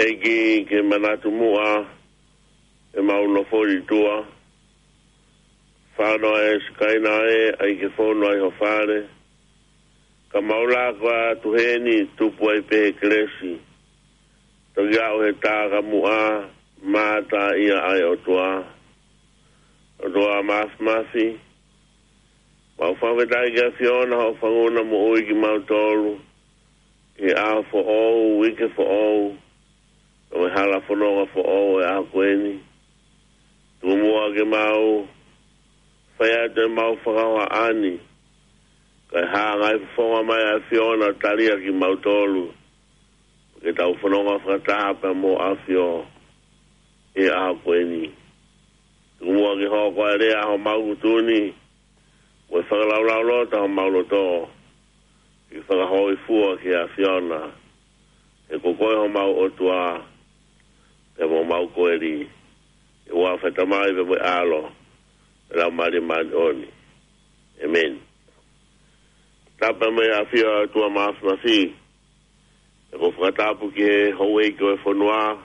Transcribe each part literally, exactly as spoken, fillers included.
ʻEiki, ke manatu muʻa ʻemau nofo ʻi tuʻa. Fānau ʻa e sikaina ē, ʻai ke fonu ai ho fale. Ka mau laka atu heni, tupu ai pē he kelesi. Toki aʻu he tā ka muʻa, mātā ia ʻa e ʻOtua. ʻOtua Māfimafi, mau fakafetaʻi ki he ʻAfiona hoʻo fanguna moʻui kimautolu. He ʻaho foʻou, uike foʻou, ʻo e hala fononga foʻou ʻo e ʻaho ko eni. Tuku muʻa ke mau fai atu ʻemau fakahohaʻa ni, kae hanga ʻe he fofonga mai ʻa e ʻAfiona ʻo tali kimautolu, ke tau fononga fakataha pea mo e ʻAfio ʻi he ʻaho ko eni. Tuku muʻa ke hoko ʻa e lea homau ngutu ni, mo e fakalaulauloto homau loto, ke fakahōifua ki he ʻAfiona. He ko koe homau ʻOtua, pea mo homau koeli, ʻi he huafa ʻo e Tamai pea mo e ʻAlo, pea mo e Laumālie Māʻoniʻoni. ʻĒmeni. Tapu mo e ʻafio ʻa e ʻOtua Māfimafi. ʻOku ou fakatapu ki he houʻeiki ʻo e fonua,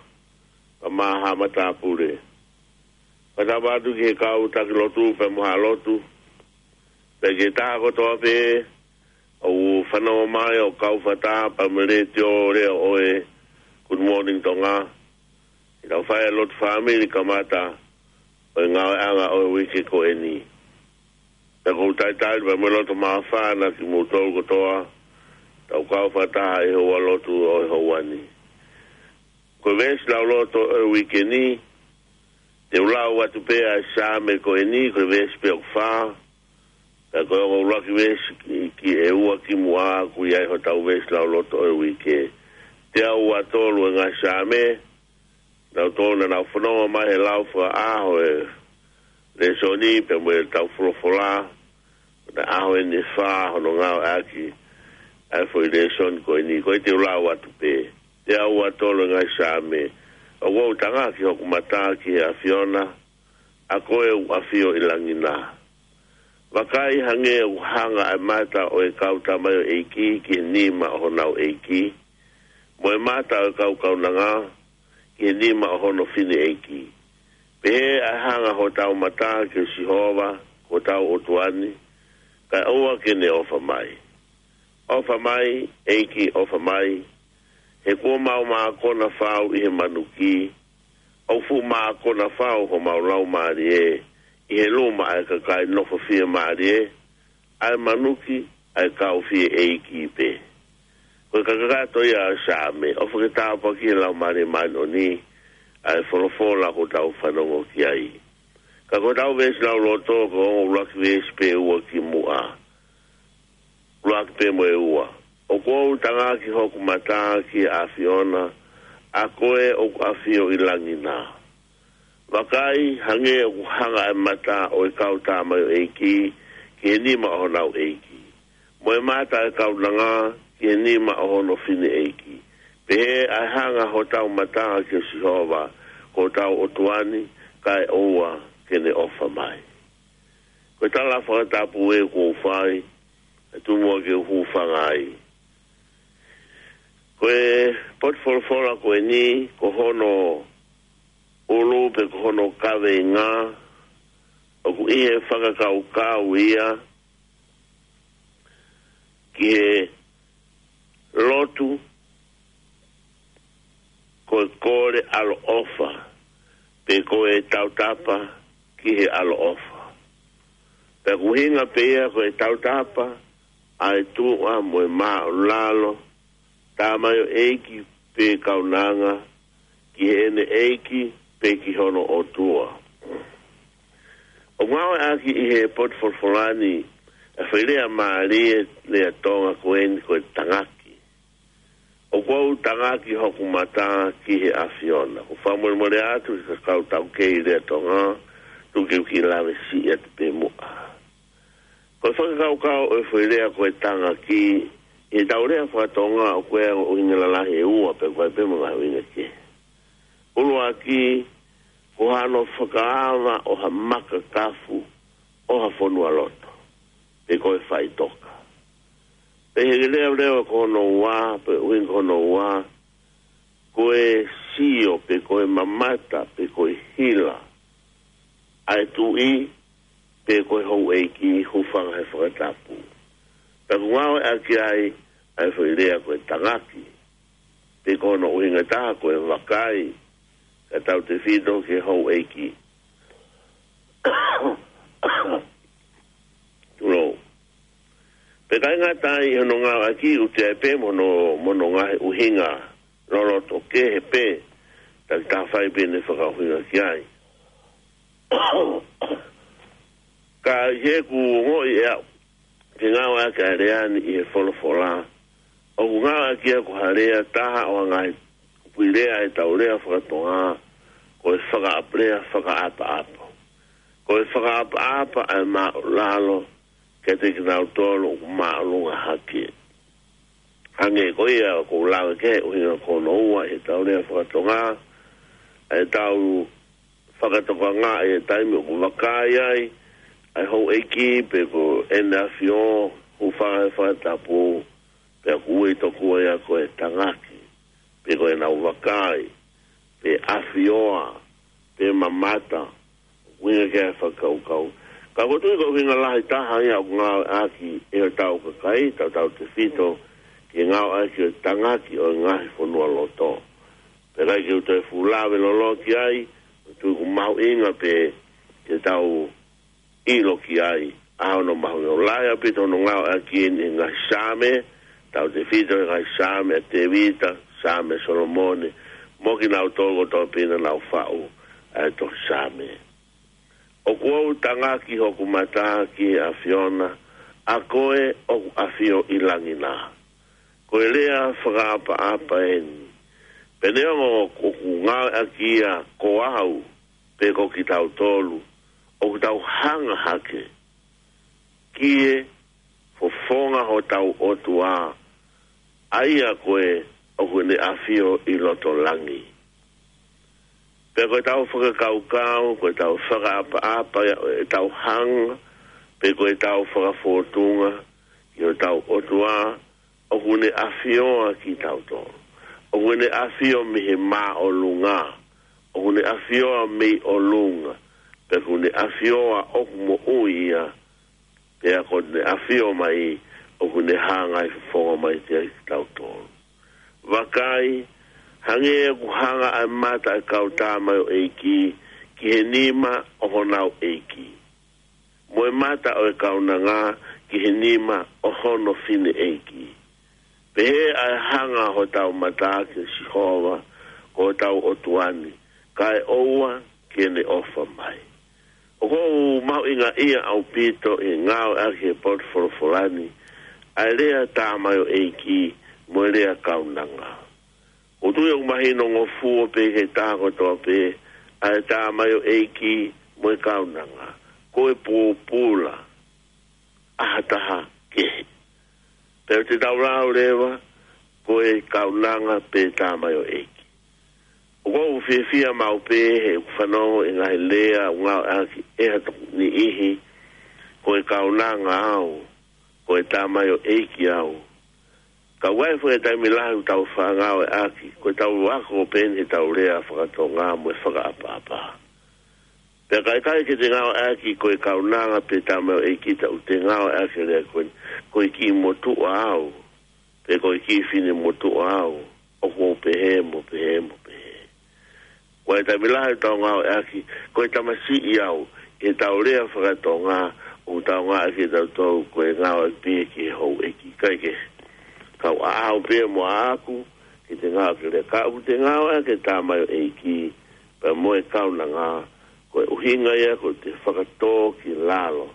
ka maha matāpule. Fakatapu atu ki he kau taki lotu pea mo haʻa lotu. Pea ki he taha kotoa pē ʻoku fanongo mai ʻo kau fakataha pea mo e letiō lea ʻo e Good Morning Tonga. ʻI heʻetau fai ʻa e lotu fāmili kamata ʻo e ngāueʻanga ʻo e uike ko eni. Pea ʻoku ou talitali pea mo e loto māfana kimoutolu kotoa, tau kau fakataha ʻi he houa lotu ʻo e houa ni. Ko e veesi lauloto ʻo e uike ni, te u lau atu pē ʻa e Saame ko eni, ko e veesi pē ʻoku fā, pea ko e ongo ʻuluaki veesi ki, ki he ua kimuʻa ʻoku ʻi ai hotau veesi lauloto ʻo e uike. Teau ua tolu e ngaahi Saame, naʻa nau tō, naʻa nau fononga mai he lau fakaʻaho ʻo e lēsoni pea mo e tau folofola, ko e ʻaho eni ʻe fā hono ngāueʻaki ʻa e foʻi lēsoni ko eni, ko ia te u lau atu pē. Teau ua tolu e ngaahi Saame. ʻOku ou tangaki hoku mata ki he ʻAfiona, ʻa koe ʻoku ʻafio ʻi langi na. Vakai, hangē ʻoku hanga ʻa e mata ʻo e kau tamaioʻeiki ki he nima ʻo honau ʻeiki, mo e mata ʻo e kau kaunanga ki he nima ʻo hono fineʻeiki. Pehē ʻa e hanga hotau mata kia Sihova ko hotau ʻOtua ni, kae ʻoua ke ne ʻofa mai. ʻOfa mai, ʻEiki, ʻofa mai, he kuo mau mākona fau ʻi he manuki, ʻoku fuʻu mākona fau homau laumālie ʻi he luma ʻa e kakai nofo fiemālie, ʻa e manuki, ʻa e kau fie ʻeiki pē. Ko e kakato ia ʻo e Saame, ʻofa ke tāpuakiʻi ʻe he Laumālie Māʻoniʻoni ʻa e folofola ʻoku tau fanongo ki ai. Ka ko hotau veesi lauloto, ko e ongo ʻuluaki veesi pē ua kimuʻa. ʻUluaki pē mo e ua. ʻOku ou tangaki hoku mata ki he ʻAfiona, ʻa koe ʻoku ʻafio ʻi langi na. Vakai, hangē ʻoku hanga ʻa e mata ʻo e kau tamaioʻeiki ki he nima ʻo honau ʻeiki, mo e mata ʻo e kaunanga ki he nima ʻo hono fineʻeiki. Pehē ʻa e hanga hotau mata kia Sihova ko hotau ʻOtua ni, kae ʻoua ke ne ʻofa mai. Ko e tala fakatapu ē ʻoku ou fai, ʻe tuku muʻa ke u hūfanga ai. Ko e potu folofola ko eni, ko hono ʻulu pe ko hono kaveinga, ʻoku ʻi he fakakaukau ia ki he lotu ko e kole ʻaloʻofa, pe ko e tautapa ki he ʻaloʻofa. Pea ʻoku ʻuhinga pē ia ko e tautapa ʻa e tuʻa mo e māʻulalo, tamaioʻeiki pe kaunanga, ki heʻene ʻeiki pe ki hono ʻOtua. ʻOku ngāueʻaki ʻi he potu folofola ni ʻa e foʻi lea mālie, lea Tonga ko eni ko e tangaki. ʻOku ou tangaki hoku mata ki he ʻAfiona. ʻOku ou fakamolemole atu ki he kau taukei lea Tonga, tuku ke u kiʻi lave siʻi atu pē muʻa. Ko e fakakaukau ʻo e foʻi lea ko e tangaki, ʻi heʻetau lea faka-Tonga ʻoku ʻi ai e ongo ʻuhinga lalahi ʻe ua pe ko e pē mo e ngaahi ʻuhinga kehe. ʻUluaki, ko hano fakaava ʻo ha makakafu ʻo ha fonualoto, pe ko e faʻitoka. Pea ʻi he leʻoleʻo ko hono ua, pe ʻuhinga ko hono ua, ko e sio, pe ko e mamata, pe ko e hila ʻa e tuʻi, pe ko e houʻeiki, hūfanga he fakatapu. Pea ʻoku ngāueʻaki ai ʻa e foʻi lea ko e tangaki, pe ko hono ʻuhinga ʻe taha ko e vakai, kae tautefito ki he houʻeiki. Tulou. Pea ʻikai ngata ai hono ngāueʻaki, ʻoku ʻi ai pē mo hono, mo hono ngaahi ʻuhinga loloto kehe pē, takitaha fai pē ʻene fakaʻuhinga ki ai. Ka ʻi heʻeku ongoʻi ʻe au, ke ngāueʻaki ʻa e lea ni ʻi he folofola, ʻoku ngāueʻaki ia ko ha lea ʻe taha ʻo e ngaahi kupuʻi lea ʻetau lea faka-Tonga, ko e fakaʻap-, lea fakaʻapaʻapa. Ko e fakaʻapaʻapa ʻa e māʻulalo kiate kinautolu ʻoku māʻolunga hake. Hangē ko ia ʻoku ou lave ki he ʻuhinga ko hono ua ʻi heʻetau lea faka-Tonga, ʻa ʻetau fakatokangaʻi e taimi ʻoku vakai ai ʻa e houʻeiki pe ko ʻEne ʻAfio, hūfanga he fakatapu, pea ʻoku ui tokua ia ko e tangaki, pe ko ʻenau vakai, pe ʻafioa, pe mamata, ʻuhinga ki he fakakaukau. Ka ʻoku ou tui ko e ʻuhinga lahi taha ia ʻoku ngāueʻaki ʻe hotau kakai, tautautefito ki he ngāueʻaki ʻo e tangaki ʻo e ngaahi fonualoto. Pea ʻikai ke u toe fuʻu lave loloto ki ai, ʻoku ou tui ʻoku mahuʻinga pē ke tau ʻilo ki ai ʻa hono mahuʻinga. ʻOku lahi ʻaupito hono ngāueʻaki ʻeni ʻi he ngaahi Saame, tautefito he ngaahi Saame ʻa Tēvita, Saame ʻa Solomone, mo kinautolu kotoa pē naʻa nau faʻu ʻa e tohi Saame. ʻOku ou tangaki hoku mata ki he ʻAfiona, ʻa koe ʻoku ʻafio ʻi langi na. Ko e lea fakaʻapaʻapa ʻeni. Pea neongo ʻoku ngāueʻaki ia ko au, pe ko kitautolu, ʻoku tau hanga hake ki he fofonga hotau ʻOtua, ʻa ia ko ē ʻoku ne ʻafio ʻi loto langi. Pea ko ʻetau fakakaukau, ko ʻetau fakaʻapaʻapa, ʻetau hanga, pe ko ʻetau fakafōtunga ki hotau ʻOtua, ʻoku ne ʻafioa kitautolu. ʻOku ne ʻafio mei he māʻolunga. ʻOku ne ʻafioa mei ʻolunga. Pea ʻoku ne ʻafioa ʻoku moʻui ia. Pea ko ʻene ʻafio mai, ʻoku ne hanga ʻo fofonga mai kiate kitautolu. Vakai, hangē ʻoku hanga ʻa e mata ʻa e kau tamaioʻeiki ki he nima ʻo honau ʻeiki, mo e mata ʻo e kaunanga ki he nima ʻo hono fineʻeiki. Pehē ʻa e hanga hotau mata kia Sihova, ko hotau ʻOtua ni, kae ʻoua ke ne ʻofa mai. ʻOku ou mahuʻingaʻia ʻaupito ʻi he ngāueʻaki he potu folofola ni ʻa e lea tamaioʻeiki mo e lea kaunanga. ʻOku ou tui ʻoku mahino ngofua pē ki he taha kotoa pē ʻa e tamaioʻeiki mo e kaunanga. Ko e pōpula ʻa ha taha kehe. Pea ʻoku tau lau leva, ko e kaunanga pe tamaioʻeiki. ʻOku ou fiefia maʻu pē heʻeku fanongo ʻi he ngaahi lea ʻoku ngāueʻaki ʻe ha tokoni niʻihi, ko e kaunanga au, ko e tamaioʻeiki au. Ka ʻoku ʻi ai foki e taimi lahi ʻoku tau faʻa ngāueʻaki, ko ʻetau ako pē ʻeni heʻetau lea faka-Tonga mo e fakaʻapaʻapa. Pea ka ʻikai ke te ngāueʻaki ko e kaunanga pe tamaioʻeiki, ta ʻoku te ngāueʻaki e lea ko eni, ko e kiʻi motuʻa au, pe ko e kiʻi finemotuʻa au, ʻoku ou pehē mo pehē mo pehē. Ko e taimi lahi ʻoku tau ngāueʻaki, ko e tamasiʻi au, ʻi heʻetau lea faka-Tonga, ʻoku tau ngāueʻaki ʻe tautolu ko e ngāueʻaki pē ki he houʻeiki, ʻikai ke kau ʻaʻaku pē mo ʻaʻaku, ke te ngāueʻaki e lea, ka ʻoku te ngāueʻaki e tamaioʻeiki, pea mo e kaunanga, ko e ʻuhinga ia ko ʻete fakatō ki lalo,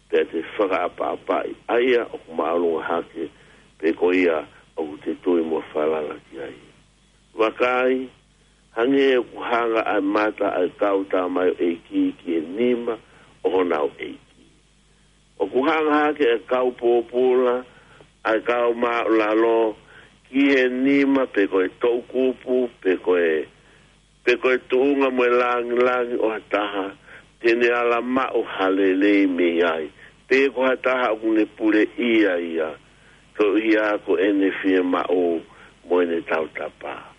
pea te fakaʻapaʻapaʻi ʻa ia ʻoku māʻolunga hake, pe ko ia ʻoku te tui mo falala ki ai. Vakai, hangē ʻoku hanga ʻa e mata ʻa e kau tamaioʻeiki ki he nima ʻo honau ʻeiki. ʻOku hanga hake ʻa e kau pōpula, ʻa e kau māʻulalo, ki he nima pe ko e toʻukupu, pe ko e, pe ko e tuʻunga mo e langilangi ʻo ha taha, te ne ala maʻu ha lelei mei ai, pe ko ha taha ʻoku ne puleʻia ia, koeʻuhi ko ʻene fiemaʻu mo ʻene tautapa.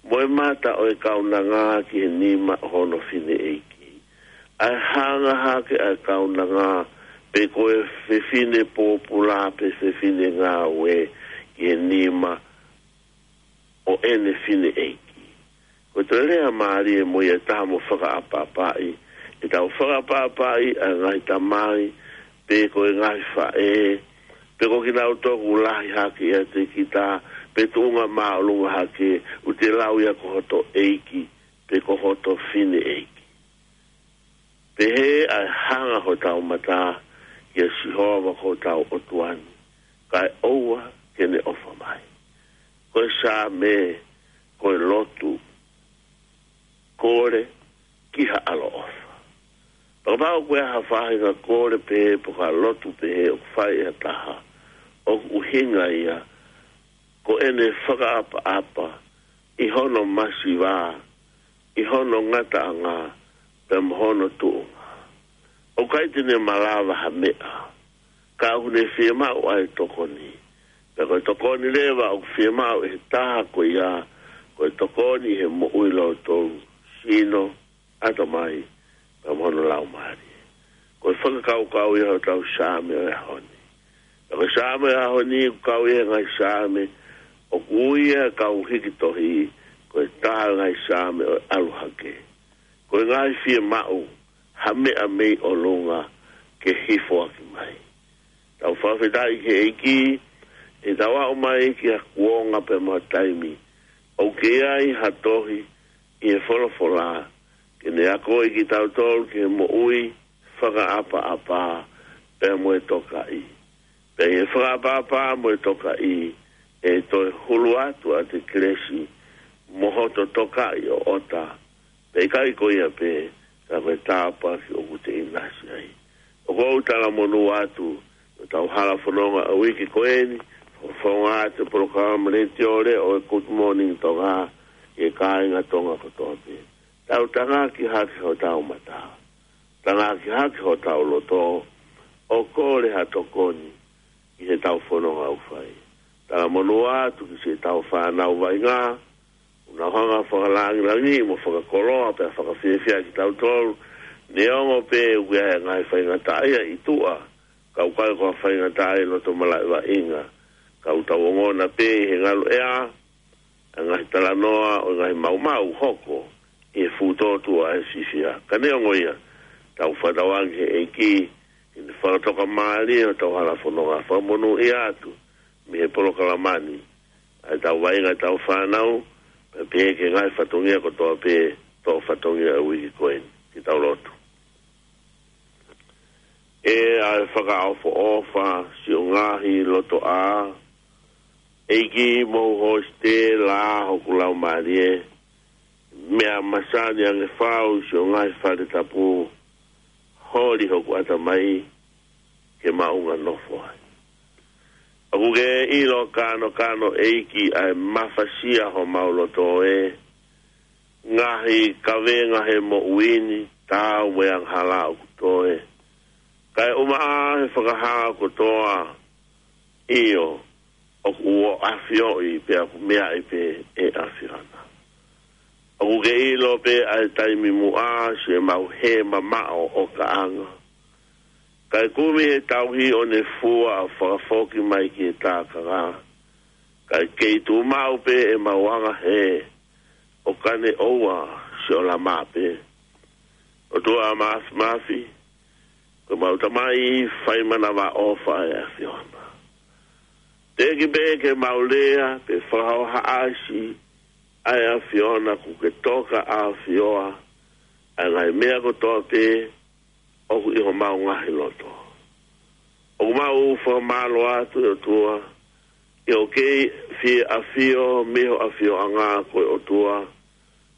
mo e mata ʻo e kaunanga ki he nima ʻo hono fineʻeiki. ʻA e hanga hake ʻa e kaunanga, pe ko e fefine pōpula, pe fefine ngāue, ki he nima ʻo ʻene fineʻeiki. Ko e toe lea mālie mo ia ʻe taha mo fakaʻapaʻapaʻi, ʻetau fakaʻapaʻapaʻi ʻa e ngaahi tamai, pe ko e ngaahi faʻē, pe ko kinautolu ʻoku lahi hake ʻiate kita, pe tuʻunga māʻolunga hake, ʻoku te lau ia ko hoto ʻeiki, pe ko hoto fineʻeiki. Pehē ʻa e hanga hotau mata kia Sihova ko hotau ʻOtua ni, kae ʻoua ke ne ʻofa mai. Ko e Saame, ko e lotu, kole ki ha ʻaloʻofa. Kapau ko e hā ha faʻahinga kole pehē pe ko ha lotu pehē ʻoku fai ʻe ha taha, ʻoku ʻuhinga ia ko ʻene fakaʻapaʻapa ʻi hono masiva, ʻi hono ngataʻanga, pea mo hono tuʻunga. ʻOku ʻikai te ne malava ha meʻa, ka ʻoku ne fiemaʻu ʻa e tokoni. Pea ko e tokoni leva ʻoku fiemaʻu ʻe he taha ko ia, ko e tokoni ʻi he moʻui loto, sino, ʻatamai, pea mo hono laumālie. Ko e fakakaukau ia hotau Saame ʻo e ʻaho ni. Pea ko e Saame ʻo e ʻaho ni, ʻoku kau ia he ngaahi Saame ʻoku ui ʻe he kau hiki tohi ko e taha ʻo e ngaahi Saame ʻo e ʻalu hake. Ko e ngaahi fiemaʻu ha meʻa mei ʻolunga ke hifo ʻaki mai. Tau fakafetaʻi ki he ʻEiki, ʻi heʻetau aʻu mai ki ha kuonga pea mo ha taimi ʻoku ʻi ai ha tohi ʻi he folofola ke ne akoʻi kitautolu ki he moʻui fakaʻapaʻapa pea mo e tokaʻi. Pea ʻi he fakaʻapaʻapa mo e tokaʻi, ʻe toe hulu atu ʻa e kelesi mo hoto tokaʻi ʻoʻota. Pea ʻikai ko ia pē, ka ko e tāpuaki ʻoku te ʻinasi ai. ʻOku ou talamonū atu, ʻi hotau hala fononga ʻo e uike ko eni, fononga atu polokalama letiō leʻo ʻo e Good Morning Tonga, ʻi he kāinga Tonga kotoa pē. Tau tangaki hake hotau mata. Tangaki hake hotau loto, ʻo kole ha tokoni, ʻi heʻetau fononga ʻoku fai. Talamonū atu ki siʻetau fānau vaʻinga, ʻoku nau hanga fakalangilangi mo fakakoloa pea fakafiefia kitautolu, neongo pē ʻoku ʻi ai e ngaahi faingataʻaʻia ʻi tuʻa, ka ʻoku ʻikai ko ha faingataʻaʻia loto malaʻe vaʻinga, ka ʻoku tau ongona pē ʻi he ngalu ʻea, ʻa e ngaahi talanoa ʻo e ngaahi maumau hoko ʻi he fuʻu tōtuʻa ʻa e fiefia. Ka neongo ia, tau fakatauange he ʻEiki, ʻi he fakatoka mālie ʻo hotau hala fononga, fakamonūʻia atu mei he polokalama ni ʻa ʻetau vaʻinga ʻetau fānau, pea pehē ki he ngaahi fatongia kotoa pē, toʻo fatongia ʻo e uike ko eni. Ke tau lotu. ʻE ʻa e fakaʻofoʻofa, siʻo ngaahi loto ʻā, ʻEiki, mou hositela hoku laumālie, meʻa masani ange fau siʻo ngaahi fale tapu, holi hoku ʻatamai ke maʻunga nofo ai. ʻOku ke ʻilo kanokano, ʻEiki, ʻa e mafasia homau loto ē, ngaahi kavenga he moʻui ni, taau mo e angahala ʻoku toe. Kae ʻumaʻā he fakahā kotoa, ʻio, ʻoku ʻafioʻi pea ʻoku meaʻi pē ʻe ʻAfiona. ʻOku ke ʻilo pē ʻa e taimi muʻa siʻemau hē mamaʻo ʻo kaʻanga. Kae kumi he tauhi ʻo ne fua ʻo fakafoki mai ki he tākanga. Kae kei tuʻu maʻu pē ʻemau anga hē, ʻo ka ne ʻoua siʻo lama pē. ʻOtua Māfimafi, ko homau Tamai fai manavaʻofa ʻa e ʻAfiona. Teʻeki pē ke mau lea pe fakahohaʻasi ʻa e ʻAfiona, kuo ke toka ʻafioʻi ʻa e ngaahi meʻa kotoa pē ʻoku ʻi homau ngaahi loto. ʻOku mau fakamālō atu ʻe ʻOtua, ʻi hoʻo kei fie ʻafio mei ho ʻafioʻanga ko e ʻOtua,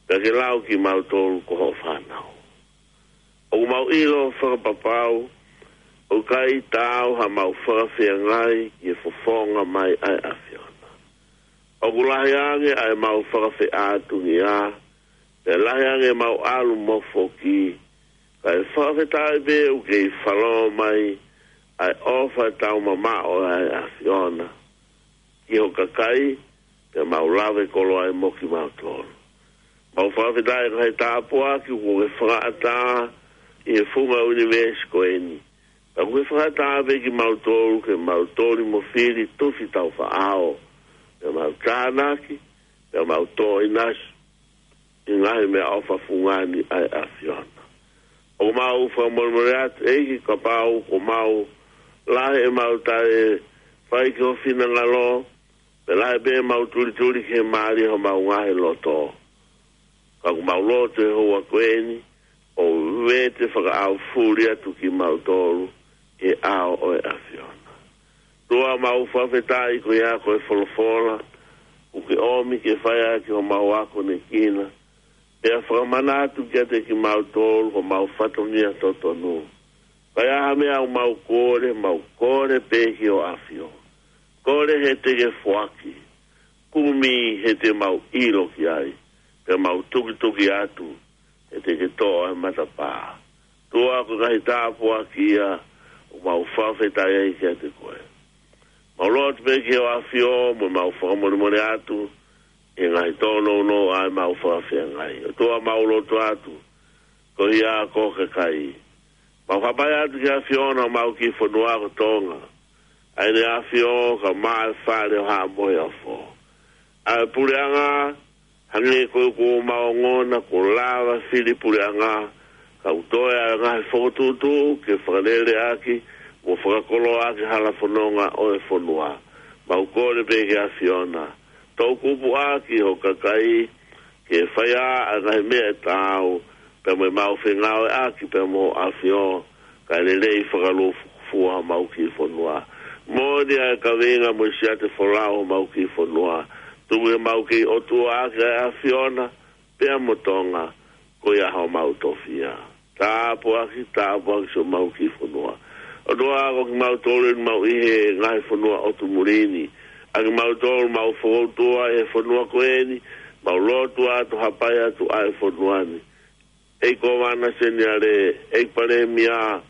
pea ke lau kimautolu ko hoʻo fānau. ʻOku mau ʻilo fakapapau, ʻoku ʻikai taau haʻamau fakafeangai ki he fofonga mai ʻa e ʻAfiona. ʻOku lahi ange ʻa ʻemau fakafeʻātungia, pea lahi ange ʻemau ʻalu mo foki, kae fakafetaʻi pē ʻoku kei falo mai ʻa e ʻofa taumamaʻo ʻa e ʻAfiona ki ho kakai, pea mau lave koloa ai mo kimautolu. ʻOku fakafetaʻi ko e ngaahi tāpuaki kuo ke fakaʻatā ʻi he funga ʻunivēsi ko eni. Ka kuo ke fakaʻatā pē kimautolu ke mau toli mo fili tufi taufaʻao, pea mau tānaki, pea mau tō ʻinasi ʻi he ngaahi meʻaʻofa fungani ʻa e ʻAfiona. ʻOku mau fakamolemole atu ʻEiki kapau kuo mau lahi ʻemau taʻe fai ki ho finangalo, pe lahi pē ʻemau tulituli ki he mālie ʻo homau ngaahi loto. Ka ʻoku mau lotu he houa ko eni, ʻo vete fakaʻaufuli atu kimautolu ʻi he ʻao ʻo e ʻAfiona. ʻOtua, mau fakafetaʻi ko ia ko e folofola kuo ke ʻomi ke fai ʻaki homau akonekina, pea fakamanatu kiate kimautolu homau fatongia totonu. Ka ai ha meʻa ʻoku mau kole, mau kole pē ki ho ʻAfio. Kole he te ke foaki, kumi he te mau ʻilo ki ai, pea mau tukituki atu he te ke toʻo ʻa e matapā. ʻOtua, ko e ngaahi tāpuaki ia ʻoku mau fakafetaʻi ai kiate koe. Mau lotu pē ki ho ʻAfio mo mau fakamolemole atu ʻi he ngaahi tōnounou ʻa ʻemau fakafeangai. ʻOtua, mau lotu atu koeʻuhi ko e kakai. Mau hapai atu ki he ʻAfiona homau kiʻi fonua ko Tonga. ʻA ʻEne ʻAfio kae ʻumaʻā e Fale ʻo Haʻa Moheofo. ʻA e puleʻanga, hangē ko ia ʻoku mau ongona, kuo lava fili puleʻanga, ka ʻoku toe ʻa e ngaahi fokotuʻutuʻu ke fakalele ʻaki mo fakakoloa ʻaki e hala fononga ʻo e fonua. Mau kole pē ki he ʻAfiona, toʻukupu ʻaki ho kakai ke fai ʻa e ngaahi meʻa ʻe taau, pea mo ʻemau fengāueʻaki pea mo ho ʻAfio, kae lelei fakalūkufua homau kiʻi fonua. Moʻoni ʻa e kaveinga mo e siate folau homau kiʻi fonua. Tuku ke mau kei ʻOtua ʻaki ʻa e ʻAfiona pea mo Tonga, ko ia homau tofiʻa. Tāpuaki, tāpuaki siʻomau kiʻi fonua. ʻOtua, ko kimautolu eni ʻoku mau ʻi he ngaahi fonua ʻotu muli ni. ʻA kimautolu ʻoku mau fokoutua ʻi he fonua ko eni, mau lotu atu, hapai atu ʻa e fonua ni. ʻEiki Kōvana Seniale, ʻEiki Palēmia,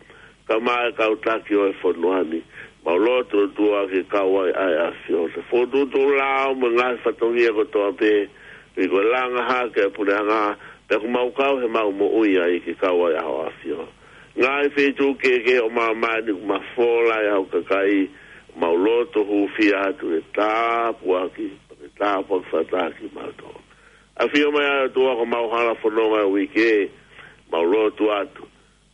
kae ʻumaʻā e kau taki ʻo e fonua ni. Mau lotu, ʻOtua, ke kau ai ʻa e ʻAfio. Ke fokotuʻutuʻu lao mo e ngaahi fatongia kotoa pē, ʻi he ko e langa hake ʻa e puleʻanga, pea ʻoku mau kau heʻemau moʻui ai ke kau ai ʻa ho ʻAfio. Ngaahi feituʻu kehekehe ʻo māmani ʻoku mafola ai ho kakai, mau lotu hūfia atu ke tāpuaki, ke tāpuaki fakataha kimautolu. ʻAfio mai ʻa e ʻOtua ko homau hala fononga ʻo e uike, mau lotu atu.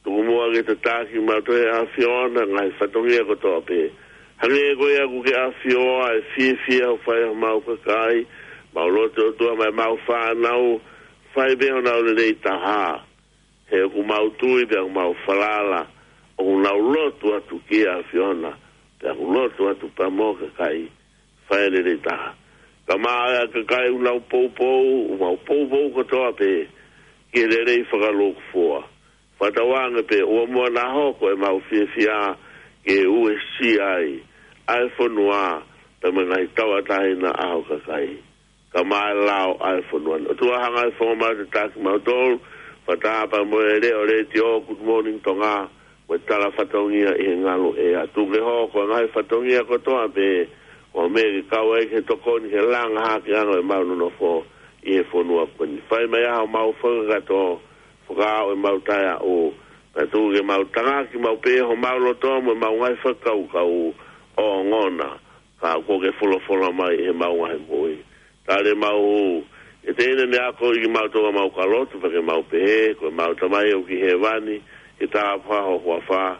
Tuku muʻa ke tataki kimautolu ʻe he ʻAfiona, ngaahi fatongia kotoa pē. Hangē ko ia ʻoku ke ʻafioʻi ʻa e fiefia ʻoku fai ʻe homau kakai, mau lotu, ʻOtua, maʻa ʻemau fānau, fai pē honau lelei taha. He ʻoku mau tui pea ʻoku mau falala, ʻoku nau lotu atu ki he ʻAfiona, pea ʻoku lotu atu pea mo ho kakai, fai e lelei taha. Kae ʻumaʻā ʻa e kakai ʻoku nau poupou, ʻoku mau poupou kotoa pē ki he lelei fakalūkufua. Fakatauange pē ʻoua muʻa naʻa hoko ʻemau fiefia ke uesia ai ʻa e fonua, pea mo e ngaahi tauʻatāina ʻa ho kakai, kae ʻumaʻā e lao ʻa e fonua ni. ʻOtua, hanga ʻo e fofonga mai ʻo tataki kimautolu, fakataha pea mo e leʻo letiō Good Morning Tonga, mo e tala fatongia ʻi he ngalu ʻea. Tuku ke hoko ʻa e ngaahi fatongia kotoa pē ko e meʻa ke kau ai ke tokoni ki he langa hake ange ʻemau nonofo ʻi he fonua ko eni. Fai mai ʻa homau fakakakato, fakaaʻu ʻemau taʻeaʻu, pea tuku ke mau tangaki maʻu pē homau loto mo ʻemau ngaahi fakakaukau ʻo ongona, ka kuo ke folofola mai ʻi heʻemau ngaahi moʻui. Tali ʻemau hū, ʻe teʻeki ke ne ako ʻi kimautolu ʻemau kalotu, pea ke mau pehē, ko ʻemau Tamai ʻoku ʻi hēvani, ke tāpuhā ho huafa,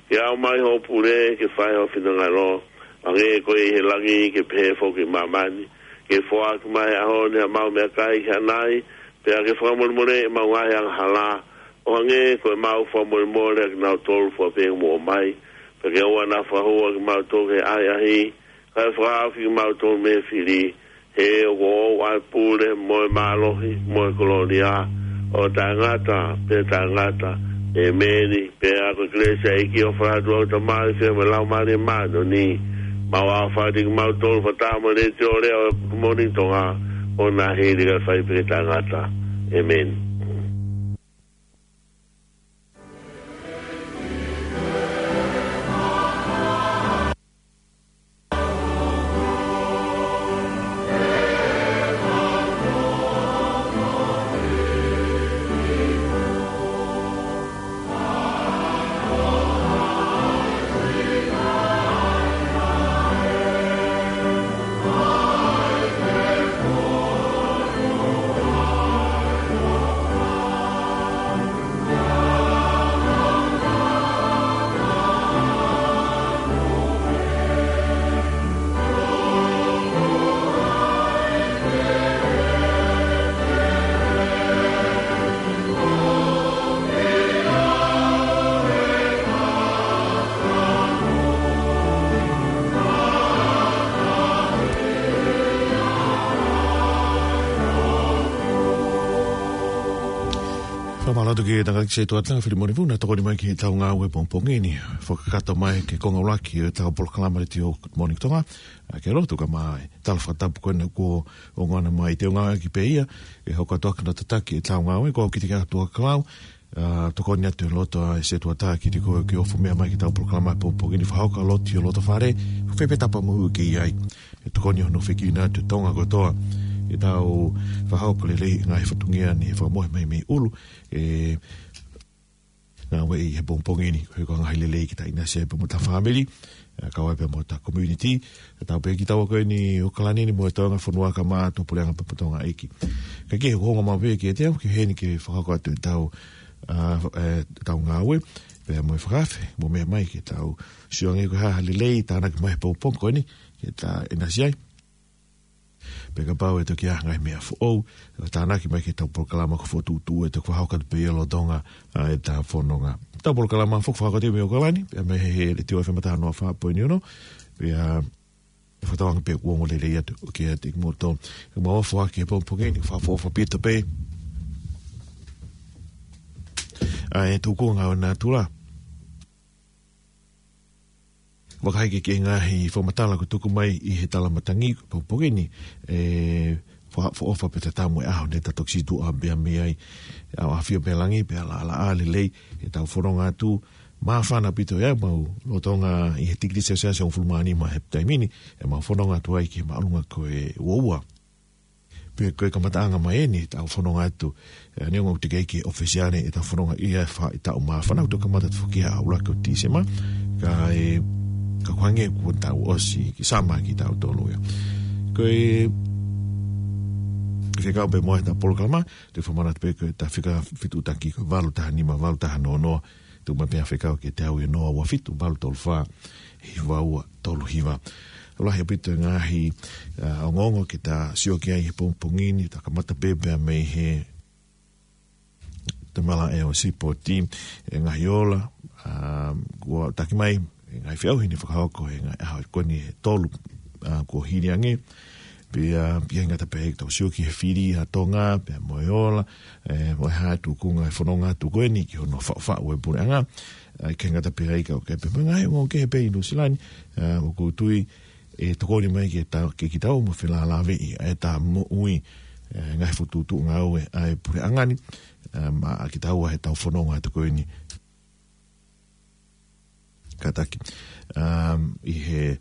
ke aʻu mai hoʻo pule, ke fai ho finangalo, hangē ko ia ʻi he langi, ke pehē foki ʻi māmani. Ke foaki mai he ʻaho ni haʻamau meʻakai ki haʻanai, pea ke fakamolemoleʻi ʻemau ngaahi angahala, ʻo hangē ko ʻemau fakamolemole ʻa kinautolu fua pē ʻoku mou ʻomai. Pea ke ʻoua naʻa fakahū ʻa kimautolu ki he ʻahiʻahi, kae fakahaofi kimautolu mei he fili, he ʻoku ʻoʻou ʻa e pule, mo e mālohi, mo e kolōlia, ʻo taʻengata pea taʻengata. ʻEmeni. Pea ko e kelesi ʻa e ʻEiki, ʻofa ʻa e ʻOtua ko e Tamai, feohi mo e Laumālie Māʻoniʻoni, mau ʻofa atu kimautolu fakataha mo e letiō leʻo ʻo e Good Morning Tonga, ʻo na hili kae fai pē ke taʻengata. ʻEmeni. Mālō atu ki he tangataʻeiki setuata, Filimoni Vuna, tokoni mai ki heʻetau ngāue pongipongi ni. Fakakakato mai ki he konga ʻuluaki ʻetau polokalama Letiō Good Morning Tonga. ʻA, ke lotu kae ʻumaʻā e tala fakatapu ko ena kuo ongona mai, te u ngāueʻaki pē ia ke hoko atu ʻaki hono tataki ʻetau ngāue. Ko au Kitike Atu ʻa Kalau, ʻa, tokoni atu e loto ʻa e setuata kiate koe ke ofo meʻa mai ki heʻetau polokalama pongipongi ni, fakahoko ʻa e lotu ʻi ho loto fale, fē pē tapa moʻui ʻokú ke ʻi ai. ʻE tokoni hono fekina atu e Tonga kotoa. ʻEtau fakahoko lelei e ngaahi fatongia ni, fakamohe mai mei ʻulu, ʻe ngāueʻi he pongipongi ni, ko e ngaahi lelei ke ta ʻinasi ai pea mo hota fāmili, ʻa, kae ʻumaʻā pea mo hota community. ʻE tau pehē kitaua ko eni ʻi ʻAokalani ni mo e Tonga fonua kae ʻumaʻā e Puleʻanga pea mo Tonga ʻEiki. Kae kehe, ʻoku ou ongoʻi maʻu pē kiate au ke u ʻi heni ke fakahoko atu ʻetau, ʻa, ʻetau ngāue, pea mo e fakaafe, mou meʻa mai ke tau sio ange ko e hā ha lelei tānaki mai he pongipongi ko eni, ke ta ʻinasi ai. Pea kapau ʻe toki ʻi ai ha ngaahi meʻa foʻou, tānaki mai ki heʻetau polokalama ko e fokotuʻutuʻu ʻe toki fakahoko atu pē ia lolotonga, ʻa, ʻetau fononga. ʻEtau polokalama foki fakakātoa mei ʻAokalani, pea mei he Letiō F M taha noa fā poini ono, pea ʻe fakatauange pē kuo ongo lelei atu kiate kimoutolu. Ke mau foaki he pongipongi ni, fakaʻofoʻofa ʻaupito pē ʻa e tūkunga ʻo e natula. Vakai ki he ngaahi fakamatala kuo tuku mai ʻi he tala matangi pongipongi ni, ʻe fakaʻofoʻofa pē tatamu e ʻaho ne ta toki situʻa pea mei ai, ʻa, ʻafio pē langi, pea laʻalaʻā lelei ʻetau fononga atu, māfana ʻaupito ia, mau lolotonga ʻi he tikilī Selesiasi hongofulu mā nima he taimi ni, ʻemau fononga atu ai ki he māʻolunga ko e uaua. Pea ko e kamataʻanga mai eni ʻetau fononga atu, ʻa, neongo ʻoku teʻeki ke ʻofisiale ʻetau fononga ia he faʻahitaʻu māfana, ʻoku tau kamata atu foki ia he ʻaho ʻuluaki ʻo Tīsema, kae, ka kuo hangē kuo tau ʻosi ki sama kitautolu ia. Ko e fekau pē mo ʻetau polokalama, te u fakamanatu pē ko ʻetau fika fetuʻutaki ko e valu taha nima, valu taha noa noa, tuku mai pē ha fekau kiate au ʻi he noa ua fitu, valu tolu fā, hiva ua tolu hiva. Lahi ʻaupito e ngaahi, ʻa, ongoongo ke ta sio ki ai he pongipongi ni, ta kamata pē pea mei he tamalaʻe ʻo e sipoti, e ngaahi ola, ʻa, kuo taki mai, e ngaahi feʻauhi ne fakahoko he ngaahi ʻaho ko eni ʻe tolu, ʻa, kuo hili ange. Pea, pea ʻikai ngata pē ai, tau sio ki he fili ʻa Tonga, pea mo e ola, ʻe, mo e hā e tūkunga e fononga atu ko eni ki hono faʻufaʻu e puleʻanga. ʻA, ʻikai ngata pē ai, ka ʻoku ʻi ai pē mo e ngaahi ongoongo kehe pē ʻi Nuʻusila ni, ʻa, ʻoku ou tui ʻe tokoni mai ke ta, ke kitaua mo felālāveʻi ʻa ʻetau moʻui, ʻe, ngaahi fokotuʻutuʻu ngāue ʻa e puleʻanga ni, ʻa, maʻa kitaua heʻetau fononga atu ko eni. Kātaki, um, ʻi he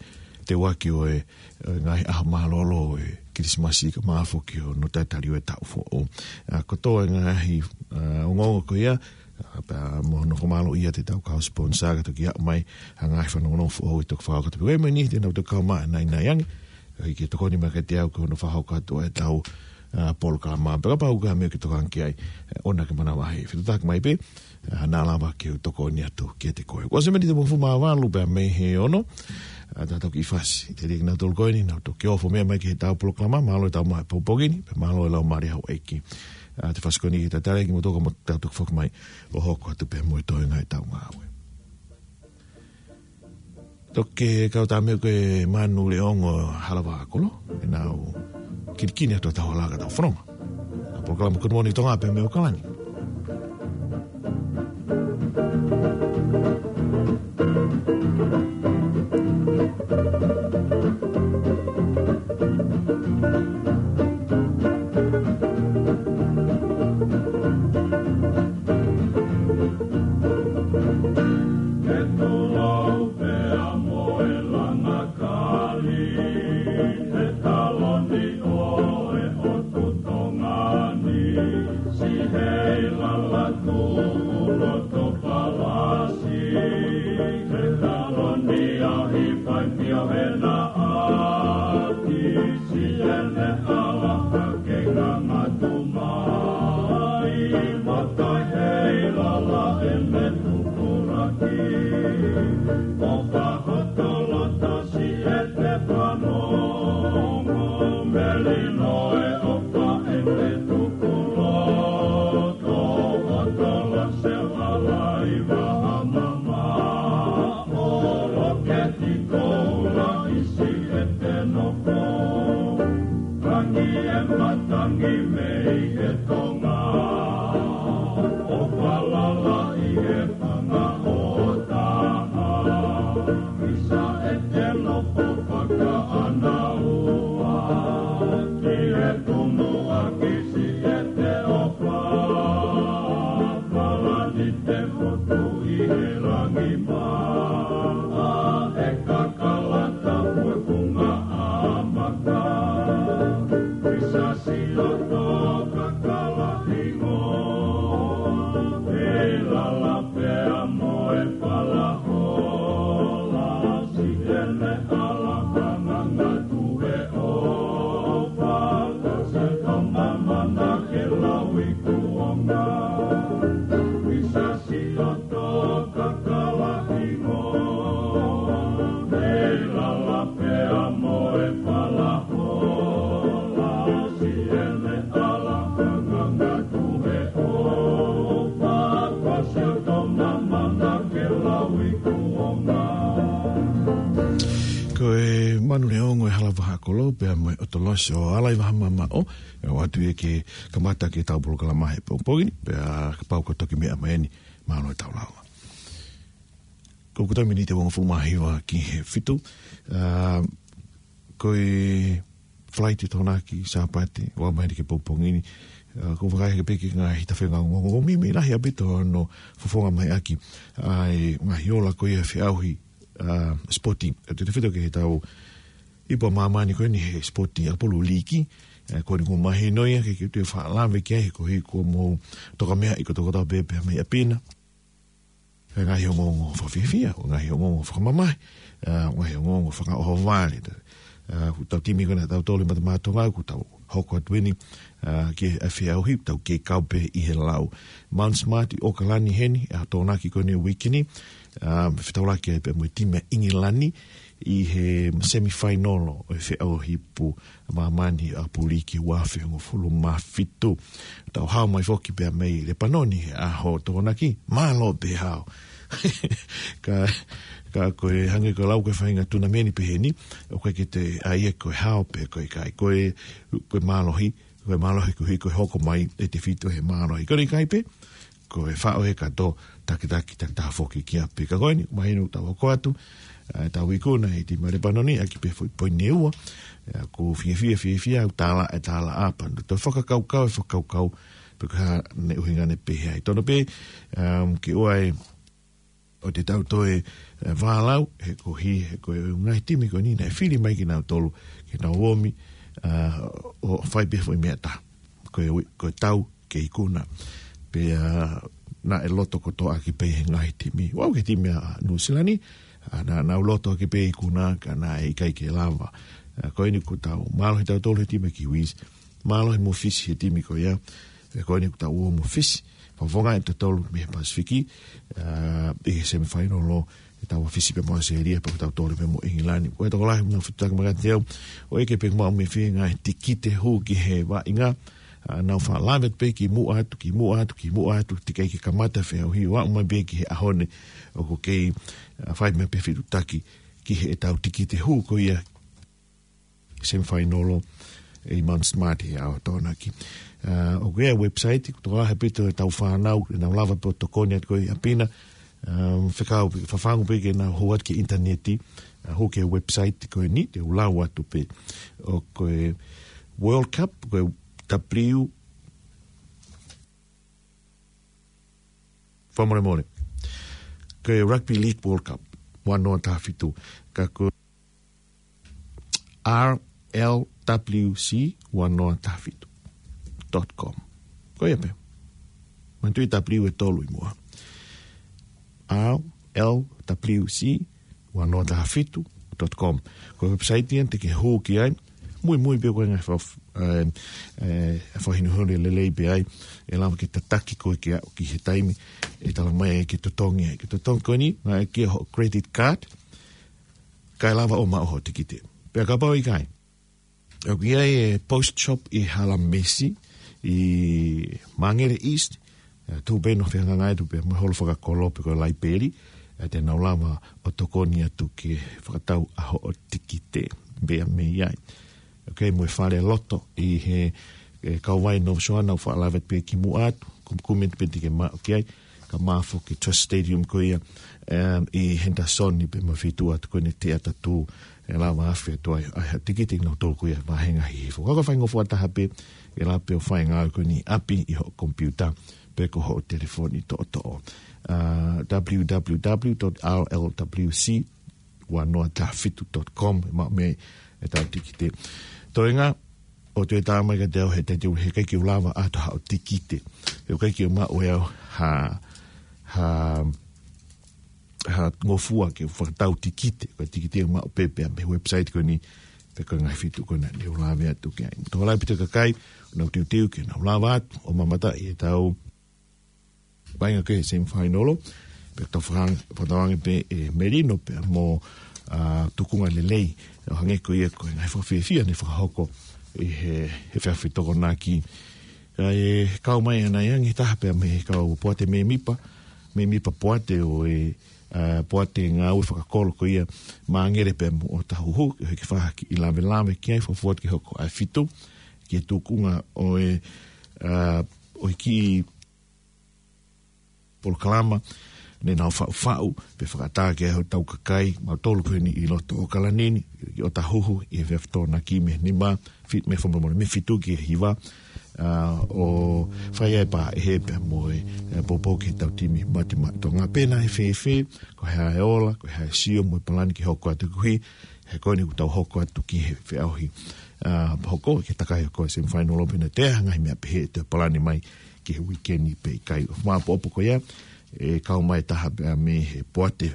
teuaki ʻo e, ʻo e ngaahi ʻaho mālōlō ʻo e Kilisimasi kae ʻumaʻā foki hono talitali ʻo e taʻu foʻou. ʻA, kotoa e ngaahi, ʻa, ongoongo ko ia, ʻa, pea mo hono fakamālō ia ʻiate ʻetau kau sponsor ka toki aʻu mai ha ngaahi fanongonongo foʻou ʻe toki fakahoko atu pē. Ko e meʻa ni te nau toki kau mai ʻanai ange, ʻa, ke tokoni mai kiate au ki hono fakahoko atu ʻetau, ʻa, polokalama. Pea kapau ʻoku ʻi ai ha meʻa ke tokanga ki ai, ʻe, ʻoua ke manavahē. Fetuʻutaki mai pē, ʻa, naʻa lava ke u tokoni atu kiate koe. Ko e semeni te mo fu mā valu pea mei he ono, ʻa, ta toki fasi. Te liki nau tolu ko eni, nau toki ofo meʻa mai ki heʻetau polokalama, mālō e tau mai pongipongi ni, pea mālō e laumālie ʻa houʻeiki. ʻA, te fasi ko eni ke tatali kimoutolu kae ta toki foki mai ʻo hoko atu pē mo e toenga ʻetau ngāue. Toki kau tā meʻa ko e Manu Leongo Halava Kolo, ʻenau kilikini atu ʻetau hala ka tau fononga. ʻA, polokalama Good Morning Tonga pē mei ʻAokalani. ʻE te nofo fakaʻānaua ki he tumuʻa ki Siʻete ʻo Palani, te fotu ʻi he langi mā, ʻa e kakala tapu e funga ʻamaka. Pisa siʻoto kakala hingoa, ʻe lala pea mo e falahola, Siʻene ʻala ka ngangatu he ʻofa, ko Siʻoto Mamana ke lau i kuonga. Pisa siʻoto kakala hingoa, ʻe lala pea mo e falahola, Siʻene ʻala ka ngangatu he ʻofa, ko Siʻoto Mamana ke lau i kuonga. Ko e Manu Leongo e Hala Vaha Kolo, pea mo e ʻOtolosi ʻo Alai Vaha Mamaʻo, ʻe ʻoatu ia ke kamata ke tau polokalama he pongipongi ni, pea kapau ko e toki meʻa mai eni, mālō e tau lava. Ko e taimi ni ʻe uangofulu mā hiva ki he fitu, ā, ko e flight ʻe Tokonaki Sāpate, ʻoku ʻomai ke pongipongi ni, ā, ko e vakai hake pē ki he ngaahi tafenga ongoongo, ʻoku meimei lahi ʻaupito hono fofonga mai ʻaki ʻa e ngaahi ola ko ia e feʻauhi, ā, sipoti. ʻE te tefito ki he tau ipu ʻa māmani ko eni he sipoti ʻa e pulu līki, ā, ko eni kuo mahino ia ke, ke te faʻa lave ki ai he ko e hiko mo toka meʻa ʻi ko tokotaha pē pea mei ʻapi na. Ko e ngaahi ongoongo fakafiefia, ko e ngaahi ongoongo fakamamahi, ā, ko e ngaahi ongoongo fakaʻohovale. Ā, ko ʻetau timi ko ena ʻa tautolu ʻi Mata Matonga, ko ʻetau hoko atu eni, ā, ki he feʻauhi, tau kei kau pē ʻi he lau. Mount Smart ʻi ʻAokalani heni, ʻa Tokonaki ko eni uike ni, ā, fetaulaki ai pē mo e timi ʻa ʻIngilani, ʻi he semifinal ʻo e feʻauhi ipu ʻa māmani ʻa e pulu līki ua afe hongofulu mā fitu. Tau hao mai foki pea mei Lepanoni he ʻaho Tokonaki, mālō pē hao. Ka, ka ko e hangē ko e lau ko e faʻahinga tunameni pehē ni, ʻoku ʻikai ke te ʻai ia ko e hao pe ko e ʻikai. Ko e, ko e mālohi, ko e mālohi ko e hiko hoko mai ʻe tefito he mālohi. Ko e ʻikai pē, ko e faʻo he kato, takitaki, takitaha foki ki ʻapi. Ka ko eni, mahino tau hoko atu, ā, tau ikuna ʻi he timi ʻa Lepanoni, ʻaki pē foʻi poini ʻe ua, ā, ko e fiefia, fiefia, ʻoku tālaʻa, ʻe tālaʻa, pea toe fakakaukau, ʻe fakakaukau, pe ko e hā ʻene ʻuhinga ʻe pehē ai. Tono pē, um, ke ʻoua ʻe, ʻo te tau toe, ē, vālau, he ko hi, he ko e ngaahi timi ko eni naʻe fili mai kinautolu, ke nau ō mai, ā, ʻo fai pē foʻi meʻa taha. Ko e ui-, ko e tau ke ikuna. Pea, ā, naʻe loto kotoa ʻaki pē he ngaahi timi. ʻOku ʻi ai e timi ʻa Nuʻusila ni, ā, naʻa nau loto ʻaki pē ikuna, ka naʻe ʻikai ke lava. Ā, ko eni ʻoku tau mālohi tautolu he timi Kiwis. Mālohi mo Fisi he timi ko ia. Ē, ko eni ʻoku tau ō mo Fisi. Fakafofonga ʻe tautolu mei he Pasifiki, ā, ʻi he semifinal ʻo ʻetau Fisi pea mo ʻAositelēlia, pea tautolu pē mo ʻIngilani. Ko e tokolahi mo fetuʻutaki mai kiate au, ʻo ʻeke pe ʻoku maʻu mei fē ngaahi tikite hū ki he vaʻinga, ā, nau faʻa lave pē kimuʻa atu, kimuʻa atu, kimuʻa atu, teʻeki ai ke kamata feʻauhi, ʻo aʻu mai pē ki he ʻaho ni, ʻoku kei, ā, fai mai pē fetuʻutaki ki heʻetau tikite hū ko ia semifinal ʻi Mount Smart ʻi he ʻaho Tokonaki. Ā, ʻoku ʻi ai e website, ʻoku tokolahi ʻaupito ʻetau fānau, ʻe nau lava pē ʻo tokoni atu ko ē ʻi ʻapi na, ā, fekau, fafangu pē ke nau hū atu ki he ʻinitaneti, ā, hū ki he website ko eni, te u lau atu pē. ʻOku ko e World Cup, ko e W, fakamolemole. Ko e Rugby League World Cup, ua noa taha fitu. Ka ko R L W C ua noa taha fitu dot com. Ko ia pē. Manatuʻi W ʻe tolu ʻi muʻa. R L W C ua noa taha fitu dot com. Ko e website ia te ke hū ki ai. Muimui pē ko e ngaahi fa-, ē, ē, fakahinohino lelei pē ai. ʻE lava ke tataki koe ke aʻu ki he taimi ʻe talamai ai ke totongi ai. Ke totongi ko eni, ngāueʻaki hoʻo credit card, kae lava ʻo maʻu hoʻo tikite. Pea kapau ʻe ʻikai, ʻoku ʻi ai e Post Shop ʻi Halamisi, ʻi Māngere East, ē, tuʻu pē ʻo fehangahangai atu pē mo e holo fakakolo pe ko e laipeli, ē, te nau lava ʻo tokoni atu ke fakatau ʻa hoʻo tikite pea mei ai. ʻOku ʻi ai mo e fale loto ʻi he, ē, kauvai North Shore, nau faʻa lave pē kimuʻa atu, kumikumi pē te ke maʻu ki ai, Ka mafo ki Trust Stadium ko ia, em, ʻi Henderson ni pea mo e feituʻu atu ko eni teʻa tatū, ʻe lava afe atu ai, ʻa e tikite ʻa kinautolu ko ia vāhenga hihifo. Ka ko e faingofua taha pē, ʻe lava pē ʻo fai e ngāue ko eni ʻi ʻapi ʻi hoʻo komipiuta, pe ko hoʻo telefoni toʻotoʻo. Ah, W W W dot R L W C ua noa taha fitu dot com, ʻe maʻu mei ai ʻetau tikite. Toenga, ʻoua toe tā mai kiate au he taimi ʻe ʻikai ke u lava ʻoatu haʻo tikite. He ʻikai ke u maʻu ʻe au ha, ha, ha ngofua ke u fakatau tikite. Ko e tikite ʻoku maʻu pē pea mei he website ko eni, pe ko e ngaahi feituʻu ko ena ne u lave atu ki ai. Tokolahi pē ʻetau kakai, ʻoku nau teuteu ke nau lava atu ʻo mamata ʻi heʻetau vaʻinga ko ē he semifinal, pea tau faka-, fakatauange pē ʻe Melino pea mo, ah, Tukunga Lelei, ʻo hangē ko ia ko e ngaahi fakafiefia ne fakahoko ʻi he, he efiafi Tokonaki. Kae kau mai ʻanai ange taha pea mei he kau poate mēmipa, mēmipa poate ʻo e, ah, poate ngāue fakakolo ko ia Māngere pea mo ʻOtahuhu, ke hiki fahaki ʻi Lavelave ki ai, fakafoki hoko ʻa e fitu, ki he tukunga ʻo e, ah, ʻo e kiʻi polokalama ne nau faʻufaʻu, pea fakaʻatā ki ai hotau kakai, mautolu ko eni ʻi loto ʻAokalani ni, ʻi ʻOtahuhu, ʻi he efiafi Tokonaki mei he nima, fi-, mei he fomomone, mei he fitu ki he hiva, ah, ʻo fai ai pē ʻe he pea mo e, eh, poupou ki heʻetau timi Matimati Tonga. Pea naʻe fēfē, ko e hā e ola, ko e hā e sio mo e palani ke hoko atu koeʻuhi, he ko eni ʻoku tau hoko atu ki he feʻauhi, ah, hoko, ke takai hoko e semifinal, pea naʻe toe ʻi ai ha ngaahi meʻa pehē ʻe toe palani mai ki he uike ni pe ʻikai. ʻO māʻopoʻopo ko ia, ʻe kau mai taha pea mei he poate,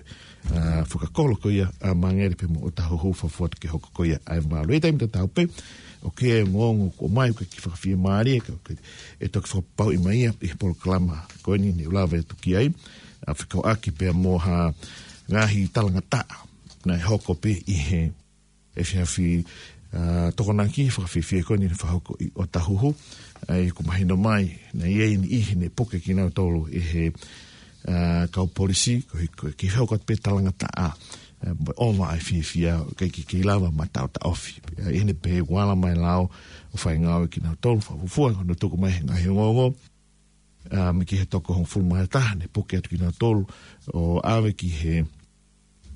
ah, fakakolo ko ia, ah, Māngere pea mo ʻOtahuhu, fakafoki atu ke hoko ko ia ʻa e valu. ʻI he taimi tatau pē, ʻoku ʻi ai e ongoongo kuo ʻomai, ʻoku ʻikai ke fakafiemālie, ka ʻoku ʻikai, ʻe toki fakapapauʻi mai ia ʻi he polokalama ko eni ne u lave atu ki ai, ah, fekauʻaki pea mo ha ngaahi talangataʻa naʻe hoko pē ʻi he efiafi, ah, Tokonaki, fakafiefia ko eni ne fakahoko ʻi ʻOtahuhu. ʻA ia ʻoku mahino mai, naʻe ʻi ai e niʻihi ne puke kinautolu ʻe he, ah, kau polisi, koeʻuhi ko e kiʻi hoko atu pē talangataʻa, ah, mo e ʻova ʻa e fiefia, ʻikai ke kei lava mataʻotaʻofi. ʻA ia ʻi heʻene pehē ʻoku ala mai e lao ʻo fai e ngāue ʻa kinautolu, fakafuofua, ko hono tuku mai he ngaahi ongoongo, ah, mei he toko hongofulu mā taha, ne puke atu kinautolu ʻo ʻave ki he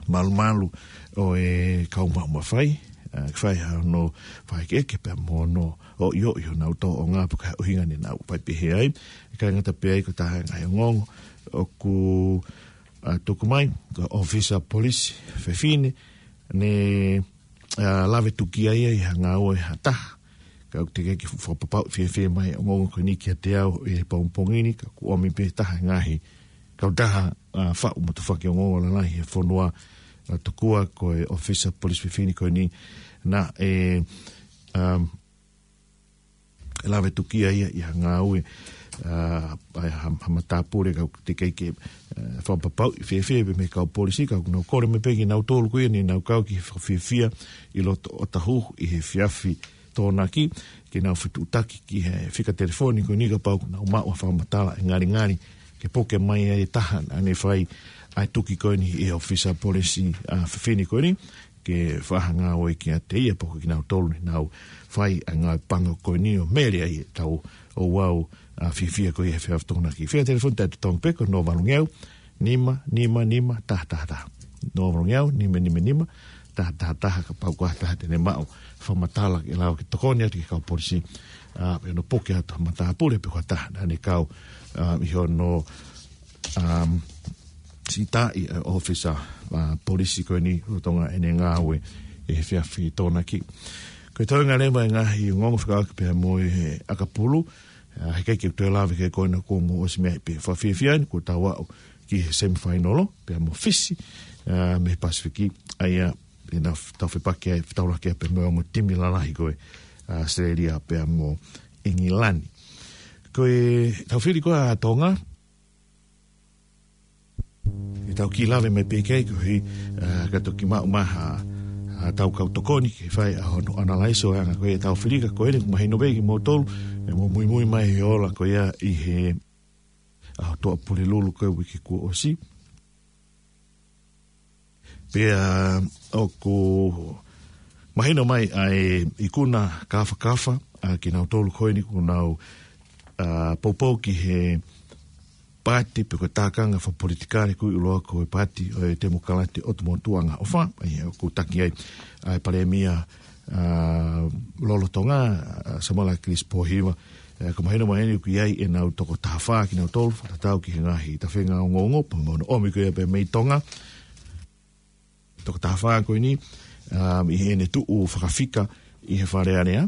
malumalu ʻo e kau maʻu mafai, ah, ke fai hano fakaʻekeʻeke pea mo hono ʻoiʻoi honau tōʻonga pe ko e hā e ʻuhinga ne nau fai pehē ai. ʻIkai ngata pē ai, ko e taha e ngaahi ongoongo ʻoku, ah, tuku mai, ko e ʻōfisa polisi fefine ne, ah, lave tukia ia ʻi ha ngāue ʻa ha taha. Ka ʻoku teʻeki ke fakapapauʻi fiefia mai e ongoongo ko eni kiate au ʻi he pongipongi ni, ka ʻoku ʻomi pē taha e ngaahi kautaha, ah, faʻu mo tufaki ongoongo lalahi he fonua, ah, tokua ko e ʻōfisa polisi fefine ko eni naʻe, um, lave tukia ia ʻi ha ngāue, ah, ʻa ha, ha matāpule, ka ʻoku teʻeki ke, ah, fakapapauʻi fiefia pē mei he kau polisi, ka ʻoku nau kole mai pē kinautolu ko ia ne nau kau ki he fakafiefia ʻi loto ʻOtahuhu ʻi he efiafi Tokonaki, ke nau fetuʻutaki ki he fika telefoni ko eni kapau ʻoku nau maʻu ha fakamatala ʻe ngalingali ke puke mai ai e taha naʻa ne fai ʻa e tuki ko eni ʻi he ʻōfisa polisi, ah, fefine ko eni, ke fakahā ngāue kiate ia pe ko kinautolu ne nau fai ʻa e ngāue pango ko eni ʻo mele ai ʻetau ouau, ah, fiefia ko ia he efiafi Tokonaki. Fika telefoni taʻetotongi pē ko e noa valu ngeau, nima nima nima, taha taha taha. Noa valu ngeau, nima nima nima, taha taha taha, kapau ko ha taha te ne maʻu fakamatala ke lava ke tokoni atu ki he kau polisi, ah, pe hono puke atu ha matāpule pe ko ha taha naʻa ne kau, ah, ʻi hono, um, sita ʻi, eh, ʻōfisa, ah, polisi ko eni lolotonga ʻene ngāue ʻi he efiafi Tokonaki. Ko e toenga leva e ngaahi ongoongo fekauʻaki pea mo e ʻakapulu, ah, heʻikai ke toe lave ki ai ko ena kuo mou ʻosi meaʻi pē. Fakafiefia eni kuo tau aʻu ki he semifinal pea mo Fisi, ah, mei he Pasifiki, ʻa ia ʻe nau f-, tau fepaki ai, fetaulaki ai pea mo e ongo timi lalahi ko ē, ah, ʻAositelēlia pea mo ʻIngilani. Ko ʻetau fili ko ē ʻa Tonga, ʻe tau kiʻi lave mai pē ki ai koeʻuhi, ah, ka toki maʻu mai ha, ha tau kau tokoni ke fai ʻa hono analyze ʻo e anga ko ē ʻetau fili, ka ko eni ʻoku mahino pē kimoutolu, ʻe mou muimui mai he ola ko ia ʻi he ʻAho Toʻa Pulelulu ko ē uike kuo ʻosi. Pea ʻoku mahino mai ʻa e ikuna kāfakafa ʻa kinautolu ko eni kuo nau, ah, poupou ki he paati pe ko e tākanga fakapolitikale ʻoku ui ʻiloa ko e Paati ʻo e Temokalati ʻo Tuʻanga ʻOfa, ʻa ia ʻoku taki ai ʻa e Palēmia, ā, lolotonga, ā, Samala Kilisi Pōhiva. Ē, ʻoku mahino mai eni ʻoku ʻi ai ʻenau toko taha fā kinautolu, fakatatau ki he ngaahi tafenga ongoongo, pea mo hono ʻomi ko ia pē mei Tonga. Toko taha fā ko eni, ā, ʻi heʻene tuʻu fakafika ʻi he Fale Alea,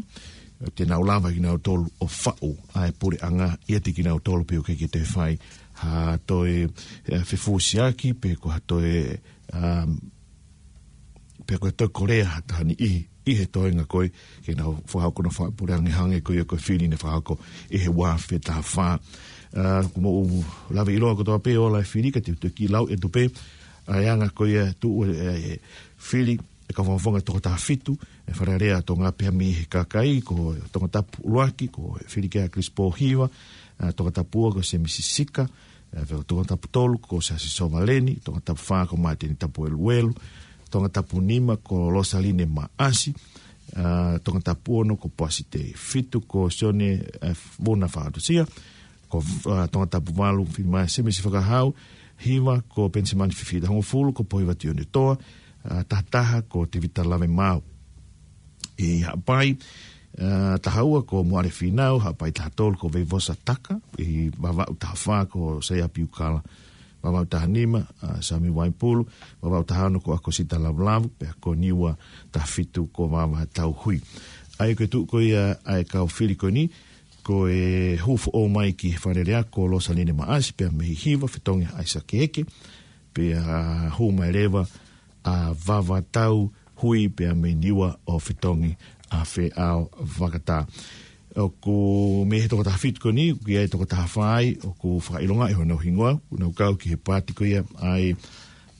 te nau lava kinautolu ʻo faʻu ʻa e puleʻanga ʻiate kinautolu pē ʻoku ʻikai ke toe fai ha toe, ē, fefusiaki pe ko ha toe, ā, pe ko e toe kolea ha taha ni ʻi, ʻi he toenga ko ē ke nau fakahoko hono faʻu puleʻanga hangē ko ia ko e fili naʻe fakahoko ʻi he ua afe taha fā. Ā, ʻoku mou lave ʻiloa kotoa pē ʻa e ola e fili, ka te u toki lau atu pē ʻa e anga ko ia e tuʻu e, e fili ʻa e kau fakafofonga toko taha fitu ʻa e Fale Alea ʻa Tonga pea mei he kakai, ko Tongatapu ʻuluaki, ko Filikea Kilisi Pōhiva, ā, Tongatapu ua ko Semisi Sika, ā, Tongatapu tolu ko Siaosi Sovaleni, Tongatapu fā ko Māteni Tapueluelu, Tongatapu nima ko Losaline Maʻasi, ā, Tongatapu ono ko Poasi Tei, fitu ko Sione, ā, Vuna Faʻatusia, ko, ā, Tongatapu valu, Filimai Semisi Fakahau, hiva ko Penisimani Fifita, hongofulu ko Pōhiva Tione Toa, ā, taha taha ko Tevita Lavemaau. ʻI Haʻapai, ā, taha ua ko Moale Fīnau, Haʻapai taha tolu ko Veivosa Taka, ʻi Vavaʻu taha fā ko Saia Piukala, Vavaʻu taha nima, ā, Sami Vaipulu, Vavaʻu taha ono ko ʻAkosita Lavulavu, pea ko Niua taha fitu ko Vava Tauhui. ʻA ia ko e tuʻu ko ia ʻa e kau fili ko eni, ko e hū foʻou mai ki he Fale Alea ko Losaline Maʻasi pea mei Hiva, fetongi ʻAisake Eke, pea hū mai leva ʻa Vava Tauhui pea mei Niua ʻo fetongi ʻa Feʻao Vakatā. ʻOku mei he toko taha fitu ko eni, ʻoku ʻi ai e toko taha fā ai, ʻoku fakaʻilongaʻi hono hingoa, ʻoku nau kau ki he paati ko ia ʻa e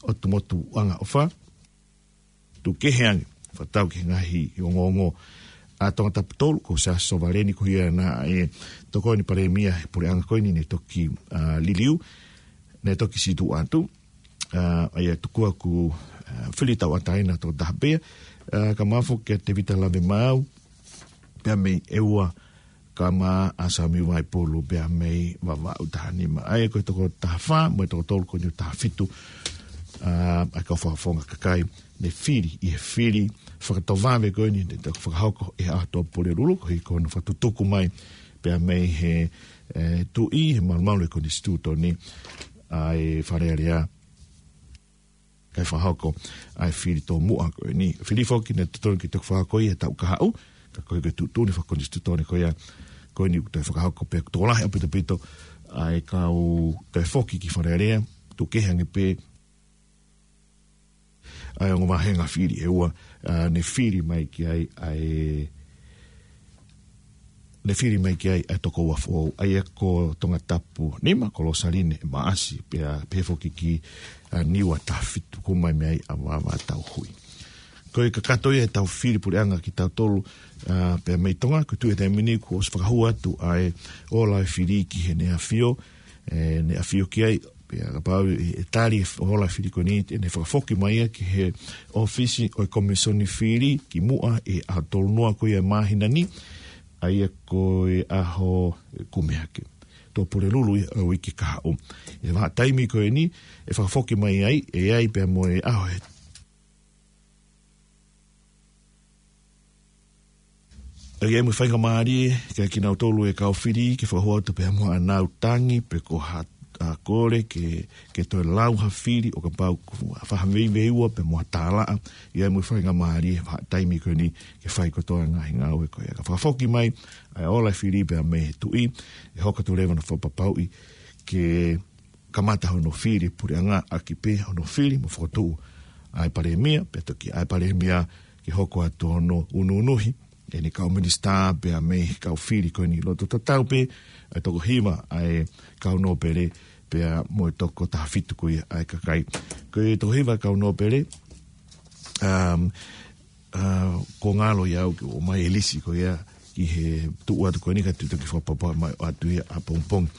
ʻOtu Motu ʻAngaʻofa. Tuʻu kehe ange, fakatatau ki he ngaahi ongoongo, ʻa Tongatapu tolu ko Siaosi Sovaleni, ko ia naʻe tokoni Palēmia he puleʻanga ko eni naʻe toki, ā, liliu, naʻe toki situʻa atu, ā, ʻa ia tuku ʻoku, ā, fili tauʻatāina toko taha pē, ā, kae ʻumaʻā foki ʻa Tevita Lavemaau, pea mei ʻEua, kae ʻumaʻā ʻa Sami Vaipulu pea mei Vavaʻu taha nima. ʻA ia ko e toko taha fā mo e toko tolu ko eni ʻo taha fitu, ā, ʻa e kau fakafofonga kakai naʻe fili ʻi he fili fakatovave ko eni naʻe toki fakahoko ʻi he ʻaho Tuʻapulelulu, ko ia ko hono fakatutuku mai pea mei he, ē, Tuʻi, he malumalu ʻo e Konisitūtone ʻa e Fale Alea, kae fakahoko ʻa e fili tomuʻa ko eni. Fili foki naʻe totonu ke toki fakahoko ia he taʻu kahaʻu, ka ko e tuʻutuʻuni fakakonisitūtone ko ia ko eni ʻoku toe fakahoko pea ʻoku tokolahi ʻaupito ʻaupito ʻa e kau toe foki ki Fale Alea, tuʻu kehe ange pē ʻa e ongo vāhenga fili ʻe ua, ā, naʻe fili mai ki ai ʻa e naʻe fili mai ki ai ʻa e tokoua foʻou, ʻa ia ko Tongatapu nima, ko Losaline Maʻasi, pea pehē foki ki, ā, Niua taha fitu, ko e hū mai mei ai ʻa Vava Tauhui. Ko e kakato ia ʻetau fili puleʻanga kitautolu, ā, pea mei Tonga, ko e tuʻu he taimi ni kuo ʻosi fakahū atu ʻa e ola e fili ki Heʻene ʻAfio, ē, ʻEne ʻAfio ki ai, pea kapau ʻe tali e ola e fili ko eni, te ne fakafoki mai ia ki he ʻōfisi ʻo e Komisoni Fili kimuʻa ʻi he ʻaho tolu noa ko ia ʻo e māhina ni, ʻa ia ko e ʻaho Kumi Hake. Tuʻapulelulu ia ʻo e uike kahaʻu. ʻI he vahaʻa taimi ko eni, ʻe fakafoki mai ai, ʻe ʻi ai pea mo e ʻaho ʻe ʻE ʻi ai mo e faingamālie kia kinautolu e kau fili ke fakahū atu pea mo haʻanau tangi pe ko ha, ā, kole ke, ke toe lau ha fili ʻo kapau ʻoku fai ha veiveiua pea mo ha tālaʻa. ʻI ai mo e faingamālie he vahaʻa taimi ko eni ke fai kotoa e ngaahi ngāue ko ia. Ka fakafoki mai ʻa e ola e fili pea mei he Tuʻi, ʻe hoko atu leva hono fakapapauʻi ke kamata hono fili puleʻanga ʻaki pē hono fili mo fokotuʻu ʻa e Palēmia, pea toki ʻa e Palēmia ke hoko atu hono ʻunuʻunuhi ʻene kau minisitā pea mei he kau fili ko eni, loto tatau pē ʻa e toko hiva ʻa e kau nōpele pea mo e toko taha fitu ko ia ʻa e kakai. Ko e toko hiva ʻa e kau nōpele, um, ā, ʻoku ngalo ʻia au ke ʻomai e lisi ko ia ki he tuʻu atu ko eni ka te u toki fakapapauʻi mai atu ia ʻapongipongi.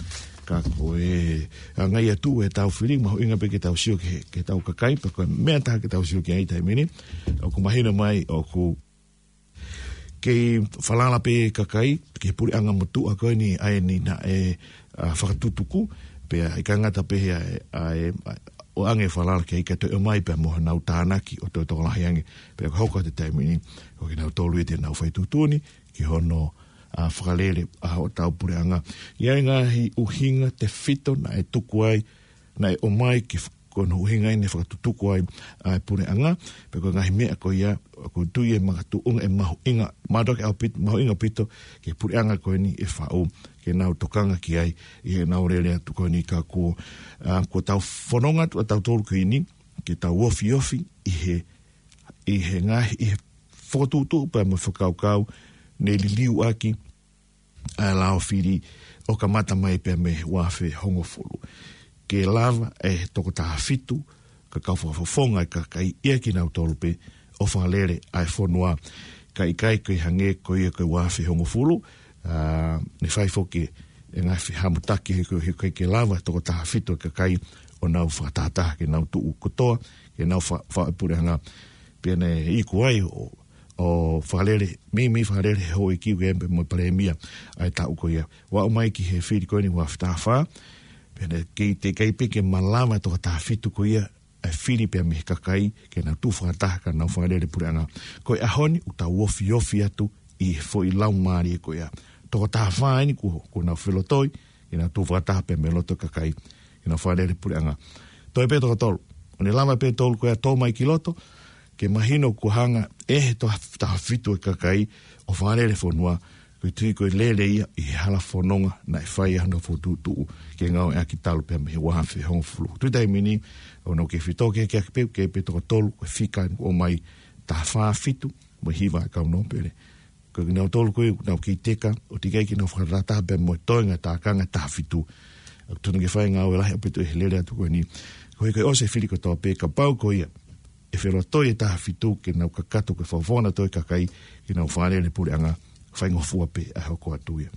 Ka ko e, ā, ngaahi ʻa e tuʻu ʻetau fili, mahuʻinga pē ke tau sio ki he, ki heʻetau kakai, pea ko e meʻa ʻe taha ke tau sio ki ai he taimi ni, ʻoku mahino mai ʻoku kei falala pē kakai ki he puleʻanga motuʻa ko eni ʻa eni naʻe, ā, fakatutuku, Pea ʻikai ngata pē he ʻa e, ʻa e, ʻa e, ʻoange falala ke ʻikai toe ʻomai pea mo honau tānaki ʻo toe tokolahi ange. Pea ko e hoko atu e taimi ni, ko kinautolu ia te nau fai tuʻutuʻuni ki hono, ʻa, fakalele ʻa hotau puleʻanga. ʻI ai e ngaahi ʻuhinga tefito naʻe tuku ai, naʻe ʻomai ke f-, ko hono ʻuhinga ia naʻe fakatutuku ai ʻa e puleʻanga, pea ko e ngaahi meʻa ko ia, ʻoku ou tui ʻe makatuʻunga ʻe mahuʻinga, mātuʻaki ʻaupito, mahuʻinga ʻaupito ki he puleʻanga ko eni ʻe faʻu, ke nau tokanga ki ai ʻi heʻenau lele atu ko eni ka ko, ʻa, ko ʻetau fononga atu ʻa tautolu ko eni, ke tau ofiofi ʻi he, ʻi he ngaahi, ʻi he fokotuʻutuʻu pea mo e fakakaukau naʻe liliu ʻaki ʻa e lao fili ʻo kamata mai pea mei he ua afe hongofulu. Ke lava ʻe he toko taha fitu, ka kau fakafofonga e kakai ia kinautolu pē ʻo fakalele ʻa e fonua. Ka ʻikai ke hangē ko ia ko e ua afe hongofulu, ʻa, naʻe fai foki e ngaahi fehamutaki he ko, he ko ke lava toko taha fitu e kakai ʻo nau fakatahataha ke nau tuʻu kotoa, ke nau fa-, fa-, puleʻanga. Pea naʻe iku ai ʻo, ʻo fakalele, meimei fakalele he houʻeiki ʻo e M P mo e palēmia ʻa e taʻu ko ia. ʻO aʻu mai ki he fili ko eni ua afe taha fā, pea naʻe kei teʻeki ai pē ke malava toko taha fitu ko ia, ʻa e fili pea mei he kakai, ke nau tuʻu fakataha ka nau fakalele puleʻanga. Ko e ʻaho ni, ʻoku tau ofiofi atu ʻi he foʻi laumālie ko ia. Toko taha fā eni kuo, kuo nau felotoi, ke nau tuʻu fakataha pea mei loto e kakai, ke nau fakalele puleʻanga. Toe pē toko tolu. ʻO ne lava pē tolu ko ia ʻo tō mai ki loto, ke mahino kuo hanga ʻe he toko taha fitu e kakai ʻo fakalele fonua, ko e tui ko e lele ia ʻi he hala fononga naʻe fai ai hono fokotuʻutuʻu ke ngāueʻaki talu pea mei he ua afe hongofulu. Tuʻu taimi ni, ʻoku nau kei fetōkehekehe pē, kei pē toko tolu, ko e fika eni kuo ʻomai, taha fā fitu, mo e hiva e kau nōpele. Ko kinautolu ko ē, nau kei teka, ʻo teʻeki ai ke nau fakatahataha pea mo e toenga tākanga taha fitu. ʻOku totonu ke fai e ngāue lahi ʻaupito he lele atu ko eni. Ko e, ko e ʻosi e fili kotoa pē kapau ko ia ʻe felotoi e taha fitu ke nau kakato ke fakafofonga atu e kakai, ke nau fakalele puleʻanga, faingofua pē ʻa e hoko atu ia.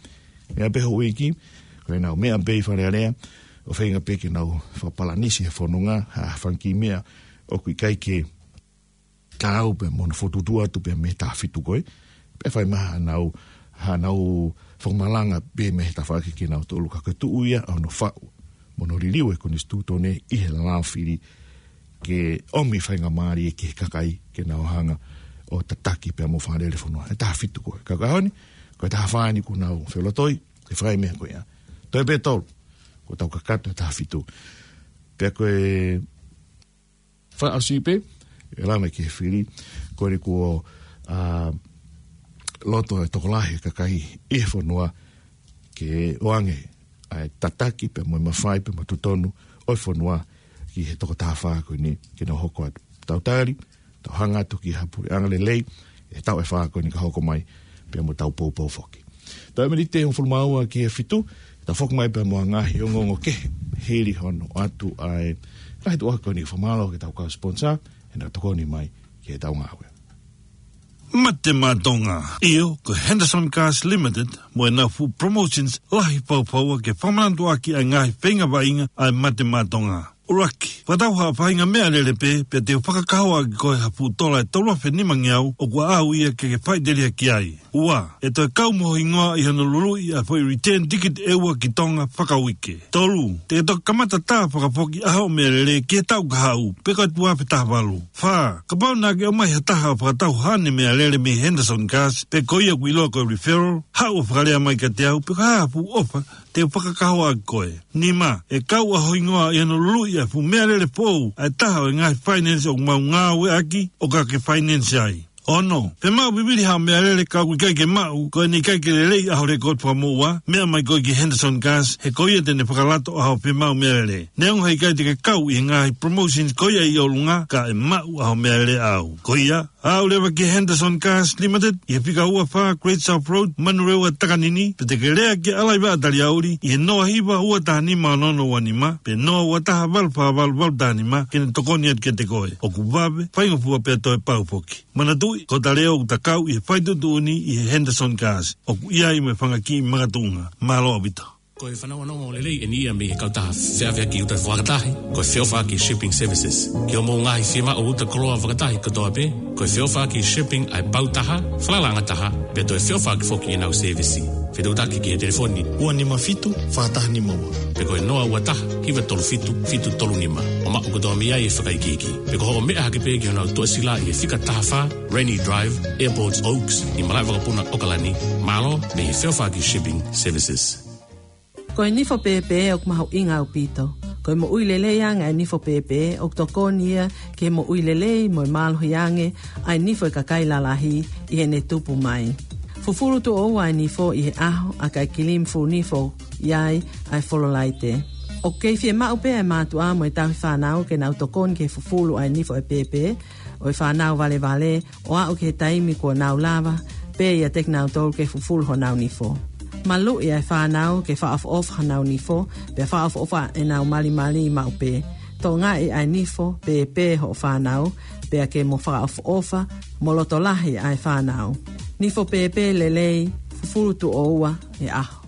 Meʻa pē houʻeiki, ko ʻenau meʻa pē ʻi Fale Alea, ʻo feinga pē ke nau fakapalanisi he fononga, ha fanga kiʻi meʻa ʻoku ʻikai ke taau pea mo hono fokotuʻutuʻu atu pea mei he taha fitu ko ē. Pea fai mai haʻanau, haʻanau fakamalanga pē mei he tafaʻaki kinautolu ka ko e tuʻu ia ʻa hono faʻu mo hono liliu e konisitūtone ʻi he lao fili ke ʻomi faingamālie ki he kakai ke nau hanga ʻo tataki pea mo fakalele fonua. E taha fitu ko ē. Ka ko e ʻaho ni, ko e taha fā eni kuo nau felotoi, ke fai e meʻa ko ia. Toe pē tolu, kuo tau kakato e taha fitu. Pea ko e fakaʻosi pē, ʻe lava mai ki he fili, ko eni kuo, ʻa, loto e tokolahi e kakai ʻi he fonua ke ʻoange ʻa e tataki pea mo e mafai pea mo e totonu ʻo e fonua ki he toko taha fā ko eni ke nau hoko atu. Tau tali, tau hanga atu ki ha puleʻanga lelei, he taʻu ʻe fā ko eni ka hoko mai, pea mo ʻetau poupou foki. Taimi ni ʻe hongofulu mā ua ki he fitu, tau foki mai pea mo e ngaahi ongoongo kehe, hili hono ʻoatu ʻa e ngaahi tuʻuaki ko eni. Fakamālō ki heʻetau kau sponsor, heʻenau tokoni mai ki heʻetau ngāue. Mate Maʻa Tonga. ʻIo, ko Henderson Gas Limited, mo ʻenau fuʻu promotions lahi fakafaʻahinga ke fakamanatuʻaki ʻa e ngaahi feinga vaʻinga ʻa e Mate Maʻa Tonga. ʻUluaki, fakatau ha faʻahinga meʻalele pē, pea te u fakakahoa ʻaki koe ha fuʻu tola ʻe tolu afe nimangeau, ʻoku ʻaʻau ia ke ke faʻiteliha ki ai. Ua, ʻe toe kau mo ho hingoa ʻi hono luluʻi ʻa e foʻi return ticket ʻe ua ki Tonga fakauike. Tolu, te ke toki kamata tā fakafoki ʻa hoʻo meʻalele ki he taʻu kahaʻu, pe ko e ua afe taha valu. Fā, kapau naʻa ke ʻomai ha taha ʻo fakatau haʻane meʻalele mei Henderson Gas, pe ko ia ʻoku ʻiloa ko e referral, haʻu ʻo fakalea mai kiate au, pe ko e hā ha fuʻu ʻofa te u fakakahoa ʻaki koe. Nima, ʻe kau ʻa ho hingoa ʻi hono luluʻi ʻa e fuʻu meʻalele foʻou ʻa e taha ʻo e ngaahi finance ʻoku mau ngāueʻaki ʻo ka ke finance ai. Ono, fiemaʻu vivili haʻo meʻalele ka ʻoku ʻikai ke maʻu, ko ʻene ʻikai ke lelei ʻa ho record fakamoʻua, meʻa mai koe ki Henderson Gas, he ko ia te ne fakalato ʻa hoʻo fiemaʻu meʻalele. Neongo he ʻikai te ke kau ʻi he ngaahi promotions ko ia ʻi ʻolunga, ka ʻe maʻu ʻa hoʻo meʻalele ʻaʻau. Ko ia, aʻu leva ki Henderson Gas Limited, ʻi he fika ua fā Great South Road, Manurewa, Takanini, pe te ke lea kia Alaiva Taliauli, ʻi he noa hiva ua taha nima ono ono ua nima, pe noa ua taha valu fā valu valu taha nima, ke ne tokoni atu kiate koe. ʻOku vave, faingofua pea toe pau foki. Manatuʻi, ko hota leʻo ʻoku ta kau ʻi he fai tuʻutuʻuni ʻi he Henderson Gas. ʻOku ʻi ai mo e fanga kiʻi makatuʻunga. Mālō ʻaupito. Ko e fanongonongo lelei ʻeni ia mei he kautaha feʻaveʻaki uta fakatahi, ko e Feʻofaʻaki Shipping Services. Ki hoʻomou ngaahi fiemaʻu uta koloa fakatahi kotoa pē, ko e Feʻofaʻaki Shipping ʻa e pau taha, falalaʻanga taha, pea toe feʻofaʻaki foki ʻenau sēvisi. Fetuʻutaki ki he telefoni ua nima fitu, fā taha nima ua. Pe ko e noa ua taha, hiva tolu fitu, fitu tolu nima. ʻO maʻu kotoa mei ai e fakaikiiki. Pe ko hoʻo meʻa hake pē ki honau tuʻasila ʻi he fika taha fā, Rainy Drive, Airport Oaks, ʻi Malaʻevakapuna, ʻOkalani. Mālō, mei he Feʻofaʻaki Shipping Services. Ko e nifo pēpē ʻoku mahuʻinga ʻaupito. Ko e moʻui lelei ange ʻa e nifo pēpē, ʻoku tokoni ia ki he moʻui lelei mo e mālohi ange ʻa e nifo ʻa e kakai lalahi ʻi heʻene tupu mai. Fufulu tuʻo ua ʻa e nifo ʻi he ʻaho, ʻa e kilimi fulu nifo ʻi ai ʻa e fololaite. ʻOku kei fiemaʻu pē ʻa e mātuʻa mo e tauhi fānau ke nau tokoni ki he fufulu ʻa e nifo ʻa e pēpē ʻo e fānau valevale, ʻo aʻu ki he taimi kuo nau lava pē ʻiate kinautolu ke fufulu honau nifo. Maluʻi ʻa e fānau ke fakaʻofoʻofa honau nifo, pea fakaʻofoʻofa ʻenau malimali maʻu pē. Tokangaʻi ʻa e nifo pēpē hoʻo fānau, pea ke mo fakaʻofoʻofa mo loto lahi ʻa e fānau. Nifo pēpē lelei, fufulu tuʻo ua he ʻaho.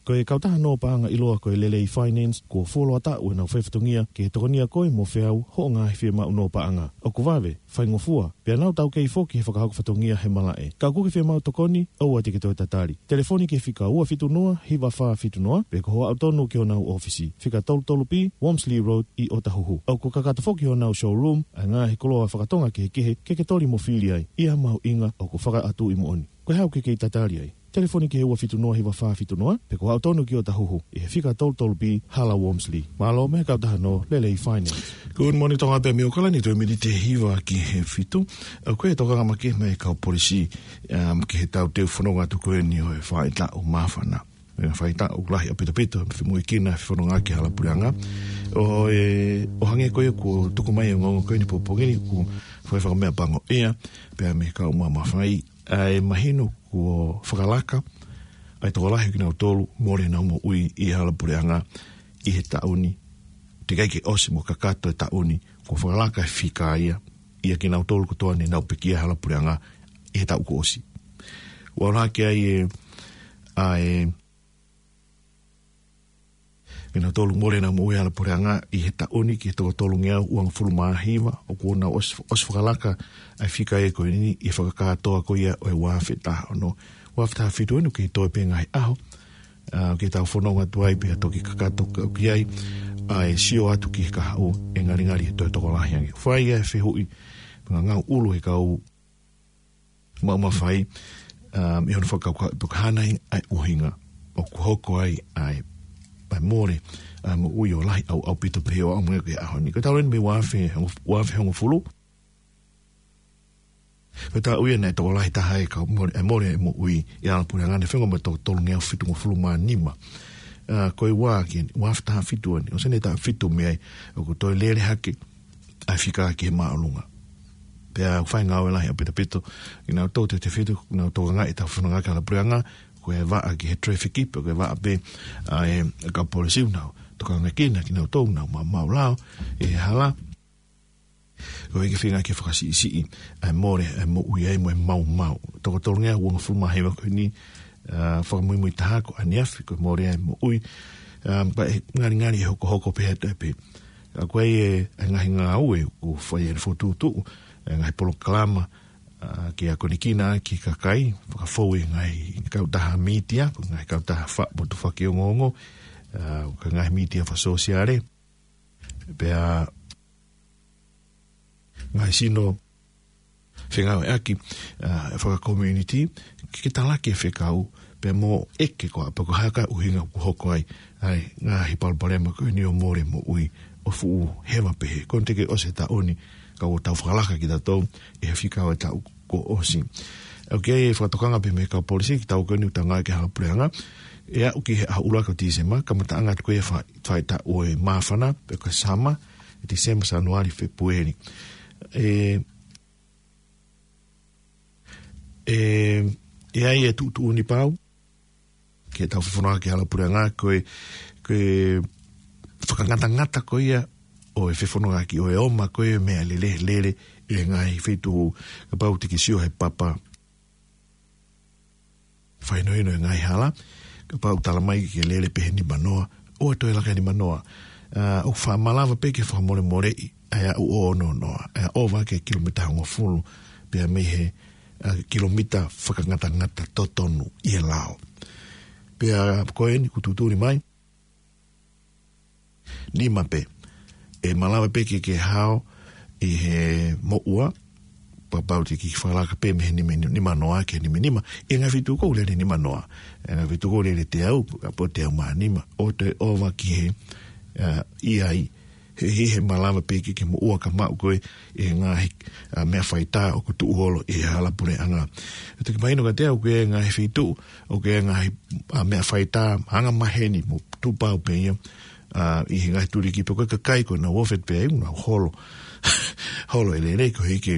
Ko e kautaha nō paʻanga ʻiloa ko e Lelei Finance, kuo fuoloa taʻu ʻenau faifatongia ke tokonia koe mo feau hoʻo ngaahi fiemaʻu nō paʻanga. ʻOku vave, faingofua, pea nau taukei foki he fakahoko fatongia he malaʻe. Ka ʻoku ke fiemaʻu tokoni, ʻoua te ke toe tatali. Telefoni ki he fika ua fitu noa, hiva fā fitu noa, pe ko hoʻo aʻu tonu ki honau ʻōfisi, fika tolu tolu B, Wormsley Road, ʻi ʻOtahuhu. ʻOku kakato foki honau showroom ʻa e ngaahi koloa fakatonga kehekehe ke ke toli mo fili ai, ʻi ha mahuʻinga ʻoku fakaʻatuʻi moʻoni. Ko e hā ʻoku ke kei tatali ai? Telefoni ki he ua fitu noa hiva fā fitu noa, pe ko hoʻo aʻu tonu ki ʻOtahuhu, ʻi he fika tolu tolu B, Hala Wormsley. Mālō mei he kautaha nō Lelei Finance. Good morning, Tonga pē mei ʻOkalani, toe miniti ʻe hiva ki he fitu. ʻOku ʻi ai e tokanga makehe mei he kau polisi, um, ki he tauteu fononga atu ko eni ʻo e faʻahitaʻu māfana. Mei he faʻahitaʻu lahi ʻaupito, pea fimuikina e fononga ki he hala puleʻanga. ʻO e, ʻo hangē ko ia kuo tuku mai e ongoongo ko eni pongipongi ni, kuo fai fakameʻapango ia, pea mei he kau mamafa ʻa e mahino kuo fakalaka ʻa e tokolahi ʻo kinautolu mole ʻenau moʻui ʻi he hala puleʻanga ʻi he taʻu ni. Teʻeki ai ke ʻosi mo kakato e taʻu ni, kuo fakalaka e fika ia, ʻia kinautolu kotoa ne nau pekia he hala puleʻanga ʻi he taʻu kuo ʻosi. Ua ʻalu hake ai e, ʻa e, kinautolu mole ʻenau moʻui he hala puleʻanga ʻi he taʻu ni ki he toko tolungeau uangofulu mā hiva, ʻoku nau ʻosi, ʻosi fakalaka ʻa e fika ia ko eni ʻi he fakakātoa ko ia ʻo e ua afe taha ono. Ua afe taha fitu eni ʻoku kei toe pē ngaahi ʻaho, ʻa, ke tau fononga atu ai pea toki kakato ka ʻoku ʻi ai ʻa e sio atu ki he kahaʻu ʻe ngalingali he toe tokolahi ange. Fai ʻa e fehuʻi, ngangau ʻulu he kau mamafa, um, ʻi hono fakakaukau pe ko e hā nai ʻa e ʻuhinga ʻoku hoko ai ʻa e, ʻa e mole ʻa e moʻui ʻo lahi ʻau, ʻaupito pē ʻo aʻu mai ki he ʻaho ni. Ko e talu eni mei he ua afe, ua afe hongofulu. Ko e taʻu ia naʻe tokolahi taha e kau mole, e mole e moʻui ʻi he hala puleʻanga, ne feʻunga mo e toko tolungeau fitungofulu mā nima. ʻA, ko e ua ki, ua afe taha fitu eni, ʻosi eni e taʻu fitu mei ai, ʻoku toe lele hake ʻa e fika ki he māʻolunga. Pea ʻoku fai ngāue lahi ʻaupito, kinautolu te te fitu, kinautolu tokangaʻi ʻetau fononga ki he hala puleʻanga, ko e vaʻa ki he traffic, pe ko e vaʻa pē ʻa e kau polisi ʻoku nau tokangaʻi kinautolu ʻoku nau maumau lao ʻi he hala. Ko e kiʻi feinga ke fakasiʻisiʻi ʻa e mole ʻa e moʻui ai mo e maumau. Toko tolungeau uangofulu mā hiva ko eni, ʻa, fakamuimui taha ko ʻaneafi ko e mole ʻa e moʻui. ʻA, pea ʻe ngalingali ʻe hokohoko pē atu pē. ʻA, ko e, ʻa e ngaahi ngāue ʻoku fai ʻe he fokotuʻutuʻu, ʻa e ngaahi polokalama, ʻa, ke akonekina ki he kakai, fakafou ʻi he ngaahi kautaha mītia, ko e ngaahi kautaha fakapotu fakaongoongo, ʻa, ko e ngaahi mītia fakasōsiale. Pea ngaahi sino fengāueʻaki, ʻa, fakakomiunitī, ke, ke talaki e fekau, pea mo ʻeke ko e hā, pe ko e hā e ʻuhinga ʻoku hoko ai ʻa e ngaahi palopalema ko eni ʻo e mole moʻui ʻo fuʻu heva pehē. Ko eni teʻeki ʻosi e taʻu ni, ka ʻoku tau fakalaka kitautolu ʻi he fika ʻo e taʻu kuo ʻosi. ʻOku ʻi ai e fakatokanga pē mei he kau polisi ki he taʻu ko eni ʻoku tau ngāue ki he hala puleʻanga, ʻe aʻu ki he ʻaho ʻuluaki ʻo Tīsema, kamataʻanga atu ko ia e fa-, faʻahitaʻu ʻo e māfana, pe ko e summer, ʻe Tīsema, Sānuali, Fēpueli. ʻE, ʻe, ʻe ʻi ai e tuʻutuʻuni pau ki heʻetau fefononga ki he hala puleʻanga, ko e, ko e fakangatangata ko ia ʻo e fefonongaʻaki, ʻo e ʻomai ko ia e meʻalele, lele ʻi he ngaahi feituʻu, kapau te ke sio he papa fakahinohino e ngaahi hala, Kapau ʻoku tala mai ke lele pē he nima noa, ʻoua toe laka he nima noa. ʻA, ʻoku fa-, malava pē ke fakamolemoleʻi ʻa e aʻu ʻo ono noa, ʻa e ʻova ki he kilomita hongofulu, pea mei he, ʻa, kilomita fakangatangata totonu ʻi he lao. Pea ko eni ʻoku tuʻutuʻuni mai, nima pē. ʻE malava pē ke, ke hao ʻi he moʻua, kapau te ke fakalaka pē mei he nima, nima noa ki he nima nima. ʻI he ngaahi feituʻu ʻoku lele nima noa. ʻI he ngaahi feituʻu ʻoku lele teau, kapau teau mā nima. ʻOua toe ʻova ki he, ʻa, ʻi ai. He, he, he malava pē ke, ke moʻua ka maʻu koe ʻi he ngaahi, ʻa, meʻa faitā ʻoku tuʻu holo ʻi he hala puleʻanga. ʻE toki mahino kiate au ʻoku ʻi ai e ngaahi feituʻu, ʻoku ʻi ai e ngaahi, ʻa, meʻa faitā, anga maheni mo tupau pē ia, ʻa, ʻi he ngaahi tuliki pe ko e kakai ko ē naʻa nau ʻofa pē ai, nau holo. Holo e lele koeʻuhi ke,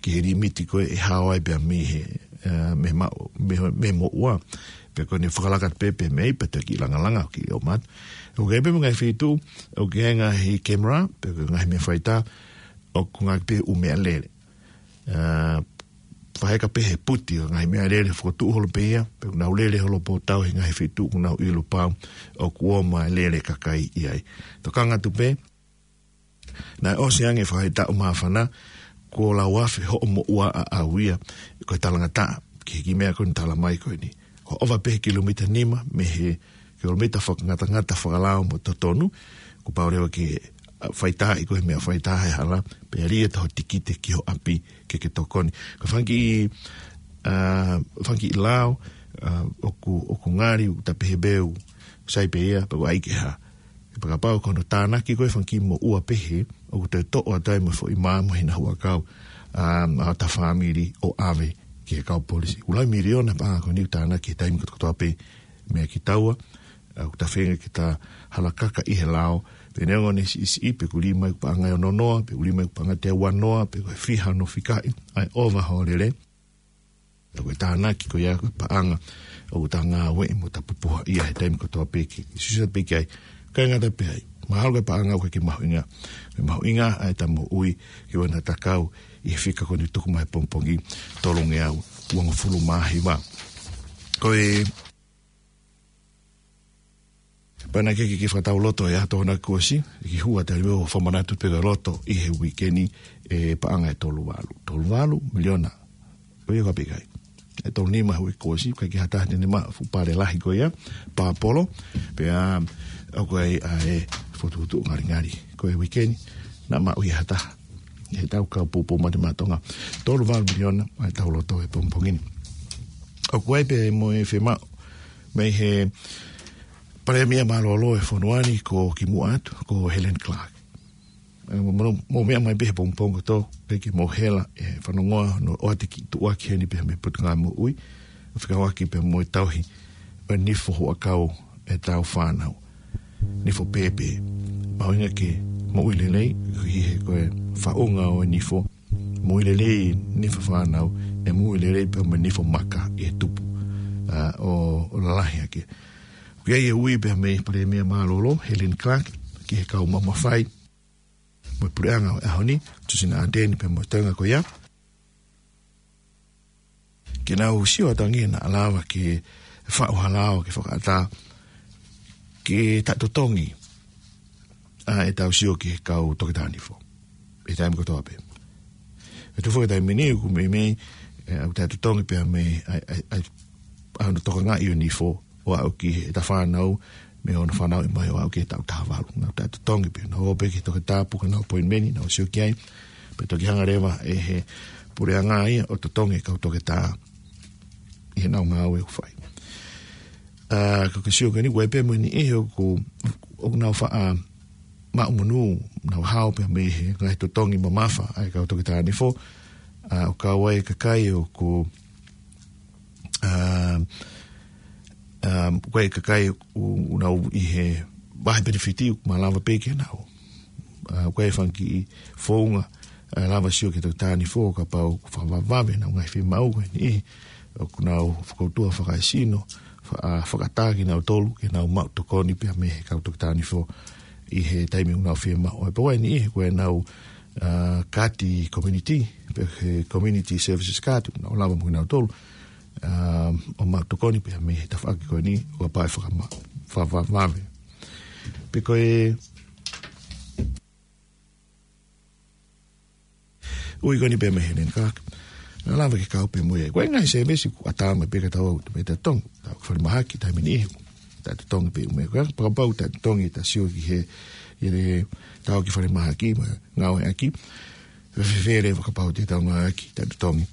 ki he limiti ko ē ʻe hao ai pea mei he, ʻa, mei he ma-, mei he, mei he moʻua. Pea ko ʻene fakalaka pē, pē mei, pea toki langalanga, ʻoku ʻikai ʻomai. ʻOku ʻi ai pē mo e ngaahi feituʻu, ʻoku ʻi ai e ngaahi camera, pe ko e ngaahi meʻa faitā, ʻoku ngāueʻaki pē ʻū meʻalele. ʻA, faʻa heka pē he puti ʻo e ngaahi meʻalele, fokotuʻu holo pē ia, pea ʻoku nau lele holo pōtau he ngaahi feituʻu ʻoku nau ʻilo pau ʻoku ʻomai e lele kakai ʻi ai. Tokanga atu pē, naʻe ʻosi ange fakaetaʻu māfana, kuo lau afe hoʻo moʻua ʻaʻau ia, ko e talangataʻa, ki he kiʻi meʻa ko eni tala mai ko eni. Ko e ʻova pē he kilomita nima, mei he kilomita fakangatangata fakalao mo totonu, kuo pau leva ke, ʻa, faitaaʻi koe he meʻa faitā he hala, pea lī atu hoʻo tikite ki ho ʻapi ke ke tokoni. Ko e fanga kiʻi, ʻa, fanga kiʻi lao, ʻa, ʻoku, ʻoku ngali, ʻoku ta pehē pē ʻoku sai pē ia, pea ʻoku ʻai ke hā. Pea kapau ko hono tānaki ko ē e fanga kiʻi moʻua pehē, ʻoku toe toʻo atu ai mo e foʻi mā mo e hina huʻakau, ʻa, ʻa hota fāmili ʻo ʻave ki he kau polisi. ʻOku laui miliona e paʻanga ko eni ʻoku tānaki he taimi kotokotoa pē meia kitaua, ʻa, ʻoku ta feinga ke ta halakaka ʻi he lao, pe neongo ʻene siʻisiʻi, pe ʻoku lī mai ʻoku paʻanga ʻe ono noa, pe ʻoku lī mai ʻoku paʻanga teau ua noa, pe ko e fiha hono fikaʻi, ʻa e ʻova hoʻo lele. Ko e tānaki ko ia ko e paʻanga ʻoku ta ngāueʻi mo ta pupuha ia he taimi kotoa pē ke, ke sio pē ki ai. ʻIkai ngata pē ai. Mahalo ko e paʻanga ʻoku ʻikai ke mahuʻinga. Ko e mahuʻinga ʻa ʻeta moʻui ke ʻoua naʻa ta kau ʻi he fika ko eni ʻoku tuku mai he pongipongi, tolungeau uongofulu mā hiva. Ko e Pea naʻe ʻikai ke, ke fakatau loto ʻe ha Tokonaki Kuo ʻosi, ʻe kiʻi hua tali mo fakamanatu pē ko e loto ʻi he uike ni ʻe paʻanga ʻe tolu valu. Tolu valu miliona. Ko ia ka pē ʻikai. ʻE tolu nima he uike kuo ʻosi, ʻikai ke ha taha te ne maʻu e fuʻu pale lahi ko ia, pāpolo, pea ʻoku ʻi ai ʻa e fokotuʻutuʻu ngalingali. Ko e uike ni, naʻe maʻu ia ha taha. He tau kau poupou mate maʻa Tonga. Tolu valu miliona, ʻa ʻetau loto he pongipongi ni. ʻOku ʻi ai pē mo e fiemaʻu mei he Palēmia mālōlō e fonua ni ko kimuʻa atu, ko Helen Clark. ʻE, mo, mo, mo meʻa mai pē he pongipongi kotoa, ke ke mo hela, ʻe fanongoa, hono ʻoatu e kiʻi tuʻuaki heni pē mei he Potungāue Moʻui, fekauʻaki pē mo e tauhi ʻo e nifo huʻakau ʻetau fānau. Nifo pēpē. Mahuʻinga ke moʻui lelei, ʻi he ko e faʻunga ʻo e nifo, moʻui lelei nifo fānau, ʻe moʻui lelei pē mo e nifo maka ʻi he tupu, ʻa, ʻo, ʻo lalahi ake. ʻOku ʻi ai e ui pē mei he Palēmia mālōlō, Helen Clark, ki he kau maʻu mafai mo e puleʻanga ʻo e ʻaho ni, Tusina Ardern pea mo e toenga ko ia. Ke nau sio atu ange naʻa lava ke faʻu ha lao ke fakaʻatā ke taʻetotongi ʻa ʻetau sio ki he kau toketā nifo. ʻI he taimi kotoa pē. ʻE tuʻu foki he taimi ni ʻoku meimei, ʻe, ʻoku taʻetotongi pē mei, ʻa, ʻa, ʻa, ʻa hono tokangaʻi ʻo e nifo, ʻo aʻu ki heʻeta fānau, mei hono fanauʻi mai ʻo aʻu ki he taʻu taha valu. Nau taʻetotongi pē, nau ō pē ki he toketā, puke honau appointment, nau sio ki ai, pea toki hanga leva ʻe he puleʻanga ia ʻo totongi e kau toketā ʻi heʻenau ngāue ʻoku fai. ʻA, ko e kiʻi sio ko eni, ʻoku ʻi ai pē mo e niʻihi ʻoku, ʻoku nau faʻa maʻu monū, nau hao pē mei he ngaahi totongi mamafa ʻa e kau toketā nifo, ʻa, ʻoku kau ai e kakai ʻoku, ʻa, ʻa, ʻoku ʻi ai e kakai ʻoku nau ʻi he vahe penefiti ʻoku malava pē ke nau. ʻA, ʻoku ʻi ai e fanga kiʻi founga, ʻa, lava sio ki he toketā nifo kapau ʻoku fakavavevave ʻenau ngaahi fiemaʻu ko eni. ʻOku nau fakautua fakaesino, fa-, ʻa, fakaʻatā kinautolu, ke nau maʻu tokoni pē mei he kau toketā nifo ʻi he taimi ʻoku nau fiemaʻu. ʻE pau eni ʻi he ko ʻenau, ʻa, kaati community, pe ko e community services card, ʻoku nau lava mo kinautolu. ʻa, ʻo mau tokoni pē mei he tafaʻaki ko eni, ʻo kapau ʻe fakama-, fa-, fa-, vave. Pea ko e ui ko eni pē mei Helen Clark. Naʻa lava ke kau pē mo ia. Ko e ngaahi sēvesi ʻoku ʻatā mai pē ka tau ʻalu pē taʻetotongi. Tau ki falemahaki, taimi ni ihu. Taʻetotongi pē mo ia. Ko e fakapapau taʻetotongi ta sio ki he, ʻi he tau ki falemahaki, mo e ngāueʻaki. Fēfē leva kapau te tau ngāueʻaki taʻetotongi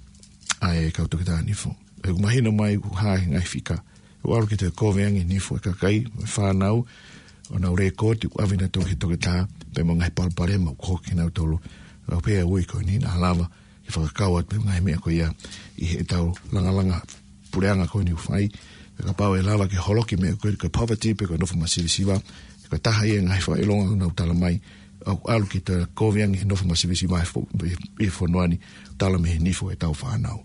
ʻa e kau toketā nifo. ʻOku mahino mai ʻoku hā he ngaahi fika. ʻOku ʻalu ke toe kovi ange e nifo ʻa e kakai, mo e fānau, ʻo nau lēkooti, ʻoku ʻave nautolu ki he toketā, pea mo e ngaahi palopalema ʻoku hoko kia nautolu. ʻA ia pea ui ko eni naʻa lava ke fakakau atu pē ngaahi meʻa ko ia ʻi heʻetau langalanga puleʻanga ko eni ʻoku fai. Pea kapau ʻe lava ke holoki meʻa ko e, ko e poverty, pe ko e nofo masivesiva, ko e taha ia e ngaahi fakaʻilonga ʻoku nau tala mai, ʻoku ʻalu ke toe kovi ange e nofo masivesiva ʻi he fo-, ʻi he fonua ni, tala mei he nifo ʻetau fānau.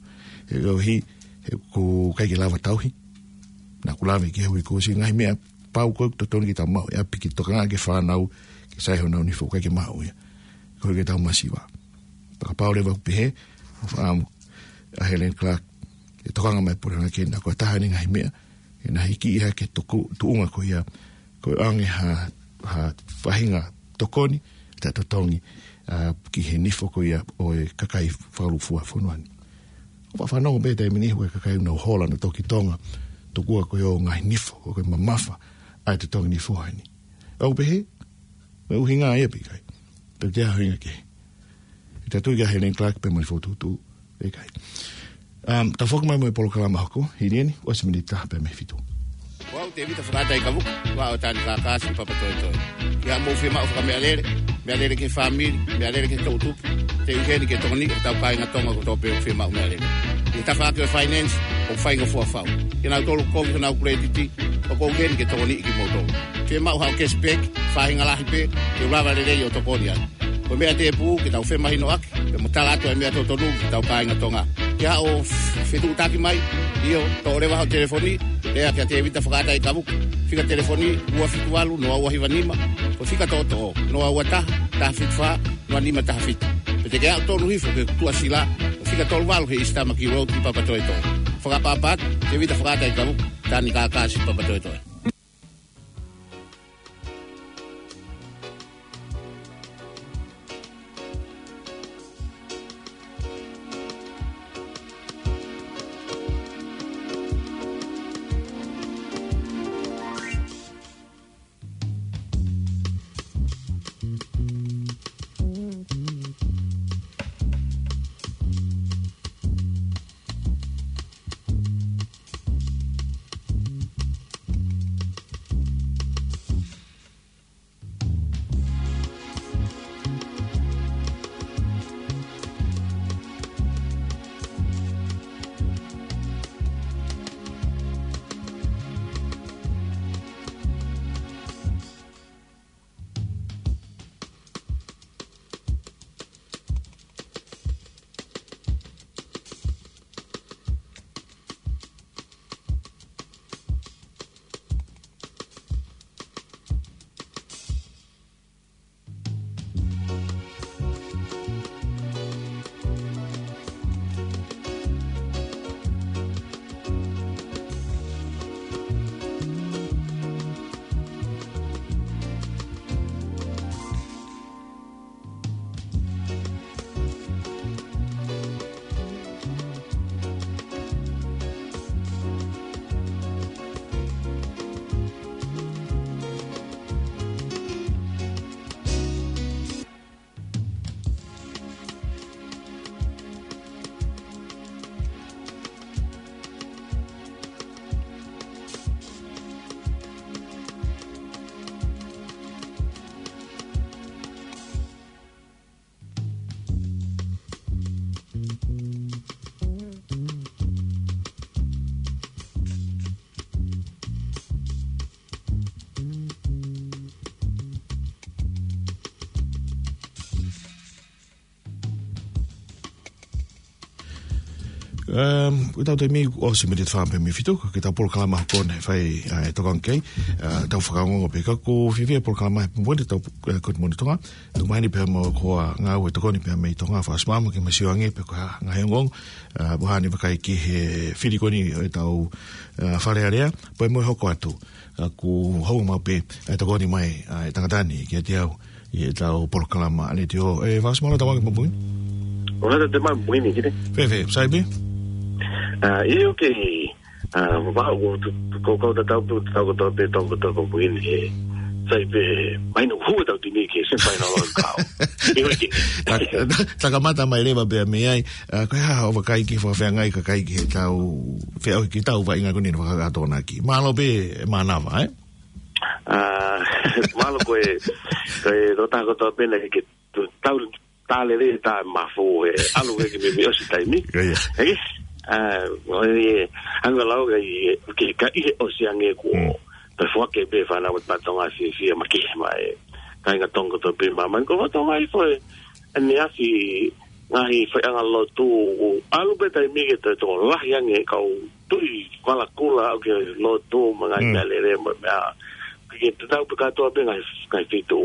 He ʻoku ʻi ai, he ʻoku ʻikai ke lava tauhi. Naʻa ku lave ki he hui kuo ʻosi ngaahi meʻa pau ko ē ʻoku totonu ke tau maʻu ʻi ʻapi ke tokanga ki he fānau, ke sai honau nifo, ʻikai ke maʻu ia. Ko e ke tau masiva. Pea kapau leva ʻoku pehē, ʻoku fakaʻamu ʻa Helen Clark, ʻe tokanga mai e puleʻanga ke na ko e taha eni e ngaahi meʻa, ʻe na hiki ia ke tuku, tuʻunga ko ia, ko e ʻange ha, ha faʻahinga tokoni, taʻetotongi, ʻa, ki he nifo ko ia ʻo e kakai fakalūkufua fonua ni. ʻOku ou fanongo pē taimi ni ʻoku ʻi ai e kakai ʻoku nau hola nautolu ki Tonga, tokua ko e ʻū ngaahi nifo, ʻoku mamafa ʻa e totongi nifo ʻa eni. ʻOku pehē, mo e ʻuhinga ia pe ʻikai. Pe ko e hā e ʻuhinga kehe. ʻE tatau ia kia Helen Clark pea mo e fokotuʻutuʻu, pe ʻikai. Um, tau foki mai mo e polokalama hoko, hili eni, ʻosi miniti taha pē mei he fitu. Ko au Tevita Fakaʻataʻi Kavuka, ua ʻo Tani Kākā Siʻi Papatoetoe. ʻI haʻamou fiemaʻu fakameʻalele, meʻalele ki he fāmili, meʻalele ki he toʻutupu, te u ʻi heni ke tokoniʻi hotau kāinga Tonga kotoa pē ʻoku fiemaʻu meʻalele. ʻI he tafaʻaki ʻo e finance, ʻoku faingofua fau. Kia nautolu ʻoku kovi honau kuletiti, ʻoku ou ʻi heni ke tokoniʻi kimoutolu. Fiemaʻu haʻo cashback, faʻahinga lahi pē, te u lava lelei ʻo tokoni ai. Ko e meʻa tēpū ke tau femahinoʻaki, pea mo tala atu e meʻa totonu ki hotau kāinga Tonga. Ke haʻu ʻo f-, fetuʻutaki mai, ʻio, toʻo leva hoʻo telefoni, lea kia Tevita Fakaʻataʻi Kavuka. Fika telefoni, ua fitu valu, noa ua hiva nima, ko e fika toʻotoʻo, noa ua taha, taha fitu fā, noa nima taha fitu. Pe te ke aʻu tonu hifo ki he tuʻasila, ko e fika tolu valu he East Tamaki Road ʻi Papatoetoe. Fakaʻapaʻapa atu, Tevita Fakaʻataʻi Kavuka, Tani Kākā Siʻi Papatoetoe. Um, ko ʻetau taimi kuo ʻosi miniti fā pē mei he fitu, ko ʻetau polokalama hoko eni ʻe fai, ʻa, e tokanga ki ai, ʻa, tau fakaongo pē ka ko e fiefia polokalama he pongipongi ni ʻetau, ʻa, Good Morning Tonga. Tuku mai eni pea mo e hoa ngāue tokoni pē mei Tonga, Faʻasi Maama, ke ma sio ange pē ko e hā e ngaahi ongoongo, ʻa, ʻoku hā eni vakai ki he fili ko eni ʻo ʻetau, ʻa, Fale Alea, pea mo e hoko atu, ʻa, kuo hoko maʻu pē, ʻa, e tokoni mai, ʻa, e tangata ni kiate au, ʻi heʻetau polokalama letiō. ʻE, Faʻasi, mālō e tau ange he pongipongi ni. ʻOku ʻatā atu e pongipongi ni, ki te. Fēfē, sai pē? ʻA, ʻio, ʻoku, ʻa, ʻoku ou tu-, tu-, kau, kau tatau pē, tau kotoa pē, tau kotoa pē he pongipongi ni, ʻe. Sai pē, mahino hū ʻetau timi ki he semifinal ʻo e kau. ʻIo, ʻoku. Ta-, ta-, ta kamata mai leva pē mei ai, ʻa, ko e hā hoʻo vakai ki he fakafeangai kakai ki heʻetau, feʻauhi ki heʻetau vaʻinga ko eni naʻe fakakakato ʻaki. Mālō pē, mānava, ē? ʻA, mālō koe, koe, tō taha kotoa pē naʻe ke tu-, tau, tā lele tā mafu he ʻalu ke ke mimi ʻosi taimi. ʻIo, ʻio. ʻE, ʻa, ʻo e, anga lau ke, ke, ka ʻi he ʻosi ange kuo, Mm. pea foaki pē fānau ʻa Tonga fiefia makehe mai. Kāinga Tonga kotoa pē māmani ko Tonga ʻi fo e, ʻaneafi ngaahi faiʻanga lotu, ʻalu pē taimi ke toe tokolahi ange kau tui vala kula ʻo ke lotu mo e ngaahi Mm. meʻa lele mo e meʻa. Ke te tau pē kātoa pē ngaahi, ngaahi fitu.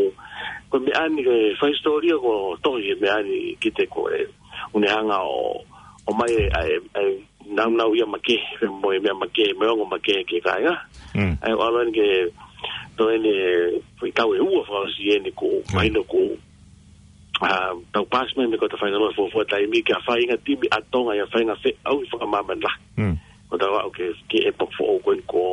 Ko e meʻa ni ke fai hisitōlia ko e tohi e meʻa ni ki te ko e. ʻOku ne hanga ʻo, ʻomai e, ʻa e, ʻa e, naunau ia makehe, mo e meʻa makehe, mo e ongo makehe ki he kāinga. Mm. ʻA e, ʻalu eni ke, tō eni, fai kau ʻe ua fakaʻosi eni ko, Mm. mahino ko, ʻa, tau paasi mai mei he quarter final ʻo e fuofua taimi ke fai ngaahi timi ʻa Tonga ia fai ngaahi feʻauhi fakamāmani lahi. Mm. Ko tau aʻu ki he, ki he epoch foʻou ko eni ko,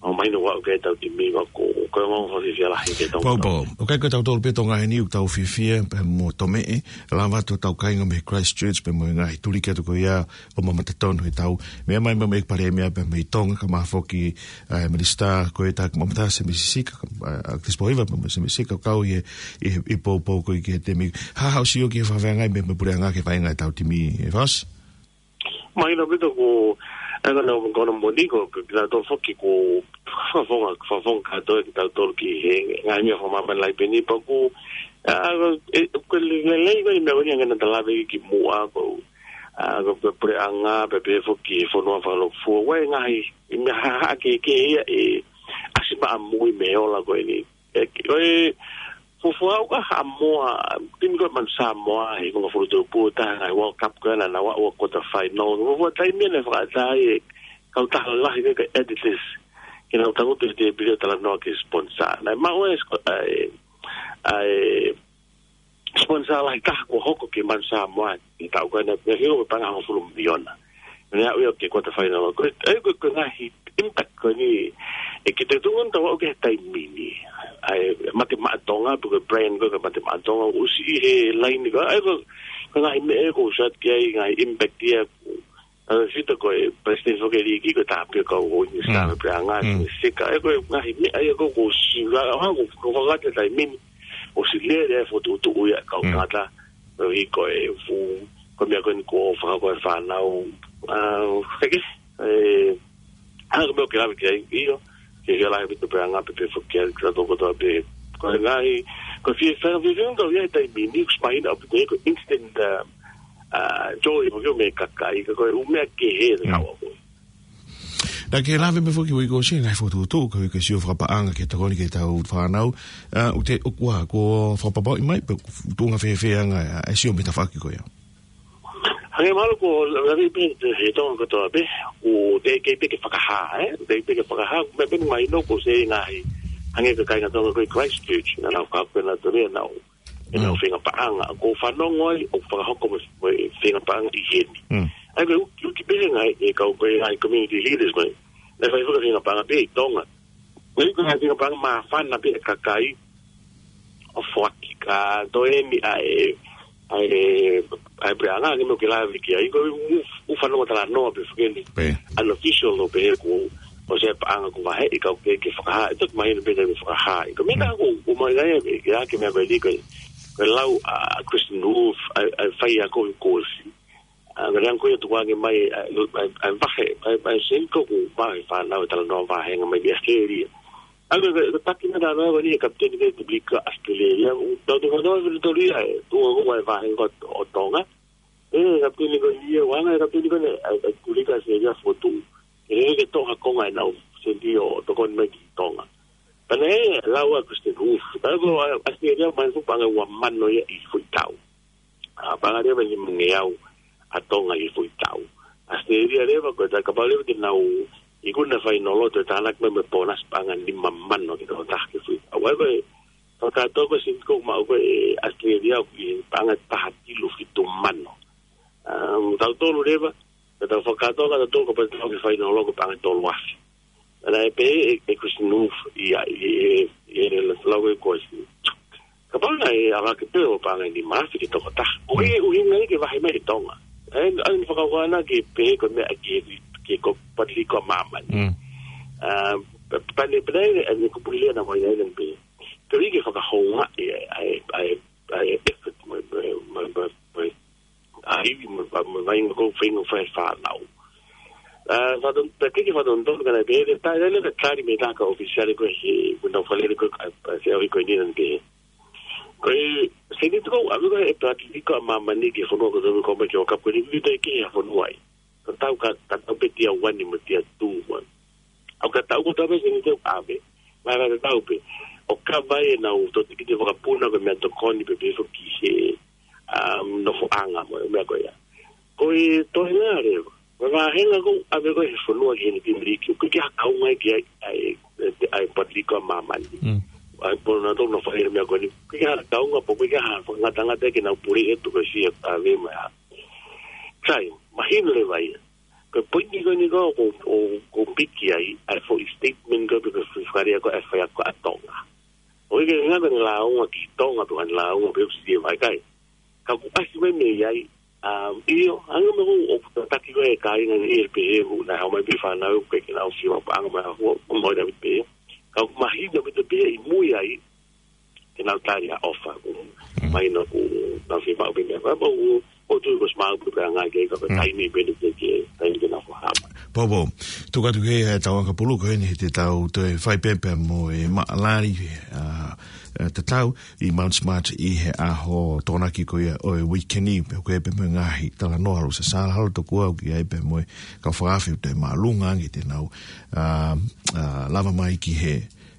ʻo mahino ʻoku ʻi ai ʻetau timi ʻoku, ko e ongoongo fiefia lahi ki he Tonga. Pau, pau. ʻOku ʻikai ko tautolu pē Tonga heni ʻoku tau fiefia, pea mo Tomeʻe, lava atu hotau kāinga mei Christchurch, pea mo e ngaahi tuliki atu ko ia, ʻo mamata tonu heʻetau. Meʻa mai mo e Palēmia pea mei Tonga, kae ʻumaʻā foki, ʻa, e Minisitā ko e Taki Mamata, Sēmisi Sika, ʻa, ʻa, Chris Pohiva, pea mo Sēmisi Sika, kau ʻi he, ʻi he, ʻi he poupou ko ē ki he temi. Hā haʻo sio ki he fakafeangai mei, mei he puleʻanga ki he vaʻinga ʻetau timi, ʻe Faʻasi? Mahino ʻaupito ko, ʻa e ngaahi ongoongo ko eni ko, ko, ko kinautolu foki ko, fakafofonga, fakafofonga kātoa kitautolu ki he, ngaahi meʻa fakamāmani lahi pē eni pea ko, ʻa, ʻe, ko e lelei, lelei ko e meʻa ko eni ʻa e ngaahi naʻa ta lave ki muʻa ko, ʻa, ko, ko e puleʻanga, pea pehē foki he fonua fakalūkufua, ʻoku ʻi ai e ngaahi, ʻi ai e meʻa haʻahaʻa kehekehe ia ʻe ʻasi maʻa mui mei he ola ko eni. ʻE, ko e, fuofua ʻoku ʻa Haʻamoa, timi ko e Manu Samoa, he konga fulu tupu, taha ngaahi World Cup ko ē naʻa nau aʻu ki he quarter final. Fuofua taimi naʻe fakaʻatā ai e kautaha lahi ko ē ko e Adidas. Ke nau tangutu he tēpile ʻo talanoa ki he sponsor. Naʻe maʻu e spo-, ʻa e, ʻa e, sponsor lahi taha kuo hoko ki he Manu Samoa, ʻi he taʻu ko ē naʻe, naʻe hoko ko e paʻanga hongofulu miliona. Naʻe aʻu ia ki he quarter final. Ko e, ʻa e, ko e, ko e ngaahi impact ko eni, ʻe, ki he tuʻunga ʻoku tau aʻu ki he taimi ni. ʻA e, Mate Maʻa Tonga, pe ko e brand ko ē ko e Mate Maʻa Tonga, ʻosi ʻi he laine ko ē, ʻa e, ko e, ko e ngaahi meʻa ʻoku ou sio atu ki ai, ngaahi impact ia, ʻa e, sita ko e, Palesiteni foki e liiki ko e Tāpio Kauhoi, Mm. Sika, pe anga, Mm. Sika, ʻa e, ko e ngaahi meʻa ia ʻoku, ʻoku ou sio, ʻa, ʻa, ʻoku, ʻoku ou fakangata taimi ni, ʻosi lele e fokotuʻutuʻu ia, kau Mm. tangata, ʻo hiko e fu, ko e meʻa ko eni ko e fakako e fānau, ʻa, heke, ʻe, hanga ko e meʻa ʻoku ke lave ki ai, ʻio, ke ke lave ʻaupito pē anga pē pē foki ʻa e kitautolu kotoa pē. Ko e ngaahi, ko e fie, fie, fie, fie, kau ia he taimi ni, ʻoku mahino ʻaupito ko e instant, ʻa, ʻa, joy, foki ʻo e meʻa kakai, ka ko e ʻū meʻa kehe, Mm. tau ako. Naʻa ke lave mai foki ʻi he uike kuo ʻosi, ngaahi fokotuʻutuʻu, ko e uike sio fakapaʻanga ke tokoni ki heʻetau fānau, ʻa, ʻoku te, ʻoku ʻa, kuo fakapapauʻi mai, pe tuʻunga fēfē ʻa e, ʻa e sio mei he tafaʻaki ko ia. Hangē mahalo ko e lave pē he Tonga kotoa pē, ʻoku teʻeki pē ke fakahā, ē? Teʻeki pē ke fakahā, meʻa pē mahino ko e sē ngaahi, hangē ko e kāinga Tonga ko ē ʻi Christchurch, naʻa nau fakapena tole, nau, ʻenau Mm. feinga paʻanga, ʻoku ou fanongo ai, ʻoku fakahoko mo e, mo e feinga paʻanga ʻi heni. Mm. ʻA ia ko e uki, uki pē ngaahi, e kau ko e ngaahi community leaders ko ē, naʻe fai faka feinga paʻanga pē ʻi Tonga. Ko e ngaahi feinga paʻanga māfana pē ʻa e kakai, ʻo foaki ka toe eni ʻa e, ʻa e, ʻa e puleʻanga, ke mou ke lave ki ai, ko e ʻū, ʻū fanongo talanoa pē foki eni. Pē. Unofficial ʻo pehē ko, ʻosi e paʻanga kuo vaheʻi kau ke, ke fakahā, ʻe toki mahino pē ke fakahā. Ko e meʻa Mm. ko, ʻoku mahino ai, ke, ke ake meʻa ko eni ko, ko e lau ʻa Kristin Wolf, ʻa e, ʻa e faiako ʻi Kosi. ʻA, ngā leanga ko ia tukuange mai, ʻa, ʻa, ʻa, vahe, ʻa, ʻa, seni ko ʻoku vahe fānau e talanoa vahenga mai ki ʻAositelēlia. ʻA, ko, ko, ko e taki naʻa nau ʻave ni e kapiteni ko ē Tuʻapulika ʻAositelēlia, ʻoku tau tau tau tau ia, ʻe, tuʻu ko ē vahenga ʻo Tonga. ʻE, kapiteni ko ia, ʻoku anga e kapiteni ko eni, ʻa e, ʻa e kulika ʻAositelēlia fotu. Ke lele ke toʻo ha konga ʻenau sēniti ʻo tokoni mai ki Tonga. Pea naʻe lau ʻa Kristin Huff. Pea ko ʻAositelēlia mai fu paʻanga ua mano ia ʻi he foʻi tau. ʻA, paʻanga leva ʻe nima ngeau ʻa Tonga ʻi he foʻi tau. ʻAositelēlia leva ko e tā kapau leva ke nau ikuna fainolo, toe tānaki mai mo e pōnasi paʻanga nima mano ki he tokotaha ki he foʻi tau. ʻA ia ko e, fakatoko sēniti ko ē ʻoku maʻu ko ē ʻe ʻAositelēlia ʻoku ʻi he paʻanga taha kilu fitu mano. Um, tautolu leva, ka tau fakatoko, tautolu kapau te tau ki he fainolo ko e paʻanga tolu afe. Naʻe pehē ʻe, ʻe Kristin Huff ia, ʻi he, ʻi he lau ʻe koe si. Kapau naʻe ʻave ki he pē ʻo paʻanga ʻe nima afe ki he tokotaha. Ko e ʻuhinga ia ke vahe mai ʻe Tonga. ʻA ia, ʻa ia naʻe fakakaukau ʻana ke pehē ko e meʻa ki he, ki he ko Pateliko ʻa Māmani. Mm. Um, pe-, pane, pane, ʻa ia ko e pule lea naʻe ʻomai ai naʻe pehē. Ke ui ke fakahoungaʻi ʻa e, ʻa e, ʻa e, ʻa e effort mo, mo, mo, mo, mo, ʻa e ivi mo, mo, mo, vainga ko e feinga fai fānau. ʻA, faton, pe ke ke faton ton kana pehē, tā, tā, tā, tā, tali mei he taha ʻofisiale ko ē he, ko ʻenau fakalele ko ē, ʻa, ʻa, se au i ko eni naʻe pehē. Ko e, sēniti ko ē, ʻave ko ē ʻe Pateliko ʻa Māmani ki he fonua ko e tau ko mai ki he ʻOkapu ko eni, ʻikai ke ʻi ai ha fonua ai. Ka tau ka, ka tau pē tia one mo tia two mo. ʻOku ka tau ko tau pē sēniti ʻoku ʻave. Mai ka tau pē. ʻO ka vai ʻenau tokoni ki he fakapuna ko e meʻatokoni pē pē foki he, um, nofoʻanga mo e meʻa ko ia. Ko e toenga leva. Ko e vāhenga ko ē ʻave ko ē he fonua ki heni ki Amerika. ʻOku ʻikai ke ʻi ai ha kaunga ki ai, ʻa e, ʻa e, ʻa e Pateliko ʻa Māmani. Mm. ʻA e pō na tō na fai meʻa ko eni. ʻOku ʻikai ke ʻi ai ha kaunga pe ʻoku ʻikai ke ʻi ai ha fakangatangata ke nau pule atu ko e sia ʻave mai. Sai, mahino leva ia. Ko e poini ko eni ko, ko, ko, ko e piki ai, ʻa e foʻi statement ko, pe ko e foʻi fakalea ko, ʻa e faiako ʻa Tonga. ʻOku ʻikai ke ngata ʻene lāunga ki Tonga, pe ko ʻene lāunga pe ʻoku ʻosi ʻi he vakai. Ka ʻoku ʻasi mai mei ai, um, ʻio, anga me ko, ʻoku tataki ko e kāinga ni ʻi he pehē, ʻoku nau haʻu mai pē fānau, ʻoku ʻikai ke nau ʻosi mapaʻanga mai ha fua, ʻo mai na pē. Ka ʻoku mahino pē pē ʻi mui ai, ke nau tali ʻa e ʻofa, ʻoku mahino ʻoku nau fiemaʻu pē meʻa. Pea ʻoku, ʻoku tuʻu ko e smart pē ʻa e ngaahi kei ka ko e taimi pē ni ke, ke, taimi ke nau fakahā mai. Poupou, tuku atu ki he tau ʻakapulu ko eni he te tau toe fai pē pea mo e maʻalali, ʻa, ʻa, tatau ʻi Mount Smart ʻi he ʻaho Tokonaki ko ia ʻo e uike ni, pea ko e pē mo e ngaahi talanoa ʻalu sasala halo tokua ʻoku ʻi ai pē mo e kau fakaafe ʻoku toe māʻolunga ange te nau, ʻa, ʻa, lava mai ki he,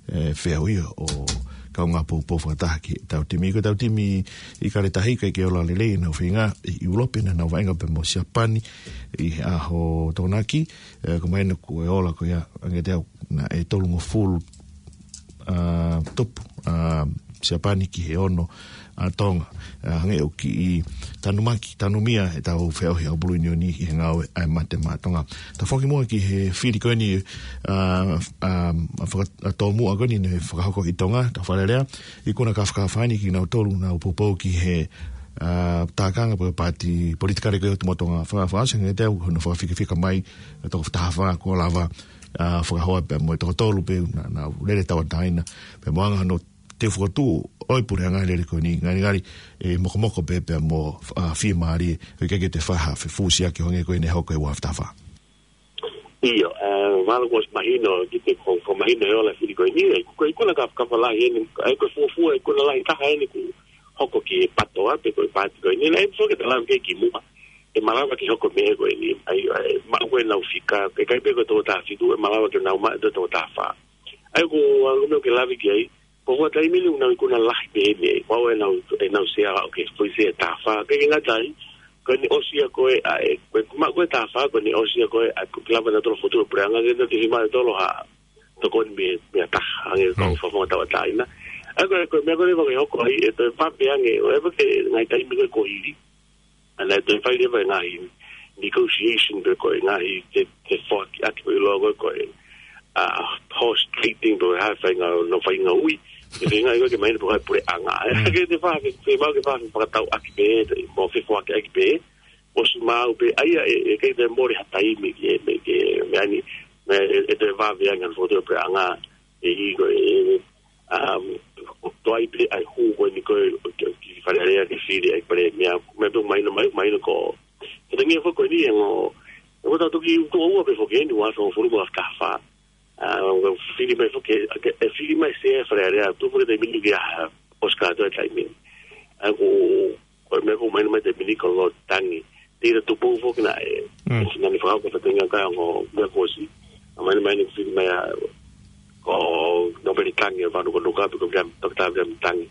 ʻe, feʻauhi ʻo e kaungā poupou fakataha ki heʻetau timi. Ko ʻetau timi ʻIkale Tahi ʻikai ke ola lelei ʻenau feinga ʻi ʻIulope, naʻa nau vaʻinga pē mo Siapani ʻi he ʻaho Tokonaki, ʻe, ko mahino ko e ola ko ia ange te au naʻe tolungofulu, ʻa, tupu, ʻa, Siapani ki he ono ʻa Tonga. ʻA, hangē ʻoku kiʻi tanumaki, tanumia ʻetau feʻauhi ʻa e ʻakapulu ʻiunioni ʻi he ngāue ʻa e Mate Maʻa Tonga. Tau foki muʻa ki he fili ko eni, ʻa, ʻa, ʻa, faka-, ʻa, tōmuʻa ko eni naʻe fakahoko ʻi Tonga, tau fakalelea, ikuna kāfakafa eni kinautolu naʻa nau poupou ki he, ʻa, tākanga pe ko e paati politikale ko ē ʻo Tumu ʻa Tonga Fa-, Fakaʻosi, hangē te au hono fakafikafika mai, ʻa e toko taha fā kuo lava, ʻa, fakahoa pea mo e toko tolu pē naʻa, naʻa nau lele tauʻatāina, pea mo anga hono teu fokotuʻu ʻo e puleʻanga lele ko eni, ngalingali ʻe mokomoko pē pea mo, ʻa, fiemālie, ʻoku ʻikai ke toe fai ha fefusiaki ʻo hangē ko eni naʻe hoko he ua afe taha fā. ʻIo, ʻa, mahalo kuo ʻosi mahino, ki he ko, ko mahino e ola fili ko eni, ʻa ia ko e ikuna kāfakafa lahi eni, ʻa ia ko e fuofua ikuna lahi taha eni kuo hoko ki he PATOA pe ko e paati ko eni, naʻe foki ʻetau lave ki ai kimuʻa, ʻe malava ke hoko e meʻa ko eni, ʻa ia, ʻa ia, maʻu ko ē ʻenau fika, ʻikai pē ko e toko taha fitu, ʻe malava ke nau maʻu e toko taha fā. ʻA ia ko e anga meʻa ke lave ki ai, ko e fuʻu taimi ni ʻoku nau ikuna lahi pē eni, ʻoku ʻi ai ʻenau, ʻenau sea ʻoku ke foʻi sea taha fā, ʻikai ke ngata ai, ko ʻene ʻosi ia ko ē, ʻa e, ko e maʻu ko ē taha fā, ko ʻene ʻosi ia ko ē, ʻa e, ko e lava nautolu ʻo fokotuʻu e puleʻanga, ke nau te fiemaʻu ʻe nautolu ha tokoni mei, mei ha taha, hangē ko e fakafofonga tauʻatāina. ʻA ia ko e, ko e meʻa ko ē leva ke hoko ai, ʻe toe pape ange, ʻo e pē ke ngaahi taimi ko ē kuo hili. ʻA ia naʻe toe fai leva e ngaahi negotiation pe ko e ngaahi te, te foaki ʻaki ko e ʻiloa ko e, ko e, ʻa, horse trading pe ko e hā e faʻahinga, ʻo fai ngāue. Ke feinga ʻi ko ē ke mahino pe ko e hā e puleʻanga. ʻA ia ke te fai, ke, ke mau ke fai fakatau ʻaki pē, te, mo fefoaki ʻaki pē. ʻOsi maʻu pē, ʻa ia ʻe, ʻe ʻikai toe mole ha taimi ke, me, ke, meʻa ni, me, ʻe, ʻe toe vave ange ʻa e fokotuʻu e puleʻanga, ʻe ʻi ko e, um, toe ʻi ai pē ʻa e hū ko eni ko e, ki, ki Fale Alea ke fili ai pale meʻa, meʻa pē mahino mai, mahino ko. Ko e tangi foki ko eni ʻe ngo, ʻe ko tau toki utu ua pē foki eni, ua afe hongofulu mo e afe taha fā. ʻA, ʻo fili mai foki, ʻe, ʻe fili mai sea Fale Alea, tupu ke taimi ni ke ʻa, ʻosi kātoa e taimi ni. ʻA ia ko, ko e meʻa ko mahino mai taimi ni ko e tangi. ʻIlo Tupou foki naʻe, Mm. ʻe sina ni fakahoko e fatongia kakai ongo meʻa kuo ʻosi. ʻA mai ni mai ni fili mai ʻa, ko Nōpele Tangi ʻa Vanuka Nuka, pe ko Viliami, Toketā Viliami Tangi.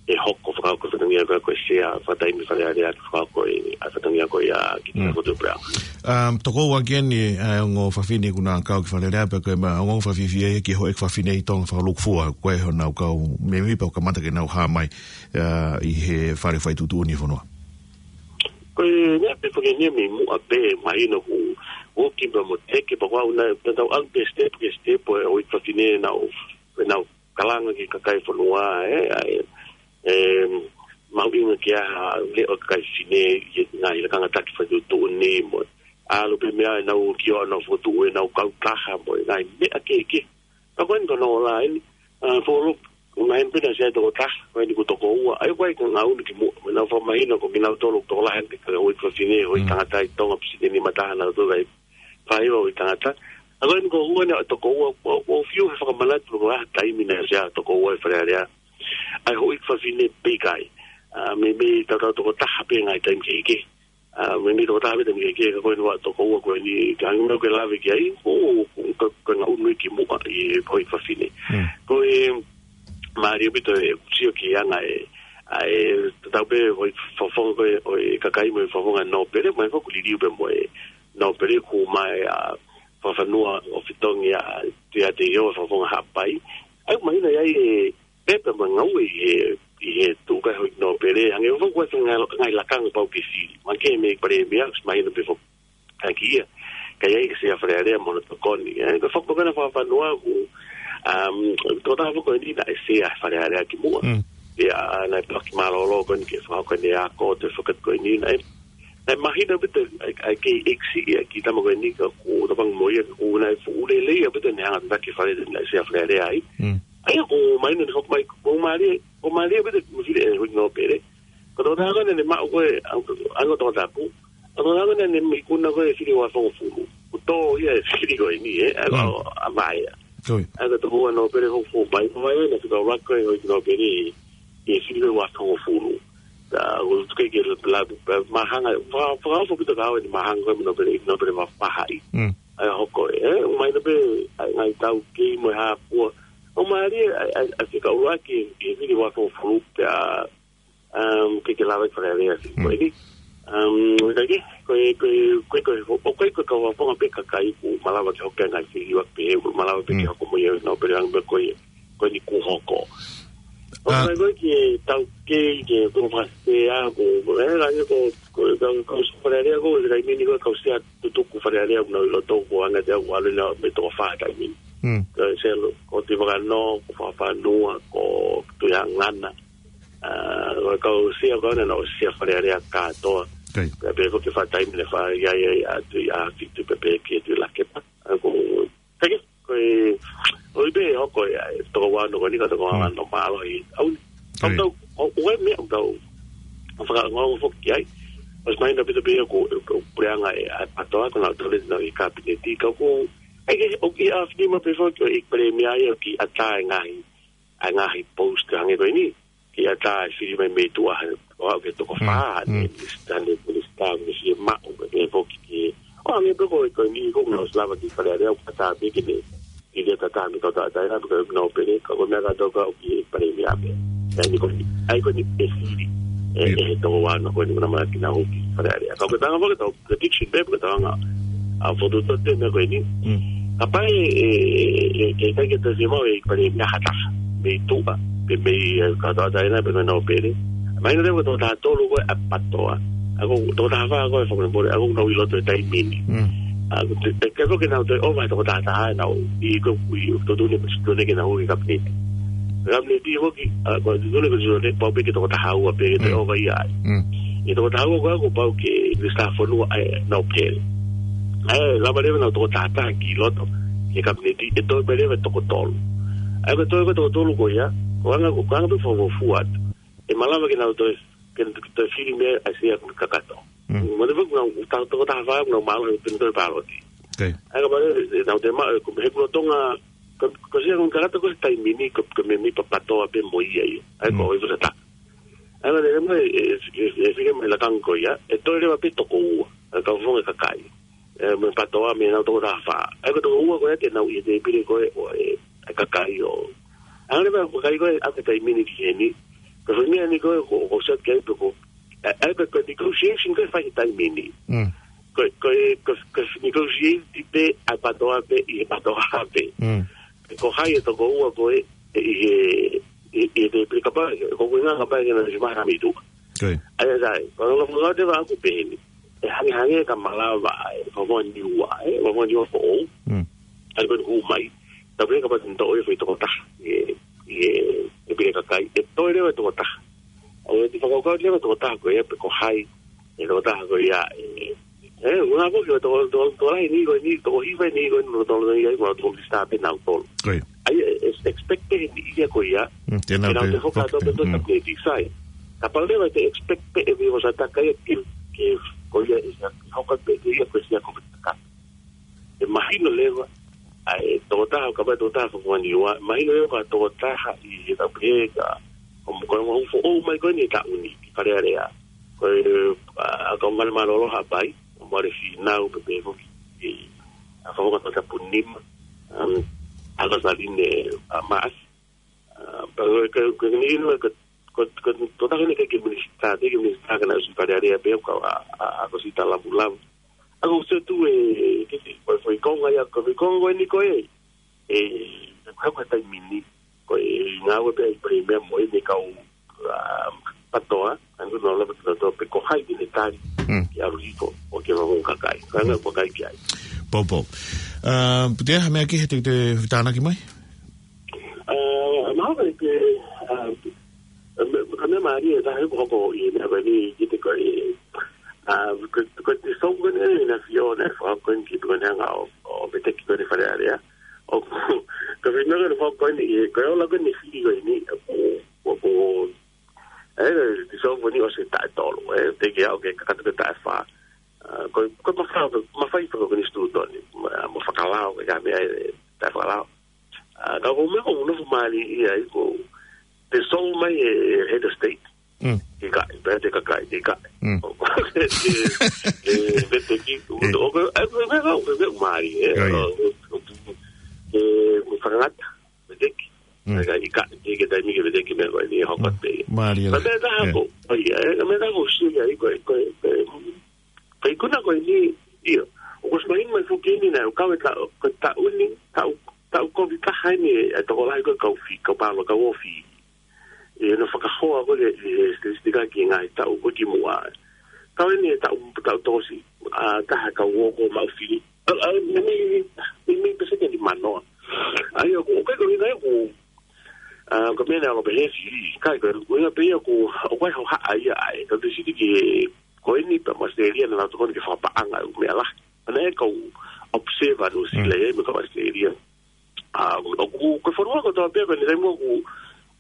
ʻE hoko fakahoko e fatongia kakai ko e sea, fakataimi Fale Alea, fakahoko e, ʻa e fatongia ko ia ki Mm. Tupou pea. Um, toko ua ki heni, ʻa e ongo fafine kuo nau kau ki Fale Alea, pe ko e ma, ongo fafine ia ki he houʻeiki fafine ʻi Tonga fakalūkufua, ko e honau kau mēmipa ʻo kamata ke nau hā mai, uh, ʻi he fale faituʻutuʻuni fonua. Ko e meʻa pē ko eni mei muʻa pē, mahino kuo, kuo ki pea mo teke, pea kuo ʻalu nai, pea tau ʻalu pē step ki he step, ʻo e houʻeiki fafine nau, nau kalanga ki he kakai fonua, ē, ʻa e, ē, mahuʻinga ke ʻi ai ha leʻo ʻo e kakai fefine ʻi he ngaahi lakanga taki faituʻutuʻuni mo. ʻAlu pē meʻa ʻenau ki ʻo nau fokotuʻu ʻenau kautaha mo e ngaahi meʻa kehekehe. Ka ko eni ko hono ola eni, ʻa, folo, ʻo ngaahi pē naʻe ʻi ai e tokotaha, ko eni ko e toko ua, ʻa ia ko e ʻikai ke ngāue ki muʻa, mo nau fakamahino ko kinautolu tokolahi eni ka houʻeiki fafine, houʻeiki Mm. tangata ʻi Tonga, pisinisi mataha nautolu ʻa e fai ʻo e tangata. ʻA ko eni ko e ua eni ʻa e toko ua, ʻo, ʻo fiu he fakamanatu ko e hā e taimi naʻe ʻi ai e toko ua ʻi Fale Alea. ʻA e houʻeiki fafine pē ʻikai. ʻA, meimei tautau tokotaha pē ngaahi taimi kehekehe. ʻA, meimei tokotaha pē taimi kehekehe, ka ko eni ʻa e toko ua ko eni, ka hangē ko e meʻa ʻoku ke lave ki ai, ʻo, ʻo, ka, ka ngāue ki muʻa ʻi he houʻeiki fafine. Mm. Ko e, mālie ʻaupito e sio ki he anga e, ʻa e, tatau pē houʻeiki fofonga ko ē, ʻo e kakai mo e fofonga Nōpele, mai foki liliu pē mo e Nōpele kuo mai ʻa Fakafanua ʻo Fitongi ʻa Tuiaʻateiho ʻa Fakafofonga Haʻapai. ʻA ia mahino ʻi ai e pepa mo e ngāue ʻi he, ʻi he tuʻu kae houʻeiki Nōpele, hangē foki ko e ngaahi, ngaahi lakanga pau ke fili. Mahalo ko e meʻa ko e palēmia, mahino pē foki ʻaki ia. Ka ʻi ai e sea Fale Alea mo hono tokoni. ʻE, ko e foki ko ena Fakafanua kuo, um, tokotaha foki ko eni naʻe sea Fale Alea ki muʻa. Mm. ʻIa, naʻe paki mālōlō ko eni ke fakahoko ʻene ako, toe foki ko eni, naʻe, naʻe mahino ʻaupito, ʻa e, ʻa e kei ʻeksi ia ki he tama ko eni ka kuo tau panga mo ia, ka kuo naʻe fuʻu lelei ʻaupito ʻene hanga tataki e fale naʻe sea Fale Alea ai. Mm. ʻA ia ko e mahino ʻene hoko mai, ko e mālie, ko e mālie ʻaupito mo fili e houʻeiki Nōpele. Ko e tokotaha ko ē naʻa ne maʻu ko ē, ʻa, ʻa, ʻa e Tongatapu. Ko e tokotaha ko ē naʻa ne ikuna ko ē e fili ʻe uofulu. Kuo tō ia e fili ko eni, ē, ʻa, Mm. ʻa, ʻa Vaea. Ko ia. ʻA ia ko e toko ua Nōpele hoko mai, ko Vaea naʻe fika ua ko ē houʻeiki Nōpele ʻi, ʻi he fili ko ē ʻe uofulu. Ta, ko tuke ke la, la, mahanga, fa, fa, fa, pito kau ʻeni mahanga ko ē mo Nōpele, Nōpele ma pahaʻi. Mm. ʻA ia hoko ē, ʻomai na pē, ʻa e ngaahi taukei mo e hā fua. ʻO mālie, ʻa, ʻa, ʻa e fika ʻuluaki, e fili ʻe uofulu, pea, um, ke ke lava ki Fale Alea. Mm. Ko eni, um, ka ke, ko e, ko e, ko e, ko e, ʻo ko e, ko e kau fakafofonga pē kakai kuo malava ke hoko e ngaahi fili ʻo pehē, kuo malava pē ke Mm. hoko mo ia, Nōpele ʻa ia pē ko e, ko eni kuo hoko. ʻO Ah. ka ko e ki he taukei, ki he kau fakasea, ko, ko, e, ka ko, ko, ka, ka, Fale Alea ko, e taimi ni ko, kau sea tutuku Fale Alea, nau ʻi loto ko anga te au, ʻalu ʻena mei he toko fā taimi ni. Mm. Ko Selo, ko Tivakano, ko Fakafanua, ko Tuiangana. ʻA, ko e kau sea ko ena naʻe sea Fale Alea kātoa. Kai. Pea pehē foki e fā taimi naʻe fai ai, ai, ʻa Tuʻiʻāfitu pea pehē ki Tuʻilakepa. ʻA, ko, ka ke, ko e, ʻoku ʻi ai pē hoko ia, e toko ua ko eni ka toko ua Mm. no mālohi. ʻAu, ʻau Kai. tau, ʻo, ʻo e meʻa ʻoku tau fakaongo foki ai. ʻOsi mahino ʻaupito pē ia ko e, ko e puleʻanga ʻa e, ʻa e PATOA, ko nautolu ʻoku nau ʻi he kapineti, ka ko, ʻa ia ke, ʻoku ʻi ai e fili ma pē foki, ʻo e palēmia ia ʻoku ʻatā e ngaahi, ʻa e ngaahi post hangē ko eni. Ke ʻatā e fili mai mei tuʻa, ʻo aʻu ki he toko Mm. fā, Mm. ʻene minisitā, ʻene minisitā, ʻene fiemaʻu, ʻene foki ke. ʻO hangē pē ko e, ko eni ko ʻena ʻosi lava ki Fale Alea, ʻoku ʻatā pē ke ne, ke ne tatā mei he Kautaha Taʻehāmai, pea ko Nōpele, ka ko e meʻa kātoa ka ʻoku ʻi he palēmia pē. ʻA ia ko eni, ʻa ia ko eni e fili, e, ʻIo. e toko ua ko eni naʻa mou kinautolu ki Fale Alea. Ka ko e tanga foki tau prediction pē, ko e tanga, ʻa, fotu tote meʻa ko eni. Mm. Kapau ʻe, ʻe, ʻe, ʻe, ʻikai ke tau fiemaʻu e palēmia ha taha mei tuʻa, pe mei, e, Kautaha Taʻehāmai, pe ko Nōpele. Mahino leva ko e toko taha tolu ko ē ʻa e PATOA. ʻA ia ko e toko taha fā ko ē ʻa e Fakamolemole, ʻa ia ʻoku nau ʻi loto he taimi ni. Mm. ʻA ia ko e, ʻe, ke ko ke nau toe ʻova he toko taha taha ʻenau, ʻi ko, ʻi, tuʻutuʻuni, tuʻutuʻuni ke nau hū ki he kapineti. Kapineti foki, ʻa, ko e tuʻutuʻuni ko e tuʻutuʻuni, pau pē ke toko taha ua pē ke toe Mm. ʻova ia ai. Mm. ʻI he toko taha ua ko ē kuo pau ke minisitā fonua ʻa Nōpele. ʻA ia, lava leva ʻenau toko taha taha ki loto, ki he kapineti, ʻe toe pē leva e toko tolu. ʻA ia, ko e toe ko e toko tolu ko ia, ko e anga, ko e anga pē fakafuofua atu. ʻE malava ke nau toe, ke nau toe fili mei ai e sea kakato. Mm. Mahalo pē ko ʻenau, ta-, toko taha fā, ʻenau mālohi pē toe pāloti. Okay. ʻA ia, kapau leva ʻe, ʻenau toe ma-, e, ko e hekuna Tonga, ko, ko e sea kakato ko e taimi ni, ko, ko e mēmipa PATOA pē mo ia ia. ʻA ia, ko Mm. e fusata. ʻA ia, mahalo leva e, e, e, e fili mai e lakanga ko ia, ʻe toe leva pē toko ua. ʻa e kau fofonga kakai. ʻE, mo e PATOA mei he nau toko taha fā. ʻA ia ko e toko ua ko ē te nau ʻi he tēpile ko ē ʻo e, e kakai ʻo. Hangē pē ko e kakai ko ē ʻa e taimi ni ki heni. Ko e foʻi meʻa ni ko ē, ko, ko sat kai pe ko. ʻA ia ko e, ko e negotiation ko ē fai he taimi ni. Mm. Ko e, ko e, ko e, ko e negotiate pē ʻa e PATOA pē, ʻi he PATOA pē. Mm. Ko hai e toko ua ko ē, ʻi he, ʻi, ʻi he tēpile kapau, ko e ngaahi kapau ke na si maha mi tu. Ko ia. ʻA ia sai, ko e ngaahi ngaahi te va aku pē heni. ʻE hangē hangē ka malava, ʻe, ko e niua, ʻe, ko e niua foʻou. Mm. ʻA ia ko e hū mai. Tapu ia kapau te nau ʻoange foʻi toko taha. ʻE, ʻe, ʻe pire kakai. ʻE toe leva toko taha. ʻO ʻe te fakakaukau leva toko taha ko ia pe ko hai. ʻE toko taha ko ia, ʻe, ʻe, una ko ki toko, toko, toko lahi ni ko ni, toko hiva ni ko ni, toko, toko lahi ai, ko toko lista pe nau tolu. Ko ia. ʻA ia, ʻe, ʻe expect pē ni ia ko ia. Mm, te nau Te nau te te hoka expect to pe pē. to Mm. tap ne tisai. Kapau leva te expect pē ʻe vio sa taka ia ke, ke, ko ia ʻe sa hoka pē ke ia ko sia ko pe taka. ʻE mahino leva, ʻa e toko taha, kapau toko taha fofonga niua, mahino leva ko e toko taha ʻi he tapu he ka, ko mo, ko mo foʻou mai ko eni e taʻu ni, ki Fale Alea. Ko e, ʻa, ʻa ka ngale mālōlō Haʻapai, mo Mare Fīnau, pe pe ko ki, ki, ʻa ka fofonga toko tapu nima, um, ʻa ka saline, ʻa Maʻasi, ʻa, pa ko, ko, ko, ni, ni, ko, ko, ko, toko taha ni ke, ke minisitā, ke, ke minisitā ka na ʻosi Fale Alea pe ko, ʻa, ʻa, ʻa ko si ta lavu lavu. ʻA ko se tu e, ke, ke, ko, ko e konga ia, ko, ko e konga ni ko e, e, ko, ko e taimi ni, ko e ngāue pē, ko e meʻa mo e me kau, um, PATOA, ʻa ko no lava PATOA, pe ko hai ke ne tali, Mm. ke ʻalu hiko, ʻo ke vavong kakai. Ka ngā ko kai ki ai. Poupou. Uh, Pute, ha meʻa ki he te, te tānaki mai? Uh, ma hoka ke, uh, me, ka meʻa mālie, tā he ko hoko ʻi he meʻa ko eni, ki te ko e, uh, ko, ko te song ko eni, na fio, na fo ko eni ki ko eni hanga ʻo, ʻo me te ki ko eni Fale Alea. ʻO, ka fina ko eni fo ko eni, ko e ola ko eni fili ko eni, ʻo, ʻo, ʻo, ʻe, te song ko eni ʻosi taʻu ʻe tolu, ʻe, te ke au ke kakatu ke taʻu ʻe fā. Uh, ko, ko mafai, mafai ko eni stutoni, ma, mo fakalao, ke ka meʻa, ʻe, taʻu fakalao. ʻA, ka ko e meʻa ko e nofo mālie ia ai ko e te song mai e, e head of state. Mm. Ke ka, pea te kakai, ke ka. Mm. ʻO, ke, ke, ke veteki, ʻo, ʻo, ʻo, ʻe, ʻe, ʻe, ʻe, ʻe, mālie, ʻe, ʻIo, ʻio. ʻo, ʻo, ʻe, mo fakangata, veteki. Mm. ʻA ia, ʻi ka, ke, ke taimi ke veteki meʻa ko eni, hoko Mm. pē. Mālie Ka la. meʻa taha ʻIo. ko, ʻo ia, ʻe, ka meʻa taha ko, sio ia, ʻi ko, ko, ko, Ka ikuna ko eni, ʻio. ʻOku ʻosi mahino mai foki eni naʻe ʻo kau e taʻu, ko e taʻu ni, taʻu, taʻu kovi taha eni e tokolahi ko e kau fi, kau palo, kau ofi. ʻI hono fakahoa ko ē e, e, statistika ki he ngaahi taʻu ko ē kimuʻa. Kau eni e taʻu, taʻu tokosiʻi, ʻa, taha kau ō ko maʻu fili. ʻA, ʻa, me, me, me, me peseti ni manoa. ʻA ia ko, ʻoku ʻikai ko e ʻuhinga ia ko, ʻa, ko e meʻa naʻe ʻalu pē he fili. Kai ko, ko e ʻuhinga pē ia ko, ʻoku ʻi ai e hohaʻa ia ʻa e, ka te siti ki he, ko eni pē mo Australia naʻa nau tokoni ke fakapaʻanga ʻū meʻa lahi. ʻA ia ʻe kau observer Nuʻu Sila Mm. ia mo e kau Australia. ʻA, ʻoku, ko e fonua kotoa pē ko eni taimi ʻoku,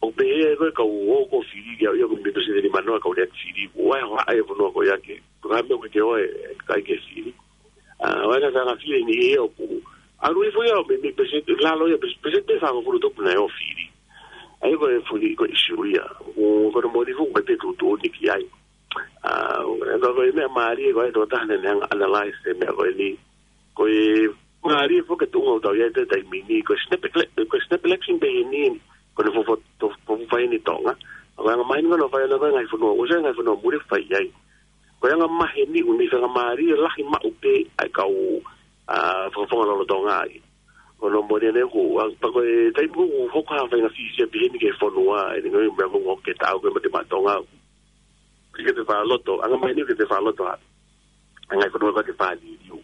ʻoku pehē ko e kau ō ko fili ia, ia ko e meʻa peseti ni manoa kau lea fili. ʻOku ʻi ai e hohaʻa ia e fonua ko ia ke, ko e hā e meʻa ʻoku ke ō e, ʻikai ke fili. ʻA, ʻoku ʻi ai e ngaahi fili ni ia ʻoku ʻalu hifo ia, me, me peseti, lalo ia, pes-, peseti fāngofulu tupu naʻe ō fili. ʻA ia ko e fuli, ko e ʻisiū ia. ʻO, ko hono moʻoni foki, ko e te tuʻutuʻuni ki ai. ʻA, ʻo, ʻe, ko e meʻa mālie, ko e toko taha naʻa ne hanga ʻo analyze e meʻa ko eni. Ko e mālie foki e tuʻunga ʻoku tau ʻi ai he taimi ni, ko e snap ele-, ko e snap election pē eni, ko hono fofo-, to-, fofo fai eni Tonga. Ko e anga maheni ko hono fai ʻana ko e ngaahi fonua, ʻosi e ngaahi fonua muli fai ai. Ko e anga maheni ʻoku ne fakamālie lahi maʻu pē ʻa e kau, ʻa, fakafofonga lolotonga ai. Ko hono moʻoni ʻana ʻoku, ʻa, pea ko e taimi ʻoku hoko ha faʻahinga fisia pehē ni ki he fonua, ʻi he ngaahi meʻa ʻoku hoko ke taʻu ko ē mei he maʻa Tonga. Ke te fakaloto, anga maheni ke te fakaloto ha. Anga e fonua ka te fāliliu.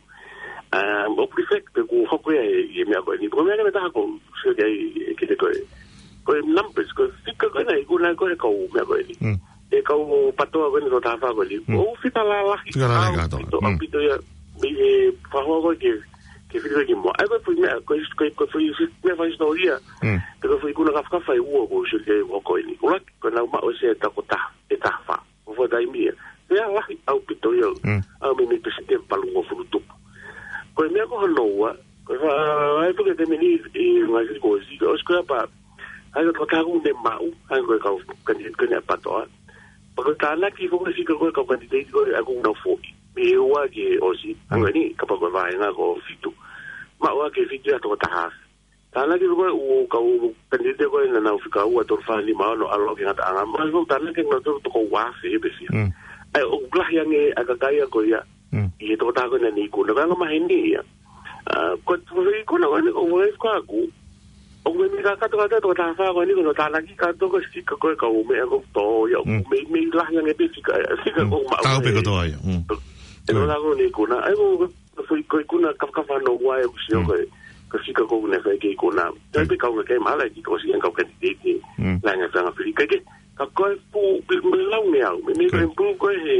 ʻA, ʻoku reflect pē ʻoku hoko ia he, he meʻa ko eni. Ko e meʻa ko ē ʻe taha ʻoku sio ki ai, ʻe, ki he ko e. Ko e numbers, ko e fika ko ena, ʻoku ʻi ai ko e kau meʻa ko eni. Mm. E kau PATOA ko eni toko taha fā ko eni. Mm. ʻOku fika lalahi. Fika lalahi ʻaupito, kātoa. Mm. ʻAupito ia. Mei he fakahoa ko ē ke, ke fili ko ē kimuʻa. ʻA ia ko e foʻi meʻa, ko e, ko e, ko e foʻi, foʻi meʻa fakahisitōlia. Mm. Pe ko e foʻi ikuna kafakafa ʻe ua ʻoku sio ki ai ʻoku hoko eni. ʻUluaki, ko ʻenau maʻu ʻe Sē toko taha, ʻe taha fā. Ko e fuʻu taimi ia. Pea lahi ʻaupito ia. Mm. ʻA ia mei, mei peseti ʻe valungofulu tupu. Ko e meʻa ko hono ua, ko e fa-, ʻa e puke te meni ʻi ngaahi fili ko ē, ʻosi ko ia pea, ʻa ia ko e toko taha ʻoku ne maʻu, ʻa ia ko e kau candidate ko eni ʻa e PATOA. Pea ko e tānaki foki e fika ko ē kau candidate ko ē ʻoku nau foʻi. Mei he ua ki he ʻosi, ʻa ia ko eni, kapau ko e vāhenga ko e fitu. Maʻu ʻaki e fitu ia toko taha afe. Tānaki ko ē ʻū kau kanitete ko ē naʻa nau fika ua, tolu, fā, nima, ono, ʻalu ki he ngataʻanga. Maʻu ʻaki e tānaki naʻa nau toko ua afe ʻe pē fiha. ʻA ia, ʻoku lahi ange ʻa e kakai ia ko ia. ʻI he toko taha ko ē naʻa ne ikuna. Ko e anga maheni ia. ʻA, ko e ikuna ko eni ko e fika ʻaku. ʻOku meimei kakato kātoa toko taha fā ko eni ko hono tānaki kātoa ko e fika ko ē kau meʻa ko ē tō ia. ʻOku meimei lahi ange pē fika, fika ko ē maʻu. Tau pē kotoa ia. ʻE ko e anga ko eni ikuna. ʻA ia ko e foʻi ko e ikuna kafakafa no ua e ʻoku sio ko e, ko e fika ko ē naʻe fai ki he ikuna. Tau pē kau ngā kei mala ki ko si ʻa e kau kanitete. Lahi ange fanga fili. Ka ke, ka ko e pū, meimei lau ngeau. Meimei ko e pū ko ē he,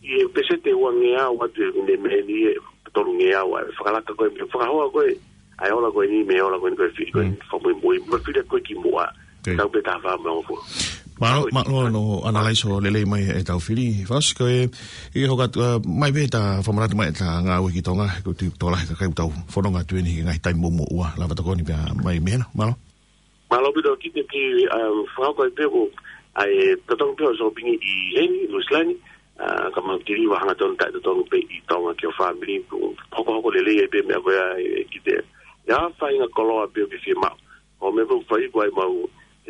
ʻi he peseti ua ngeau atu ʻe ne meni ʻe tolu ngeau ʻa e fakalaka ko ē, mei he fakahoa ko ē, ʻa e ola ko eni, mei he ola ko eni ko e fili ko ē, fakamuimui, mo e fili ko ē ki muʻa. Tau pē taha fā mo e hongofulu. Mālō, mālō hono ʻanalaiso lelei mai ʻetau fili. Fasi ko e, ʻi he hoko atu, ʻa, mai pē ta fakamanatu mai ʻeta ngāue ki Tonga, ko e tokolahi e kakai ʻoku tau fononga atu eni he ngaahi taimi muʻomuʻa, lava tokoni pea mai mena, mālō. Mālō ʻaupito Kite ki, um, fakahoko ai pē ko ʻa e totongi pē ʻo e sōpingi ʻi heni, Nuʻusila ni, ʻa, ka mau tiliva hangatonu taʻetotongi pē ʻi Tonga ki ho fāmili, ko e hokohoko lelei ai pē meʻa ko ia ʻe Kite. ʻI ai ha faʻahinga koloa pē ʻoku ke fiemaʻu. Ko e meʻa pē ʻoku fai ko ē ʻemau,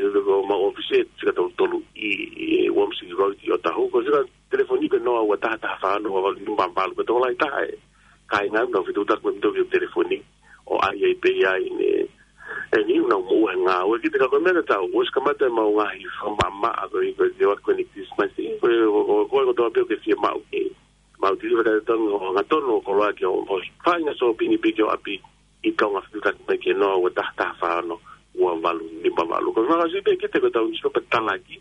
ʻe, ko ʻemau ʻōfisi ʻe fika tolu tolu ʻi, ʻi Wormsley Road ʻi Otahuhu. Ko e fika telefoni ko e noa ua taha taha fā ono ua valu nima valu. Ko e tokolahi taha e kāinga ʻoku nau fetuʻutaki mo kitautolu ʻi he telefoni. ʻO ʻai ai pē ia ʻi he, ʻe niʻihi ʻoku nau moʻua he ngāue. Kite ka ko e meʻa tatau, ʻosi kamata ʻemau ngaahi fakamaʻamaʻa ko ē, ko e te watu ko eni Christmas, ko e, ko e, ko e, ko e kotoa pē ʻoku ke fiemaʻu ke mau tiliva taʻetotongi ʻo hangatonu ʻo koloa ki ho, ho faʻahinga sōpingi pē ki ho ʻapi ʻi Tonga, fetuʻutaki mai ki he noa ua taha taha fā ono ua valu nima valu. Ko e fakaʻosi pē Kite ko ʻetau newspaper talaki,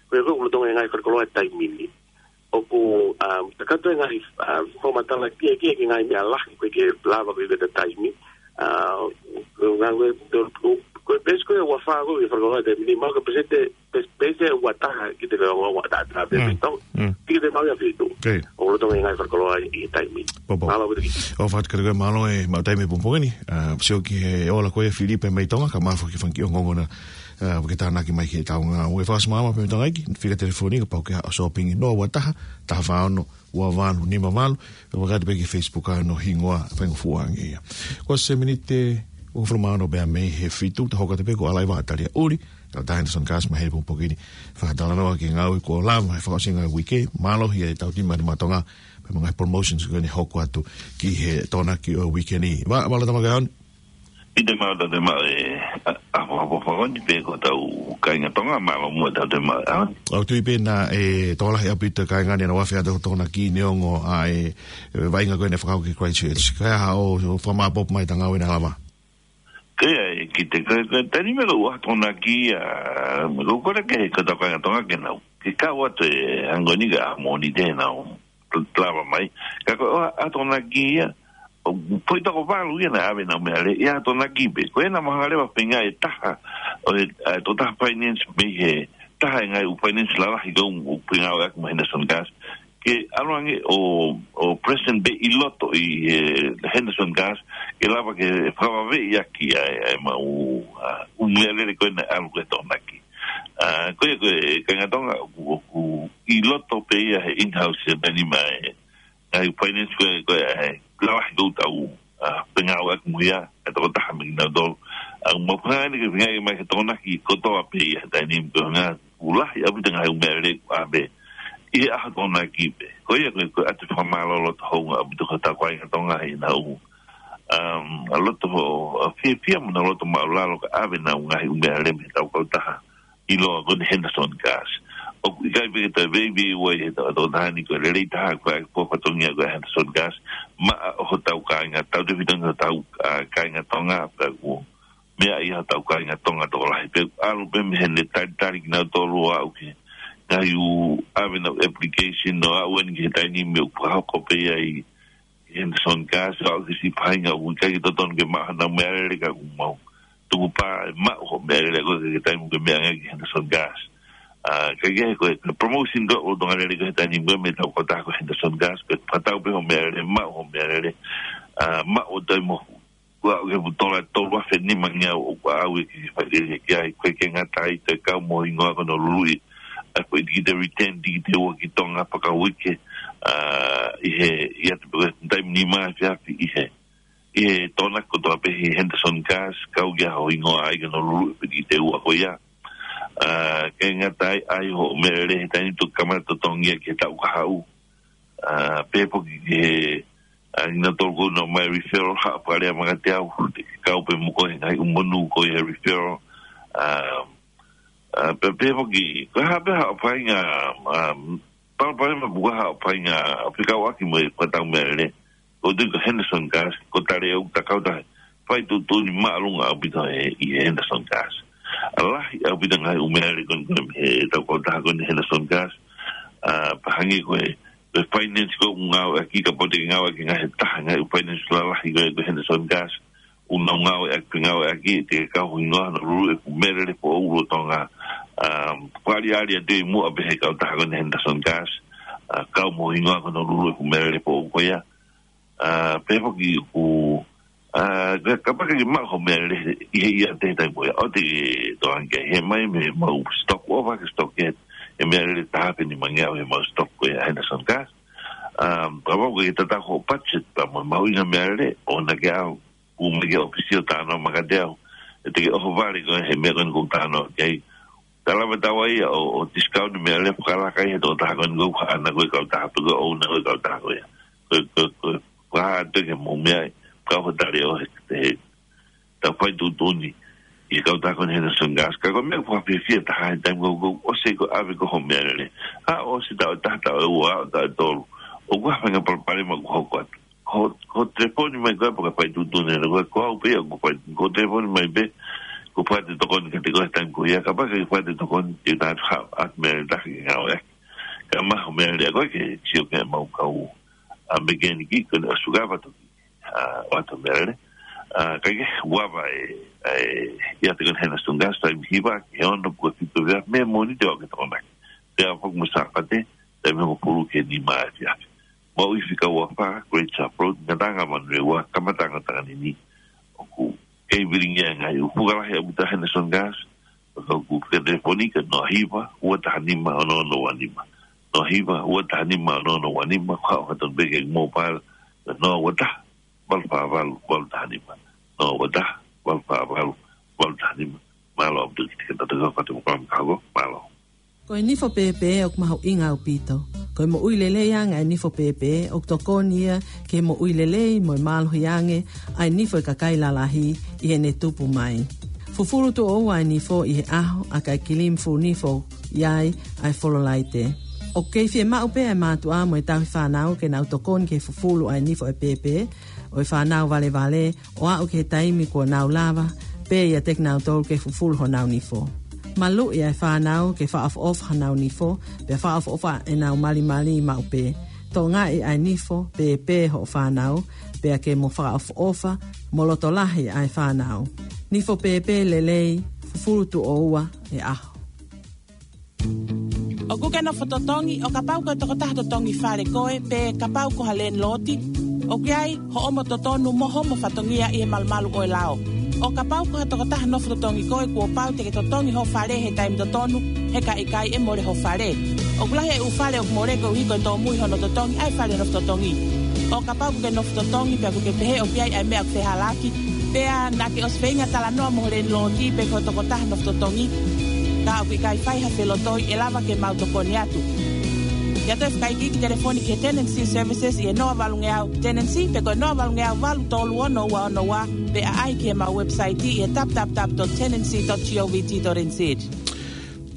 ko ia ko ē ʻoku lolotonga e ngaahi fakakoloa he taimi ni. ʻOku, um, kakato e ngaahi, um, fakamatala kia, kia ki he ngaahi meʻa lahi ko ē ʻoku lava ko ē ke ta taimi. Uh, ko e ngaahi, ko e, ko e, ko e peesi ko ē ua fā ko ē ʻoku fakakoloa he taimi ni, maʻu ʻaki e peseti, pes-, peesi ua taha ki he ongo ua taha taha pē ʻi Tonga. Ki he maʻu ia fitu. ʻOku lolotonga e ngaahi fakakoloa ʻi he taimi ni. Mālō ʻaupito Kite. ʻOfa atu kiate koe, mālō e maʻu taimi he pongipongi ni. Uh, sio ki he ola ko ē ʻa Filipe mei Tonga, ka mālō foki e fanga kiʻi ongoongo naʻa ʻa, ʻoku ke tānaki mai ki heʻetau ngāue. Fakaʻosi mai pē mo e tangataʻeiki, fika telefoni kapau ʻoku ke ʻosi sōpingi, noa ua taha, taha fā ono, ua valu nima valu, pea ʻoku ʻikai pē ki he Facebook ʻa hono hingoa, faingofua ange ia. Kuo ʻosi e miniti ʻe uofulu mā ono pea mei he fitu, ta hoko atu pē ko ʻAlaiva ʻAtalia ʻUli, kae ʻatā Henderson Gas mai he pongipongi ni. Fakatalanoa ki he ngāue kuo lava, he fakaʻosinga e uike, mālohi ʻetau timi ʻa Nima Tonga, pea mo e ngaahi promotions ko eni ʻe hoko atu ki he Tokonaki ʻo e uike ni. Vā, mālō Tama Kaeaone. ʻI he maʻu ʻetau toe maʻu e, ʻa, ʻa, ʻa, ʻa, ʻa, ʻa, ni pē ko ʻetau kāinga Tonga, mālō muʻa ʻetau toe maʻu e ʻaho ni. ʻOku ou tui pē naʻe tokolahi ʻaupito e kāinga ni naʻa nau afe atu he Tokonaki neongo ʻa e, e vaʻinga ko ē naʻe fakahoko ki Christchurch. Ka ʻi ai haʻo, ʻo fakamāʻopoʻopo mai ʻeta ngāue naʻe lava? Ko ia ē Kite, ko, ko e taimi ko ē ʻoku ʻi ai e Tokonaki, ʻa, ko e kole ke, ko ʻetau kāinga Tonga ke nau, ke kau atu he ʻaho ko eni ka ʻaho Mōnite nau lava mai. Ka ko e ʻosi e Tokonaki ia, ʻoku poi toko valu ia naʻe ʻave ʻenau meʻalele, ʻi he Tokonaki pē. Ko ena mahalo leva feinga e taha, ʻo e, ʻa e tokotaha finance mei he taha e ngaahi ʻū finance lalahi ko ē ʻoku ngāueʻaki mo Henderson Gas, ke ʻalu ange ʻo, ʻo present pē ʻi loto ʻi he Henderson Gas, ke lava ke fakavaveʻi ʻaki ʻa e, ʻa e maʻu, ʻa, ʻū meʻalele ko ē naʻe ʻalu ki he Tokonaki. ʻA, ko ia ko e kāinga Tonga, ʻoku, ʻoku ʻi loto pē ia he in-house ia meni mai. ʻA e finance ko ē, ko ē, ʻa e, lalahi ko ē ʻoku tau, ʻa, fengāueʻaki mo ia, ʻa e tokotaha mei kinautolu. ʻA, ʻoku mau feinga eni ke feinga mai ke Tokonaki kotoa pē ia he taimi ni ko e ʻuhinga ʻoku lahi ʻaupito e ngaahi ʻū meʻalele ʻoku ʻave ʻi he ʻaho Tokonaki pē. Ko ia ko e, ko e ʻoatu e fakamālō loto houngaʻia ʻaupito ki hotau kāinga Tonga ʻi heʻenau, um, ʻa, loto, ʻa, fiefia mo ʻenau loto māʻulalo ka ʻave ʻenau ngaahi ʻū meʻalele mei heʻetau kautaha ʻiloa ko eni Henderson Gas. ʻOku ʻikai pē ke toe veiveiua ʻi he tau, tau taha ni ko e lelei taha ko e ʻa e fatongia ko ē ʻa Henderson Gas maʻa hotau kāinga, tautefito ange hotau, ʻa, kāinga Tonga, pea ʻoku meaʻi ʻe hotau kāinga Tonga tokolahi pē, ʻalu pē mei heʻene talitali kinautolu ʻo aʻu ki he ngaahi ʻū ʻave ʻenau application ʻo aʻu eni ki he taimi ni ʻoku fakahoko pē ia ʻi Henderson Gas, ʻo aʻu ki he siʻi faʻahinga ʻoku ʻikai ke totonu ke maʻu haʻanau meʻalele ka ʻoku mau tukupā ʻe maʻu hoʻo meʻalele ko ē ki he taimi ʻoku ke meʻa ange ki Henderson Gas. ʻA, ka ʻi he ko e, ko e promotion ko ē ʻoku lolotonga lele ko ē he taimi ni ko ē mei heʻetau kautaha ko Henderson Gas, ko e fakatau pē hoʻo meʻalele, maʻu hoʻo meʻalele, ʻa, maʻu ʻo toe mohu. Kuo aʻu ki he tola, tolu afe nima ngeau ʻoku ʻave ke fai lelei ki ai, ko e ke ngata ai, toe kau mo e hingoa ko hono luluʻi ʻa e foʻi tikite return, tikite ua ki Tonga fakauike, ʻa, ʻi he, ʻi he taimi ni mai fiafi ʻi he, ʻi he tōnaki kotoa pē ʻe he Henderson Gas, kau ki ai hono hingoa ʻa ia ko Honolulu ʻe piti te ua ko ia. ʻA, ke ngata ai, ʻa e hoʻo meʻalele he taimi ni ʻoku kamata totongi ia ki he taʻu kahaʻu. ʻA, pehē foki ki he, ʻa, ʻa kinautolu ʻoku nau ʻomai referral, haʻu pale ʻa Makatau, te ke kau pē mo koe he ngaahi ʻū monū ko ia he referral. ʻA, ʻA, pea, pea pehē foki, ko e hā pē haʻo faʻahinga, ʻa, palopalema pe ko e hā haʻo faʻahinga fekauʻaki mo e fakatau meʻalele. Ko e tui ko Henderson Gas, ko e tali ʻoku ta kau taha, fai tuʻutuʻuni māʻolunga ʻaupito ʻi he Henderson Gas. ʻA, lahi ʻaupito ngaahi ʻū meʻalele ko eni ko eni ʻetau kautaha ko eni Henderson Gas. ʻA, pea hangē ko e, ko e finance ko ē ʻoku ngāueʻaki, kapau te ke ngāueʻaki ngaahi taha, ngaahi ʻū finance lalahi ko ē ko Henderson Gas. ʻOku nau ngāueʻaki, ngāueʻaki, te ke kau hono hingoa Honolulu ʻe fuʻu meʻalele foʻou ʻo Tonga. ʻA, fakaʻaliʻali atu ʻi muʻa pē he kautaha ko eni Henderson Gas. ʻA, kau mo hono hingoa Honolulu ʻe fuʻu meʻalele foʻou ko ia. ʻA, pehē foki ʻoku, ʻa, ka, kapau ʻoku ke maʻu hoʻo meʻalele ʻi he ʻiate he taimi ko ia, ʻoua te ke tokanga ki ai, he ʻomai mei he mau stock, ʻofa ke stock ke, he meʻalele taha pē nimangeau he mau stock ko ia Henderson Gas. ʻA, kapau ʻoku ke tatau hoʻo budget, pea mo e mahuʻinga meʻalele, ʻoua naʻa ke ʻalu ʻo mai ki he ʻōfisi ʻo talanoa mai kiate au. ʻE te ke ʻohovale koe he meʻa ko eni ʻoku ou talanoa ki ai. Ka lava ʻe taua ia ʻo, ʻo discount meʻalele fakalaka ʻi he tokotaha ko eni ʻoku haʻana ko e kautaha pe ko e ʻouna ko e kautaha ko ia. Ko, ko, ko, ko e hā atu ke mou meʻa ai, kau hoʻo tali ʻo he, he, tau fai tuʻutuʻuni ʻi he kautaha ko eni Henderson Gas. Ka ko e meʻa ʻoku fakafiefia taha he taimi ko ē ʻoku ʻosi ko ē ʻave ko ē hoʻo meʻalele. ʻA, ʻosi taʻu ʻe taha, taʻu ʻe ua, taʻu ʻe tolu. ʻOku ʻi ai ha faʻahinga palopalema ʻoku hoko atu. Ko, ko telefoni mai koe pe ko e fai tuʻutuʻuni ʻa koe, ko au pē ia ʻoku fai, ko telefoni mai pē, ko e fai ʻete tokoni kiate koe he taimi ko ia, kapau ʻoku ke fai ʻete tokoni, te u tala atu ha, ʻa e meʻalele taha ke ngāueʻaki. Ka maʻu hoʻo meʻalele ʻa koe ke sio ki he mau kau, ʻa, mekeniki, ko eni ʻoku sukava toki, ʻa, ʻoatu meʻalele. ʻA, ka ke huava e, e, ʻiate ko eni Henderson Gas, taimi hiva ki he ono pe ko e fitu ʻa e efiafi, Mōnite ʻo aʻu ki he Tokonaki. Pea foki mo Sāpate, taimi hongofulu ki he nima ʻa e efiafi. Maʻu ʻi Fika Uafā, Great Sharp Road, Ngataʻanga Manurewa, kamataʻanga ʻo Takanini. ʻOku kei vilingia e ngaahi ʻū fuka lahi ʻaupito ʻa Henderson Gas, pea ko e fika telefoni ko e noa hiva, ua taha nima, ono ono ua nima. Noa hiva, ua taha nima, ono ono ua nima, ko haʻo hā tonu pē ki he mobile, noa ua taha, valu fā valu, valu taha nima. Noa ua taha, valu fā valu, valu taha nima. Mālō ʻaupito ki he tau tau fatu mo kami kako, mālō. Ko e nifo pēpē ʻoku mahuʻinga ʻaupito. Ko e moʻui lelei ange ʻa e nifo pēpē, ʻoku tokoni ia ki he moʻui lelei mo e mālohi ange ʻa e nifo ʻa e kakai lalahi ʻi heʻene tupu mai. Fufulu tuʻo ua ʻa e nifo ʻi he ʻaho, ʻa e kiʻi kilimi fulu nifo ʻoku ʻi ai ʻa e fololaite. ʻOku kei fiemaʻu pē ʻa e mātuʻa mo e tauhi fānau ke nau tokoni ki he fufulu ʻa e nifo ʻa e pēpē ʻo e fānau valevale, ʻo aʻu ki he taimi kuo nau lava pē ʻiate kinautolu ke fufulu honau nifo. Maluʻi ʻa e fānau ke fakaʻofoʻofa honau nifo, pea fakaʻofoʻofa ʻenau malimali maʻu pē. Tokangaʻi ʻa e nifo pēpē hoʻo fānau, pea ke mo fakaʻofoʻofa mo loto lahi ʻa e fānau. Nifo pēpē lelei, fufulu tuʻo ua he ʻaho. ʻOkú ke nofo totongi, ʻo kapau ko e tokotaha totongi fale koe, pe kapau ko ha landlord, ʻoku ʻi ai hoʻomo totonu mo hoʻomo fatongia ʻi he malumalu ʻo e lao. ʻO kapau ko ha tokotaha nofo totongi koe, kuo pau te ke totongi ho fale he taimi totonu, he ka ʻikai ʻe mole ho fale. ʻOku lahi e ʻū fale ʻoku mole koeʻuhi ko e tōmui hono totongi ʻa e fale nofo totongi. ʻO kapau ʻokú ke nofo totongi pea ʻokú ke pehē ʻoku ʻi ai ʻa e meʻa ʻoku fehālaaki, pea naʻá ke ʻosi feinga talanoa mo ho landlord pe ko e tokotaha nofo totongi, ka ʻoku ʻikai fai ha felotoi, ʻe lava ke mau tokoni atu. ʻIo, toe fakaikiiki, telefoni ki he Tenancy Services ʻi he noa valungeau Tenancy, pe ko e noa valungeau valu tolu ono ua ono ua, pe ʻaʻahi ki heʻemau website ʻi he w w w dot tenancy dot govt dot n z.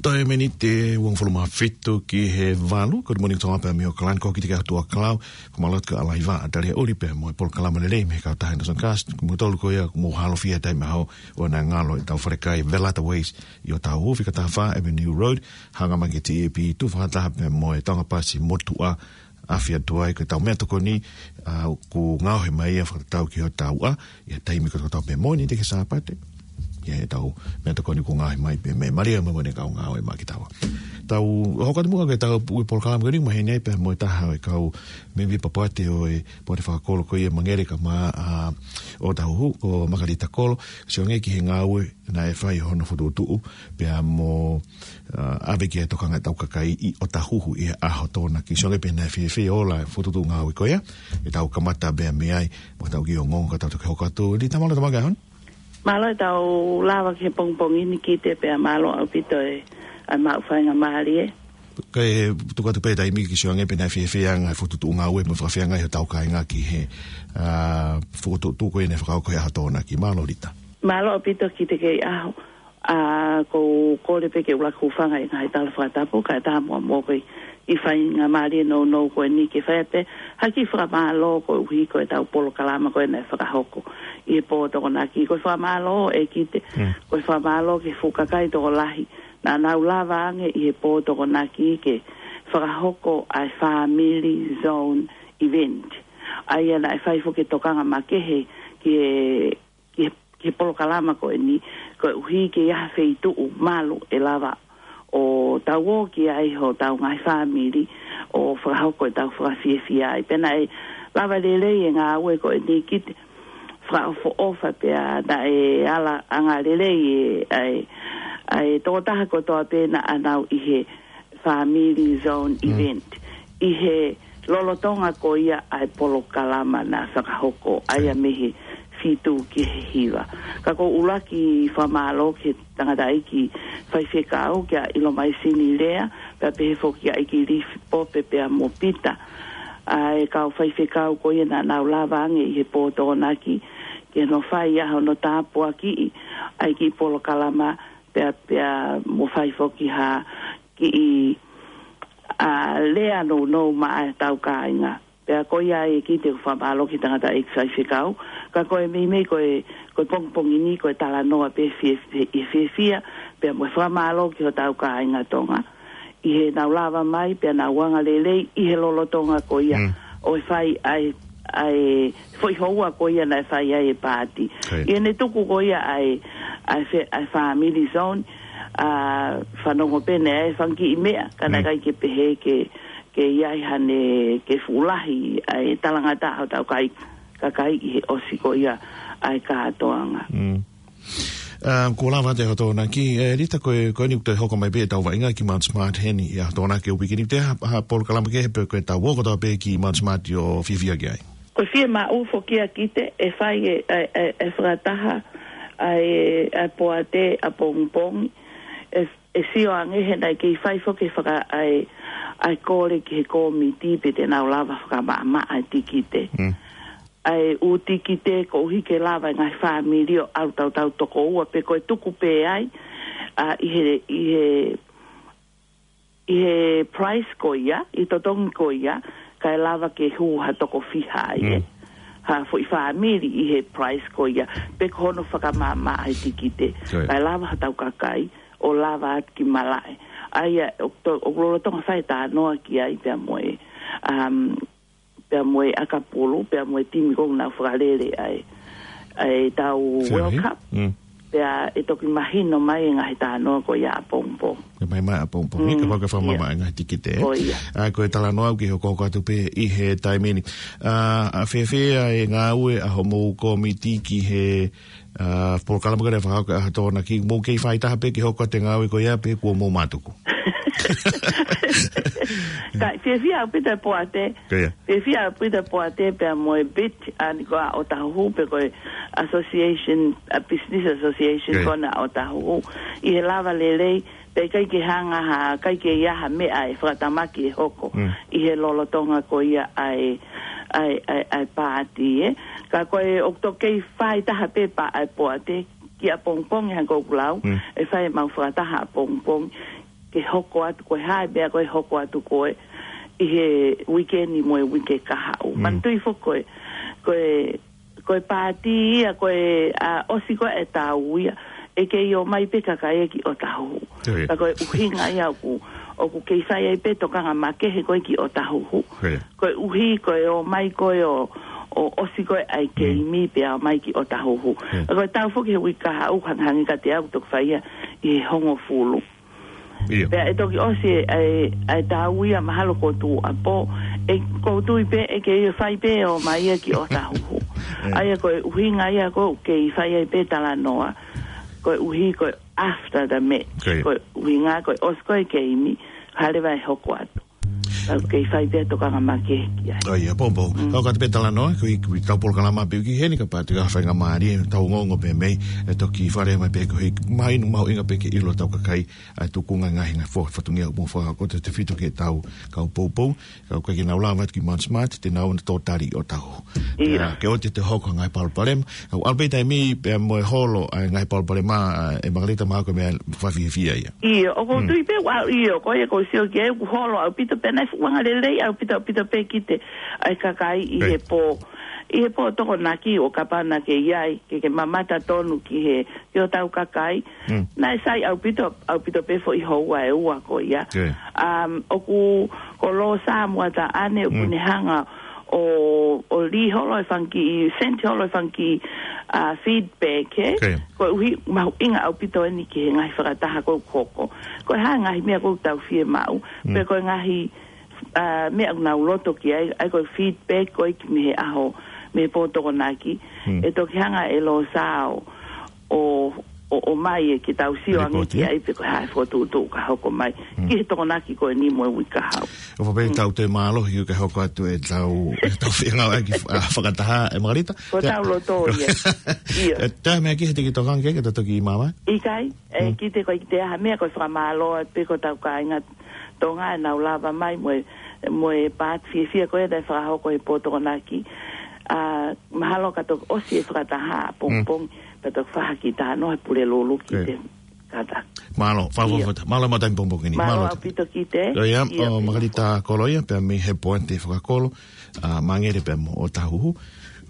Toe miniti ʻe uofulu mā fitu ki he valu, ko e Morning Song pea mei ʻAokalani, ko e kiʻi tiki atu ʻa Kalau, ko Malot ka alaiva, ʻa Talia Uli pea mo e polokalama lelei mei he kautaha Henderson Gas, ko moutolu ko ia, ko mo halofia taimi ʻaho, ʻoua naʻa ngalo ʻetau falekai, Velata Waste, ʻi ʻOtāhuhu, fika taha fā Avenue Road, hanga mai ki he T A P, tuʻu fakataha pea mo e Tonga Pasi motuʻa, ʻAfio atu ai, ko ʻetau meʻatokoni, ʻa, ʻoku ngaohi mai ia fakatatau ki hotau ʻaho, ʻi he taimi kotoa pē Mōnite ki he Sāpate. ʻI heʻetau meʻatokoni ʻoku ngaohi mai pē mei Malia mo e kau ngāue maʻa kitaua. Tau hoko atu muʻa ki heʻetau polokalama ko eni, maheni ai pē mo e taha ʻo e kau mēmipa poate ʻo e poate fakakolo ko ia Mangere Kamā, ʻa, ʻOtahuhu, ko Makalita Kolo, sio ange ki he ngāue naʻe fai hono fokotuʻutuʻu, pea mo, ʻa, ʻave ki he tokanga ʻetau kakai ʻi ʻOtahuhu ʻi he ʻaho Tokonaki. Sio ange pē naʻe fiefia ʻo ola e fokotuʻutuʻu ngāue ko ia, ʻetau kamata pē mei ai, mo tau kiʻi ongoongo ka tau toki hoko atu. Lita, mālō e tau maʻu e ʻaho ni. Mālō e tau lava ki he pongipongi ni Kite, pea mālō ʻaupito e, ʻa e maʻu faingamālie. Kae tuku atu pē taimi ke sio ange pē naʻe fiefia ange e fokotuʻutuʻu ngāue mo fakafeangai hotau kāinga ki he, ʻa, fokotuʻutuʻu ko ia naʻe fakahoko he ʻaho Tokonaki. Mālō Lita. Mālō ʻaupito Kite kei ʻaho. ʻA, ʻoku ou kole pē ke u ʻuluaki hūfanga he ngaahi tala fakatapu, kae ʻatā muʻa mo e kiʻi faingamālie nounou ko eni ke fai pē ha kiʻi fakamālō koeʻuhi ko ʻetau polokalama ko ē naʻe fakahoko ʻi he pō Tokonaki. Ko e fakamālō ē Kite, ko e fakamālō ki he fuʻu kakai tokolahi naʻa nau lava ange ʻi he pō Tokonaki ke fakahoko ʻa e Family Zone Event. ʻA ia naʻe fai foki e tokanga makehe ki he, ki he, ki he polokalama ko eni, koeʻuhi ke ʻi ai ha feituʻu malu ʻe lava ʻo tau ō ki ai hotau ngaahi fāmili ʻo fakahoko ʻetau fakafiefia ai. Pea naʻe lava lelei e ngāue ko eni Kite, fakaʻofoʻofa pea naʻe ala angalelei e, ʻa e, ʻa e tokotaha kotoa pē naʻa nau ʻi he Family Zone Event. ʻI he lolotonga ko ia ʻa e polokalama naʻe fakahoko, ʻa ia mei he fitu ki he hiva. Ka ʻoku ou ʻuluaki fakamālō ki he tangataʻeiki faifekau kia ʻIlomaisini Lea, pea pehē foki kia ʻEiki Lifi Pope pea mo Pita. ʻA e kau faifekau ko ia naʻa nau lava ange ʻi he pō Tokonaki, ke nau fai ʻa hono tāpuakiʻi ʻa e kiʻi polokalama, pea, pea mo fai foki ha kiʻi, ʻa, lea nounou maʻa ʻetau kāinga. Pea ko ia ai Kite ʻoku fakamālō ki he tangataʻeiki faifekau, ka ko e meimei ko e, ko e pongipongi ni ko e talanoa pē fie, fie, fiefia, pea mo e fakamālō ki hotau kāinga Tonga. ʻI heʻenau lava mai, pea nau angalelei, ʻi he lolotonga ko ia, ʻo e fai ʻa e, ʻa e foʻi houa ko ia naʻe fai ai e pāti. ʻI heʻene tuku ko ia ʻa e, ʻa e fe-, ʻa e Family Zone, ʻa, fanongo pē naʻe ʻi ai e fanga kiʻi meʻa, ka naʻe ʻikai ke pehē ke, ke ʻi ai hane ke fuʻu lahi ʻa e talangataʻa hotau kai-, kakai ʻi he ʻosi ko ia ʻa e kātoanga. ʻA, kuo lava atu e ʻaho Tokonaki, ē, Lita, ko e, ko eni ʻoku toe hoko mai pē ʻetau vaʻinga ki Mount Smart heni ʻi he ʻaho Tokonaki ʻo e uike ni, te ha, ha polokalama kehe pe ko ʻetau ō kotoa pē ki Mount Smart ʻo fiefia ki ai? Ko e fiemaʻu foki ia Kite, ʻe fai e, e, e, e fakataha ʻa e, ʻa e poate ʻapongipongi, ʻe, ʻe sio ange he naʻe kei fai foki e faka-, ʻa e, ʻa e kole ki he kōmiti pe te nau lava fakamaʻamaʻa e tikite. ʻA e ʻū tikite koeʻuhi ke lava e ngaahi fāmili ʻo ʻalu tautau toko ua pe ko e tuku pē ai, ʻa, ʻi he, ʻi he, ʻi he price ko ia, ʻi he totongi ko ia, kae lava ke hū ha toko fiha ai, ē. Ha foʻi fāmili ʻi he price ko ia, pe ko hono fakamaʻamaʻa e tikite. Kae lava hotau kakai ʻo lava atu ki malaʻe. ʻA ia, ʻo to-, ʻoku lolotonga fai e talanoa ki ai pea mo e, um, pea mo e ʻakapulu, pea mo e timi ʻoku nau fakalele ʻa e, ʻa e tau World Cup. Pea ʻe toki mahino mai e ngaahi talanoa ko ia ʻapongipongi. Ke mai mai ʻapongipongi, kapau ʻoku fakamamaʻa e ngaahi tikite, ē? Ko ia. ʻA, ko e talanoa ʻoku ke hokohoko atu pē ʻi he taimi ni. ʻA, ʻa fēfē ʻa e ngāue ʻa hoʻomou kōmiti ki he, ʻa, polokalama ko ē naʻe fakahoko he ʻaho Tokonaki, mou kei fai taha pē ke hoko atu e ngāue ko ia pe kuo mou mātuku? Ka, fiefia ʻaupito e poate. Ko ia. Fiefia ʻaupito e poate pea mo e bit, ʻa eni ko ē ʻa ʻOtahuhu pe ko e association, ʻa business association ko ē ʻa ʻOtahuhu. ʻI he lava lelei, pea ʻikai ke hanga ha, ʻikai ke ʻi ai ha meʻa ʻe fakatamaki ʻe hoko ʻi he lolotonga ko ia ʻa e, ʻa e, ʻa e, ʻa e pāti, ē. Ka ko e ʻoku toki kei fai taha pē pea ʻa e poate, ki ʻapongipongi hangē ko ʻeku lau, ʻe fai ʻemau fakataha ʻapongipongi, ke hoko atu ko e hā e meʻa ko ē ʻe hoko atu ko ē ʻi he uike ni mo e uike kahaʻu. Manatuʻi foki ko e, ko e, ko e pāti ia ko ē, ʻa, ʻosi ko ē e tau ia, ʻe kei ō mai pē kakai ia ki ʻOtahuhu. Ka ko e ʻuhinga ia ʻoku, ʻoku kei fai ai pē tokanga makehe ko ē ki ʻOtahuhu. Koeʻuhi ko e ō mai ko ē ʻo, ʻo ʻosi ko ē ʻa e keimi pea ō mai ki ʻOtahuhu. Ka ko e tau foki he uike kahaʻu hangehangē kiate au toki fai ia ʻi he hongofulu. Pea ʻe toki ʻosi e, e, e tau ia mahalo ko Tuʻapō. ʻE kou tui pē ʻe kei fai pē ʻo ō mai ia ki ʻOtahuhu. ʻA ia ko e ʻuhinga ia ʻoku kei fai ai pē talanoa, ko e ʻuhi ko e after the match. Ko e ʻuhinga ko e ʻosi ko e keimi, hale vai hoko atu. Ka ʻoku kei fai pē tokanga makehe ki ai. ʻA ia, poupou. Ka ʻoku ʻatu pē talanoa, ko e, ko e tau polokalama pē ki heni ka pati ka faingamālie, tau ongoongo pē mei, ʻe toki fale mai pē ko e, mahino mahuʻinga pē ke ʻilo tau kakai, ʻa e tukunga ngaahi ngaahi fo-, fatongia mo fa, ko e tefito ke tau kau poupou, ka ʻoku ʻikai ke nau lava atu ki Mount Smart, te nau ʻoua naʻa tō tali ʻo tau. ʻIo. Ke ʻoua te hoko ngaahi palopalema. ʻA ʻalu pē taimi pea mo e holo ʻa e ngaahi palopalema, ʻe Makalita mahalo ko e meʻa fakafiefia ia. ʻIo, ʻoku ou tui pē ʻoku, ʻio, ko ia ʻoku ou sio ki ai ʻoku holo ʻaupito pē naʻe fuʻu angalelei ʻaupito, ʻaupito pē ki he, ʻa e kakai ʻi he pō, ʻi he pō Tokonaki ʻo kapau naʻa ke ʻi ai, ke ke mamata tonu ki he, ki hotau kakai. Naʻe sai ʻaupito, ʻaupito pē foʻi houa ʻe ua ko ia. Um, ʻoku ko Lōsā Muataʻane ʻoku ne hanga ʻo, ʻo lī holo e fanga kiʻi, send holo e fanga kiʻi, ʻa, feedback, ē? Ko e ʻuhi mahuʻinga ʻaupito eni ki he ngaahi fakataha ʻoku hoko. Ko e hā ngaahi meʻa ʻoku tau fiemaʻu. Pe ko e ngaahi, ʻa, meʻa ʻoku nau loto ki ai, ʻa ia ko e feedback ko e ki mei he ʻaho, mei he pō Tokonaki. ʻE toki hanga ʻe Lōsā ʻo, ʻo, ʻo, ʻo mai ʻe ke tau sio ange ki ai pe ko e hā e fokotuʻutuʻu ka hoko mai. Ki he Tokonaki ko eni mo e uike kahaʻu. ʻOfa pē tau toe mālohi ʻo ka hoko atu e tau, e tau fengāueʻaki, ʻa, fakataha, ʻe Makalita. Ko tau loto ia. ʻIo. ʻE, tā meʻa ki he tiki tokanga ke, ke tau toki māvae? ʻIkai, ʻe, ki te ko i te aha meʻa ko e fakamālō atu pē ko tau kāinga Tonga ʻenau lava mai mo e, mo e pāti fiefia ko ē naʻe fakahoko he pō Tokonaki. ʻA, mahalo ka toki ʻosi e fakataha ʻapongipongi, pea toki fakahoko atu ʻa e Pulelulu ki te kata. Mālō, fa-, fa-, fa-, mālō mo e taimi pongipongi ni. Mālō ʻaupito ki te. ʻIo, ʻio, ʻo Makalita Koloia, pea mei he poate fakakolo, ʻa, Mangere pea mo ʻŌtāhuhu.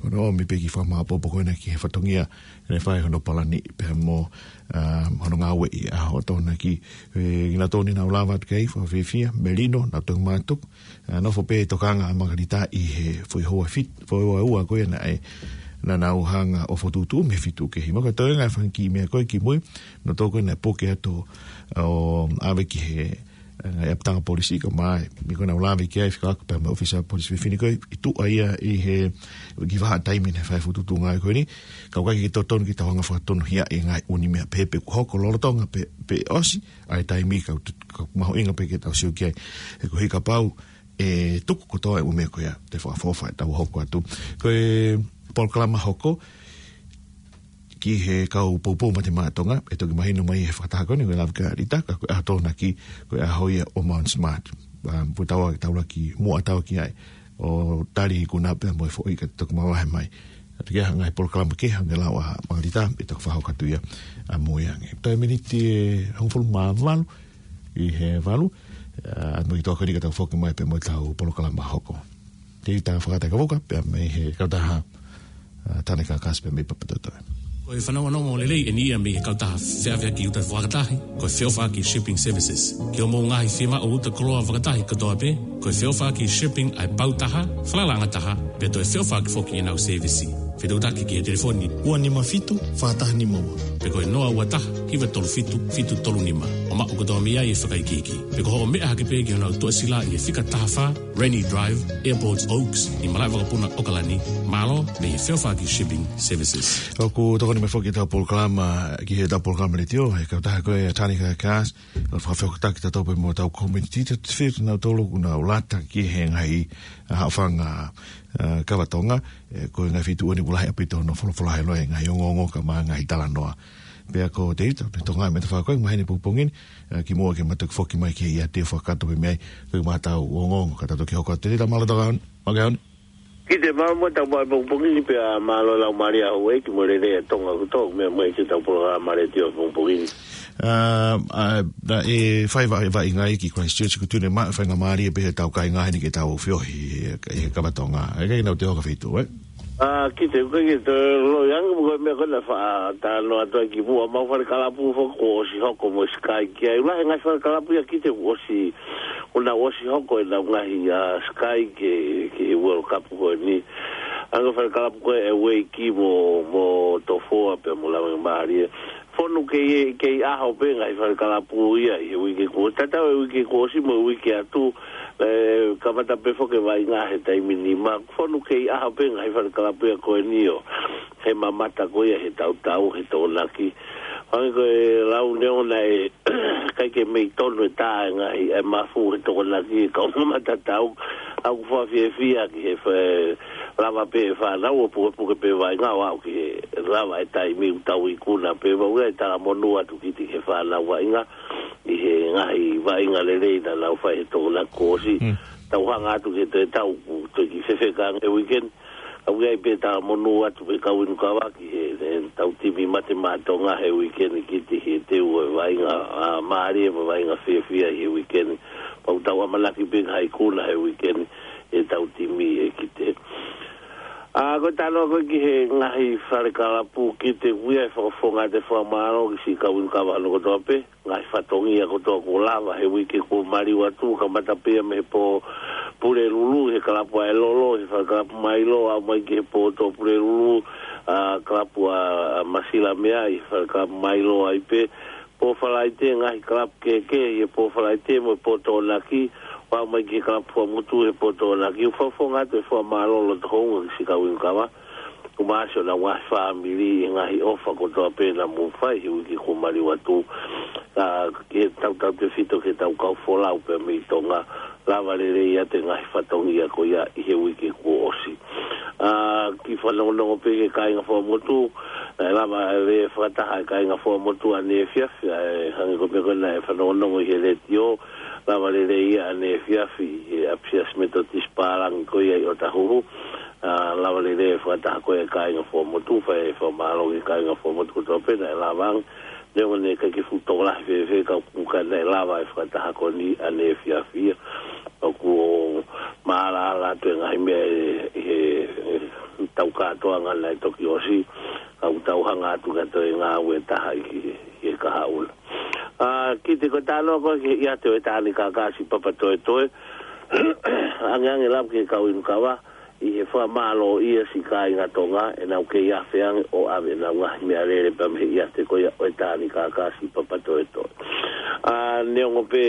ʻO ne ʻomi pē kiʻi fakamāʻopoʻopo ko ena ki he fatongia, ʻene fai hono palani, pea mo, ʻa, hono ngāueʻi ʻa e ʻaho Tokonaki, ʻe, ʻi he taimi ni naʻa nau lava atu ki ai, fakafiefia, melino, nau toki mātuku, ʻa, nofo pē tokanga ʻa Makalita ʻi he foʻi houa fit-, foʻi houa ʻe ua ko ia naʻe, naʻa nau hanga ʻo fokotuʻutuʻu mei he fitu kehe. Mahalo ko e toenga e fanga kiʻi meʻa ko ē kimui, naʻe tō ko ē naʻe puke atu ʻo ʻave ki he, ʻa, ngaahi ʻapitanga polisi ka mai, mei ko ē naʻa nau lave ki ai fekauʻaki pea mo e ʻōfisa polisi fefine ko ē, ʻi tuʻa ia ʻi he, ki he vahaʻa taimi naʻe fai e fokotuʻutuʻu ngāue ko eni, ka ʻoku ʻikai ke totonu ke tau hanga ʻo fakatonuhiaʻi e ngaahi ʻū meʻa pehē pe ʻoku hoko lolotonga pe, pe ʻosi, ʻa e taimi ka ʻoku, ka ʻoku mahuʻinga pē ke tau sio ki ai. He koeʻuhi kapau ʻe tuku kotoa e ʻū meʻa ko ia, te fakaʻofoʻofa ʻetau hoko atu. Ko e polokalama hoko, ki he kau poupou Mate Maʻa Tonga, ʻe toki mahino mai he fakataha ko eni, ko e lava kia Lita, ka ko e ʻaho Tokonaki, ko e ʻaho ia ʻo Mount Smart. ʻA, pea tau ō, tau ō ki muʻa tau ki ai. ʻO tali ikuna pea mo e foʻi ka toki mavahe mai. ʻA, toki ʻi ai ha ngaahi polokalama kehe hangē ko e lau ʻa Makalita, ʻe toki fakahoko atu ia ʻamui ange. Toe miniti ʻe hongofulu mā valu, ʻi he valu, ʻa, mo e kiʻi toʻa ko eni ka tau foki mai pea mo ʻetau polokalama hoko. Te u tā fakataha ka voka, pea mei he kautaha, ʻa, Tane Kakasi pea mei Papatoetoe. Ko e fanongonongo lelei eni ia mei he kautaha feʻaveʻaki uta fakatahi, ko e Feʻofaʻaki Shipping Services. Ki hoʻomou ngaahi fiemaʻu uta koloa fakatahi kotoa pē, ko e Feʻofaʻaki Shipping ʻa e pau taha, falalaʻanga taha, pea toe feʻofaʻaki foki ʻenau sēvisi. Fetuʻutaki ki he telefoni ua nima fitu, fā taha nima ua. Pe ko e noa ua taha, hiva tolu fitu, fitu tolu nima. ʻO maʻu kotoa mei ai e fakaikiiki. Pe ko hoʻo meʻa hake pē ki honau tuʻasila ʻi he fika taha fā, Rennie Drive, Airport Oaks, ʻi Malaʻevakapuna, ʻOkalani, mālō mei he Feʻofaʻaki Shipping Services. ʻOku tokoni mai foki ʻetau polokalama, ki heʻetau polokalama letiō, he kautaha ko e Tane Kakasi, ʻo fakafehoanaki tautolu pea mo ʻetau community, te te fie nautolu ʻoku nau lata ki he ngaahi, ʻa, haʻofanga, ʻa, kava Tonga, ʻe, ko e ngaahi feituʻu eni ʻoku lahi ʻaupito hono folofola he loa e ngaahi ongoongo ka mo e ngaahi talanoa. Pea ko Tēvita, pea Tonga me te fakakoe, maheni pongipongi ni, ʻa, kimuʻa ke ma toki foki mai ki he ʻiate fakakātoa pē mei ai, ko e matau ongoongo, ka tau toki hoko atu Tēvita, mālō tau ʻaho ni, mālō ʻaho ni. Ki te mālō mo tau mai pongipongi ni pea mālō lau mālie ʻa houʻeiki mo e lelei ʻa Tonga kotoa, meʻa mai ki heʻetau polokalama letiō pongipongi ni. ʻA, ʻa, naʻe fai vaʻi, vaʻinga ia ki Christchurch, ʻoku tui ne maʻu e faingamālie pē heʻetau kāinga heni ke tau feohi he, he kava Tonga. ʻIkai ke nau toe ō ki ha feituʻu, ē? ʻA, ki te, ʻoku ʻikai ke toe loi ange mo ko e meʻa ko ē naʻe faʻa talanoa atu ai kimuʻa, ʻemau fale kalapu foki kuo ʻosi hoko mo Sky ki ai. ʻOku lahi e ngaahi fale kalapu ia ki te kuo ʻosi, kuo nau ʻosi hoko ʻenau ngaahi, ʻa, Sky ki he, ki he World Cup ko eni. Ange fale kalapu ko ē ʻa e Ueiki mo, mo Tofoa pea mo Laumālie. Fonu kei, kei ʻaho pē ngaahi fale kalapu ia ʻi he uike kuo. Tatau e uike kuo ʻosi mo e uike atu, ē, kamata pē foki e vaʻinga he taimi nima. Fonu kei ʻaho pē ngaahi fale kalapu ia ko eni ʻo, he mamata ko ia he tautau, he Tokonaki. Hangē ko e lau neongo naʻe ʻikai ke mei tonu e tā e ngaahi, e mafu he Tokonaki, e kau mamata tau, ʻoku fakafiefia ki he fa-, lava pē e fānau ʻo pukepuke pē vaʻinga ʻo aʻu ki he lava e taimi ʻoku tau ikuna pē vau ia e talamonū atu Kiti ki he fānau vaʻinga, ʻi he ngaahi vaʻinga lelei naʻa nau fai he Tokonaki kuo ʻosi. Mm. Tau hanga atu ki he toe tau, ʻoku toe kiʻi fefeka ange e weekend. Ka ʻoku ʻi ai pē talamonū atu pē kau inu kava ki he, he tau timi Mate Maʻa Tonga he weekend Kiti he teu e vaʻinga, ā, mālie mo e vaʻinga fiefia he weekend. Pea ʻoku tau ʻamanaki pē ke ʻi ai e ikuna he weekend e tau timi ē Kiti. Ā, ko e talanoa ko ē ki he ngaahi fale kalapu Kiti, ʻoku ʻi ai e fakafofonga atu e fakamālō ki siʻi kau inu kava hono kotoa pē, ngaahi fatongia kotoa kuo lava he uike kuo maliu atu, kamata pē ia mei he pō Pulelulu, he kalapu ʻa e Lolo, he fale kalapu Mailo, aʻu mai ki he pō Tuʻapulelulu, ā, kalapu ʻa, ʻa Masilamea, he fale kalapu Mailo ai pē, pō Falaite, ngaahi kalapu kehekehe, he pō Falaite mo e pō Tokonaki, ʻo aʻu mai ki he kalapu Fuaʻamotu, he pō Tokonaki, ʻoku fakafofonga atu e fakamālō loto houngaʻia ki siʻi kau inu kava, kuo ʻosi ʻenau ngaahi fāmili, e ngaahi ʻofa kotoa pē naʻa mou fai he uike kuo maliu atu. Ā, ke tautautefito ki he tau kau folau pē mei Tonga, lava lelei atu e ngaahi fatongia ko ia ʻi he uike kuo ʻosi. Ā, kiʻi fanongonongo pē ki he kāinga Fuaʻamotu, ē, lava lelei e fakataha e kāinga Fuaʻamotu ʻaneefiafi, ē, hangē ko e meʻa ko ē naʻe fanongonongo ʻi he letiō, lava lelei ia ʻaneefiafi, he ʻapisiasi Metotisi Pālangi ko ia ʻi ʻOtahuhu, ā, lava lelei e fakataha ko ia e kāinga Fuaʻamotu, fai e fakamālō ki he kāinga Fuaʻamotu kotoa pē naʻe lava ange, neongo naʻe ʻikai ke fuʻu tokolahi fēfē ka ʻoku ʻikai naʻe lava e fakataha ko eni ʻaneefiafi ia. ʻOku ou maʻalaʻala atu e ngaahi meʻa ʻi he, he tau kātoanga naʻe toki ʻosi, ka ʻoku tau hanga atu ki ha toe ngāue ʻe taha ʻi he, ʻi he kahaʻu na. Ā, Kiti ko e talanoa ko ē ki he ʻiate ʻo e Tānaki Kākā siʻi Papatoetoe, angeange lava ki he kau inu kava, ʻi he fakamālōʻia siʻi kāinga Tonga, ʻenau kei afe ange ʻo ʻave ʻenau ngaahi meʻalele pea mei he ʻiate ko ia ʻo e Tānaki Kākā siʻi Papatoetoe. Ā, neongo pē,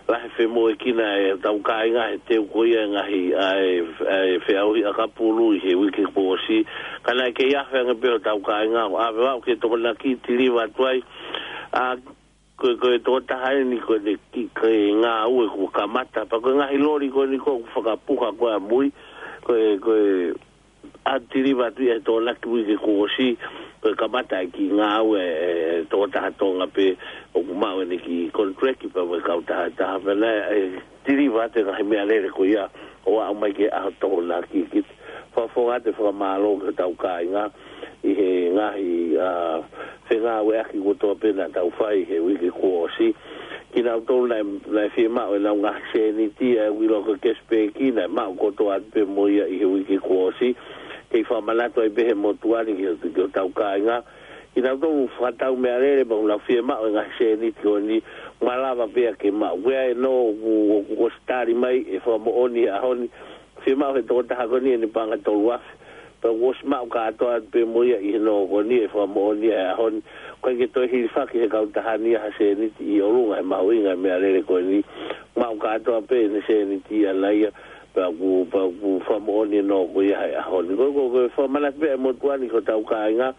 lahi e femoʻuekina e tau kāinga he teu ko ia e ngaahi, ʻa e, ʻa e feʻauhi ʻakapulu ʻi he uike kuo ʻosi, ka naʻe kei afe ange pē hotau kāinga ʻo ʻave ʻo aʻu ki he Tokonaki ʻo tiliva atu ai. Ā, ko e, ko e tokotaha eni ko ʻene kiʻi, ko e ngāue kuo kamata, pea ko e ngaahi loli ko eni ʻoku fakapuha ko ē ʻamui, ko e, ko e ʻa tiliva atu ia he Tokonaki uike kuo ʻosi, ko e kamata e kiʻi ngāue e tokotaha Tonga pē ʻoku maʻu ʻene kiʻi contract pea mo e kautaha ʻe taha pea naʻe, ē, tiliva atu e ngaahi meʻalele ko ia ʻo aʻu mai ki he ʻaho Tokonaki Kiti. Fakafofonga atu e fakamālō ki hotau kāinga ʻi he ngaahi, ā, fengāueʻaki kotoa pē naʻa tau fai he uike kuo ʻosi. Kinautolu naʻe, naʻe fiemaʻu ʻenau ngaahi sēniti, ʻa ia ʻoku ʻiloa ko e cash back, naʻe maʻu kotoa atu pē mo ia ʻi he uike kuo ʻosi. Kei fakamanatu ai pē he motuʻa ni ki ho-, ki hotau kāinga. Kinautolu fakatau meʻalele pea ʻoku nau fiemaʻu e ngaahi sēniti ko eni, malava pē ia ke maʻu. Ko ia ē ʻoku, ʻoku ʻosi tali mai e fakamoʻoni he ʻaho ni, fiemaʻu he tokotaha ko eni ʻene paʻanga tolu afe. Pea ʻoku ʻosi maʻu kātoa atu pē mo ia ʻi he nō ko eni e fakamoʻoni he ʻaho ni. ʻOku ʻikai ke toe hilifaki he kautaha ni ha sēniti ʻi ʻolunga he mahuʻinga e meʻalele ko eni. Maʻu kātoa pē ʻene sēniti ʻaʻana ia. Pea ʻoku, pea ʻoku fakamoʻoni e nō ko ia he ʻaho ni. Ko, ko, ko e fakamanatu pē he motuʻa ni ki hotau kāinga.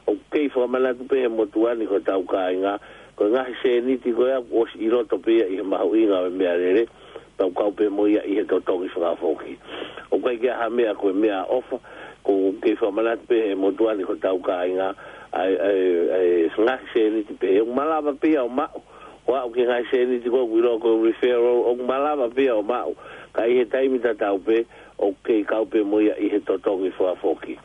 ʻOku kei fakamanatu pē he motuʻa ni ki hotau kāinga. Ko e ngaahi sēniti ko ia ʻoku ʻosi ʻi loto pē ia ʻi he mahuʻinga e meʻalele. Pea ʻoku kau pē mo ia ʻi he totongi fakafoki. ʻOku ʻikai ke ʻi ai ha meʻa ko e meʻaʻofa, ʻoku kei fakamanatu pē he motuʻa ni ki hotau kāinga, ʻa e, ʻa e, ʻa e ngaahi sēniti pē, ʻoku malava pē ia ʻo maʻu, ʻo aʻu ki he ngaahi sēniti ko ē ʻoku ʻiloa ko e referral, ʻoku malava pē ia ʻo maʻu, ka ʻi he taimi tatau pē, ʻoku kei kau pē mo ia ʻi he totongi fakafoki.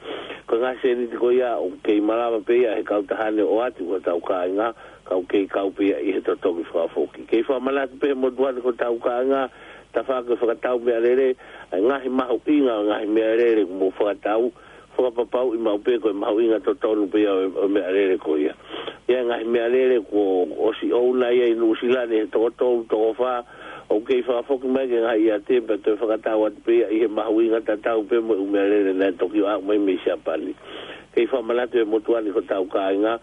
Ko e ngaahi sēniti ko ia, ʻoku kei malava pē ia he kautaha ni ʻo ʻoatu ki hotau kāinga, ka ʻoku kei kau pē ia ʻi he totongi fakafoki. Kei fakamanatu pē he motuʻa ni ki hotau kāinga, tafaʻaki e fakatau meʻalele, ʻa e ngaahi mahuʻinga, ngaahi meʻalele ʻoku mou fakatau, fakapapauʻi maʻu pē ko e mahuʻinga totonu pē ia ʻo e, ʻo e meʻalele ko ia. ʻI ai e ngaahi meʻalele kuo ʻosi ʻouna ia ʻi Nuʻusila ni he toko tolu, toko fā, ʻoku kei fakafoki mai ki he ngaahi ʻiate pea toe fakatau atu pē ia ʻi he mahuʻinga tatau pē mo e ʻū meʻalele naʻe toki aʻu mai mei Siapani. Kei fakamanatu he motuʻa ni ki hotau kāinga,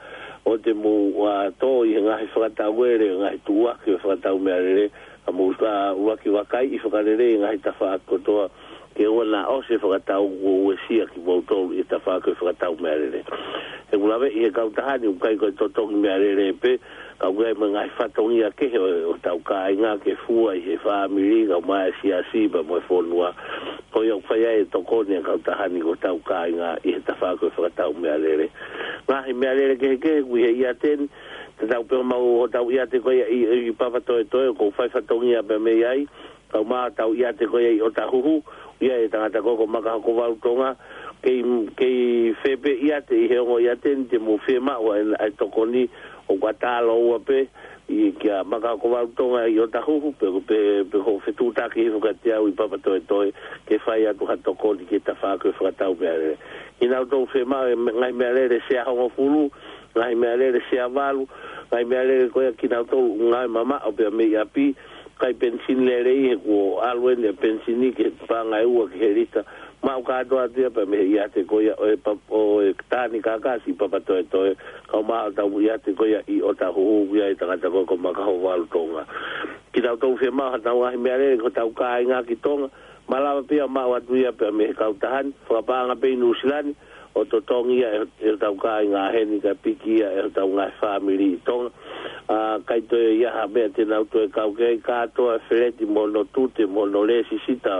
ʻo te mou, ʻa, tō ʻi he ngaahi fakatauele, ngaahi tuʻuaki ʻo e fakatau meʻalele, ka mou, ʻa, ʻuluaki vakaiʻi fakalelei ngaahi tafaʻaki kotoa, ke ʻoua naʻa ʻosi e fakatau kuo uesia kimoutolu ʻi he tafaʻaki ʻo e fakatau meʻalele. He ʻoku laveʻi ʻe he kautaha ni ʻoku ʻikai ko e totongi meʻalele pē, ka ʻoku ʻi ai mo e ngaahi fatongia kehe ʻo, ʻo hotau kāinga ke fua ʻi he fāmili, kae ʻumaʻā e siasi pea mo e fonua. Ko ia ʻoku fai ai e tokoni ʻa e kautaha ni ki hotau kāinga ʻi he tafaʻaki ʻo e fakatau meʻalele. Ngaahi meʻalele kehekehe ʻoku ʻi he ʻiate ni, tatau pē mo hotau ʻiate ko ia ʻi, ʻi Papatoetoe, ʻoku ou fai fatongia pē mei ai, kae ʻumaʻā hotau ʻiate ko ia ʻi ʻOtahuhu, ʻoku ʻi ai e tangata ko ē ko Makahokovalu Tonga, kei, kei fē pē ʻiate ʻi he ongo ʻiate ni te mou fiemaʻu ai ʻa e tokoni, ʻoku ʻatā lōua pē, ʻi kia Makahokovalu Tonga ʻi ʻOtahuhu, pe, pe, pe ko e fetuʻutaki hifo kiate au ʻi Papatoetoe, ke fai atu ha tokoni ki he tafaʻaki ʻo e fakatau meʻalele. Kinautolu fiemaʻu e me-, ngaahi meʻalele sea hongofulu, ngaahi meʻalele sea valu, ngaahi meʻalele ko ia kinautolu ngāue mamaʻo pea mei ʻapi, ʻikai penisini lelei he kuo ʻalu eni e penisini ki he paʻanga ʻe ua ki he lita, maʻu kātoa atu ia pea mei he ʻiate ko ia ʻo e pa-, ʻo e Tāni Kakasi ʻi Papatoetoe, kae ʻumaʻā hotau ʻiate ko ia ʻi ʻOtahuhu, ʻoku ʻi ai e tangata ko ē ko Makahokovalu Tonga. Kinautolu fiemaʻu haʻanau ngaahi meʻalele ki hotau kāinga ki Tonga, malava pē ia ʻo maʻu atu ia pea mei he kautaha ni, fakapaʻanga pē ʻi Nuʻusila ni, ʻo totongi ia ʻe, ʻe hotau kāinga heni kae piki ia ʻe hotau ngaahi fāmili ʻi Tonga. ʻA, ʻikai toe ʻi ai ha meʻa te nau toe kau ki ai, kātoa e feleti mo hono tute mo hono lēsisita,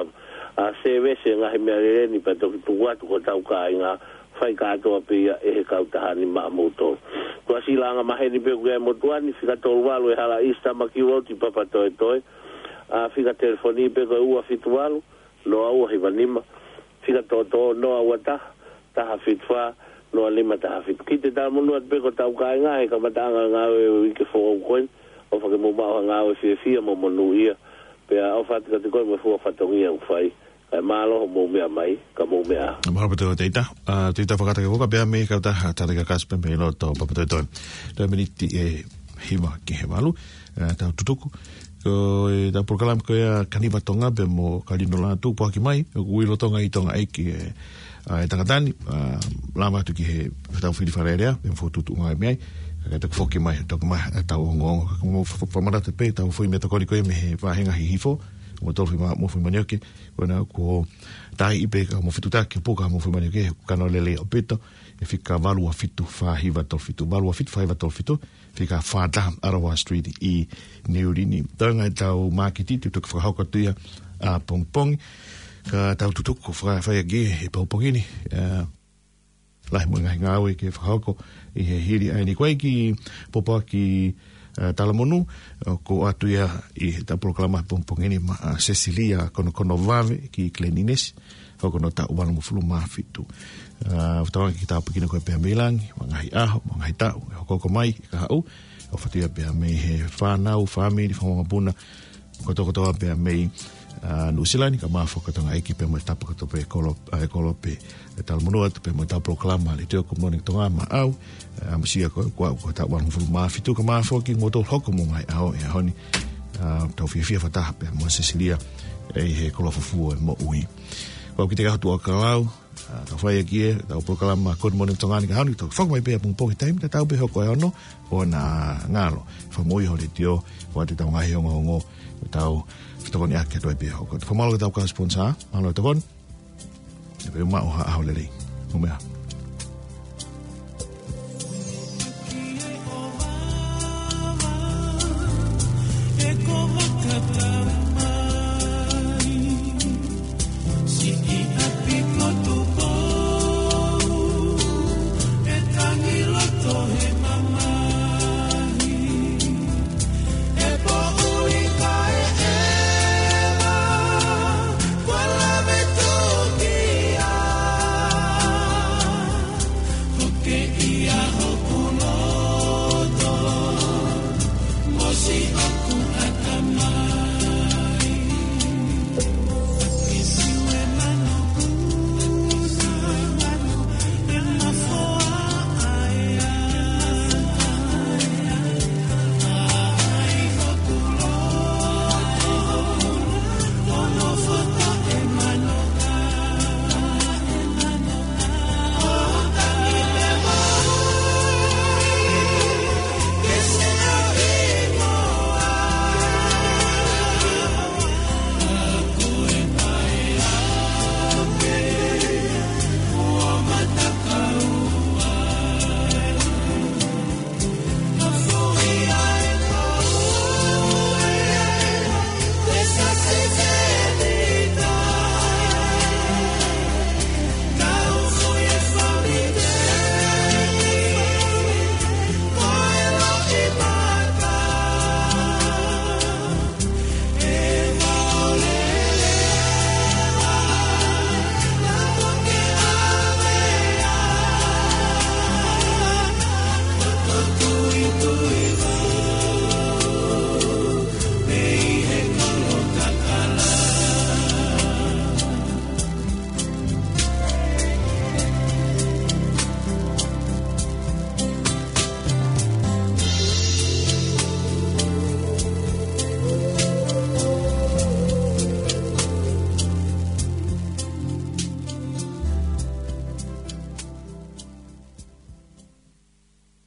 ʻa, sēvesi e ngaahi meʻalele ni pea toki tuku atu ki hotau kāinga, fai kātoa pē ia ʻe he kautaha ni maʻamoutolu. Tuʻasila Angamaheni pē ʻoku ʻi ai e motuʻa ni, fika tolu valu e hala ʻi Sitama Kiuoti Papatoetoe, ʻa, fika telefoni pē ko e ua fitu valu, noa ua hiva nima, fika tōtō noa ua taha, taha fitu fā, noa nima taha fitu. Kiʻi talamonū atu pē ki hotau kāinga he kamataʻanga e ngāue ʻo e uike foʻou ko eni, ʻofa ke mou maʻu ha ngāue fiefia mo monūʻia, pea ʻofa atu kiate koe mo e fua fatongia ʻoku fai. Kae mālō hoʻomou meʻa mai, ka mou meʻa ā. Mālō pē Teita, ʻa, Teita Fakatake Walker pea mei he kautaha Tāni Kakasi pea mei loto Papatoetoe. Toe miniti ʻe hiva ki he valu, ʻa, tau tutuku. Ko ʻetau polokalama ko ia Kaniva Tonga pea mo Kalino Lātū, Poaki Mai, ʻoku ui lolotonga ʻi Tonga ʻEiki e, ʻa, e tangata ni, ʻa, lava atu ki he tau fili Fale Alea, pea mo e fokotuʻutuʻu ngāue mei ai, kae toki foki mai, toki mai, ʻa, tau ongoongo, ka mo fa-, fa-, fakamanatu pē, tau foʻi meʻatokoni ko ia mei he vāhenga Hihifo, mo tolu fima, mo fima nioke, ko ena kuo taiʻi pē ka mo fetuʻutaki, puka mo fima nioke, kano lele ʻaupito, ʻi he fika valu ua fitu fā hiva tolu fitu, valu ua fitu fā hiva tolu fitu, fika fā taha Arawa Street ʻi Niu Lini. Toenga ʻetau mākiti, te u toki fakahoko atu ia ʻapongipongi. Ka tau tutuku faka-, fai ʻaki he pongipongi ni, ʻa, lahi mo e ngaahi ngāue ke fakahoko ʻi he hili ʻa eni. Ko e kiʻi pōpoaki, ʻa, talamonū, ʻoku ʻoatu ia ʻi heʻetau polokalama pongipongi ni maʻa, ʻa, Sesilia Konokono Vave ki Glen Innes, hoko hono taʻu valungofulu mā fitu. ʻA, ʻoku tauange ke tāpuekina koe pea mei langi, mo e ngaahi ʻaho, mo e ngaahi taʻu ʻe hokohoko mai, ʻe kahaʻu, ʻofa atu ia pea mei he fānau, fāmili, fanga mokopuna, kotoa kotoa pea mei, ʻa, Nuʻusila ni, kae ʻumaʻā foki Tonga ʻEiki pea mo e tapa kotoa pē e kolo, ʻa, e kolo pē, ʻe talamonū atu pea mo ʻetau polokalama, Letiō Good Morning Tonga maʻau, ʻa, ʻamusia ko, ko, ko e taʻu valungofulu mā fitu, kae ʻumaʻā foki kimoutolu hoko mo e ngaahi ʻaho ʻi he ʻaho ni, ʻa, tau fiefia fakataha pea mo Sesilia, ʻi he koloa fufū ʻo e moʻui. Ko au Kitekaho Tuʻakalau, ʻa, tau fai ʻaki ʻetau polokalama Good Morning Tonga ni ki he ʻaho ni, tau foki mai pē ʻapongipongi taimi tatau pē hoko e ono, ʻo na ngalo. Fakamoʻui ho letiō, ʻoatu ʻetau ngaahi ongoongo, ʻetau fetokoniʻaki atu ai pē hoko. Fakamālō ki heʻetau kau sponsor, mālō e tokoni. ʻE pē maʻu ha ʻaho lelei. Mou meʻa ā.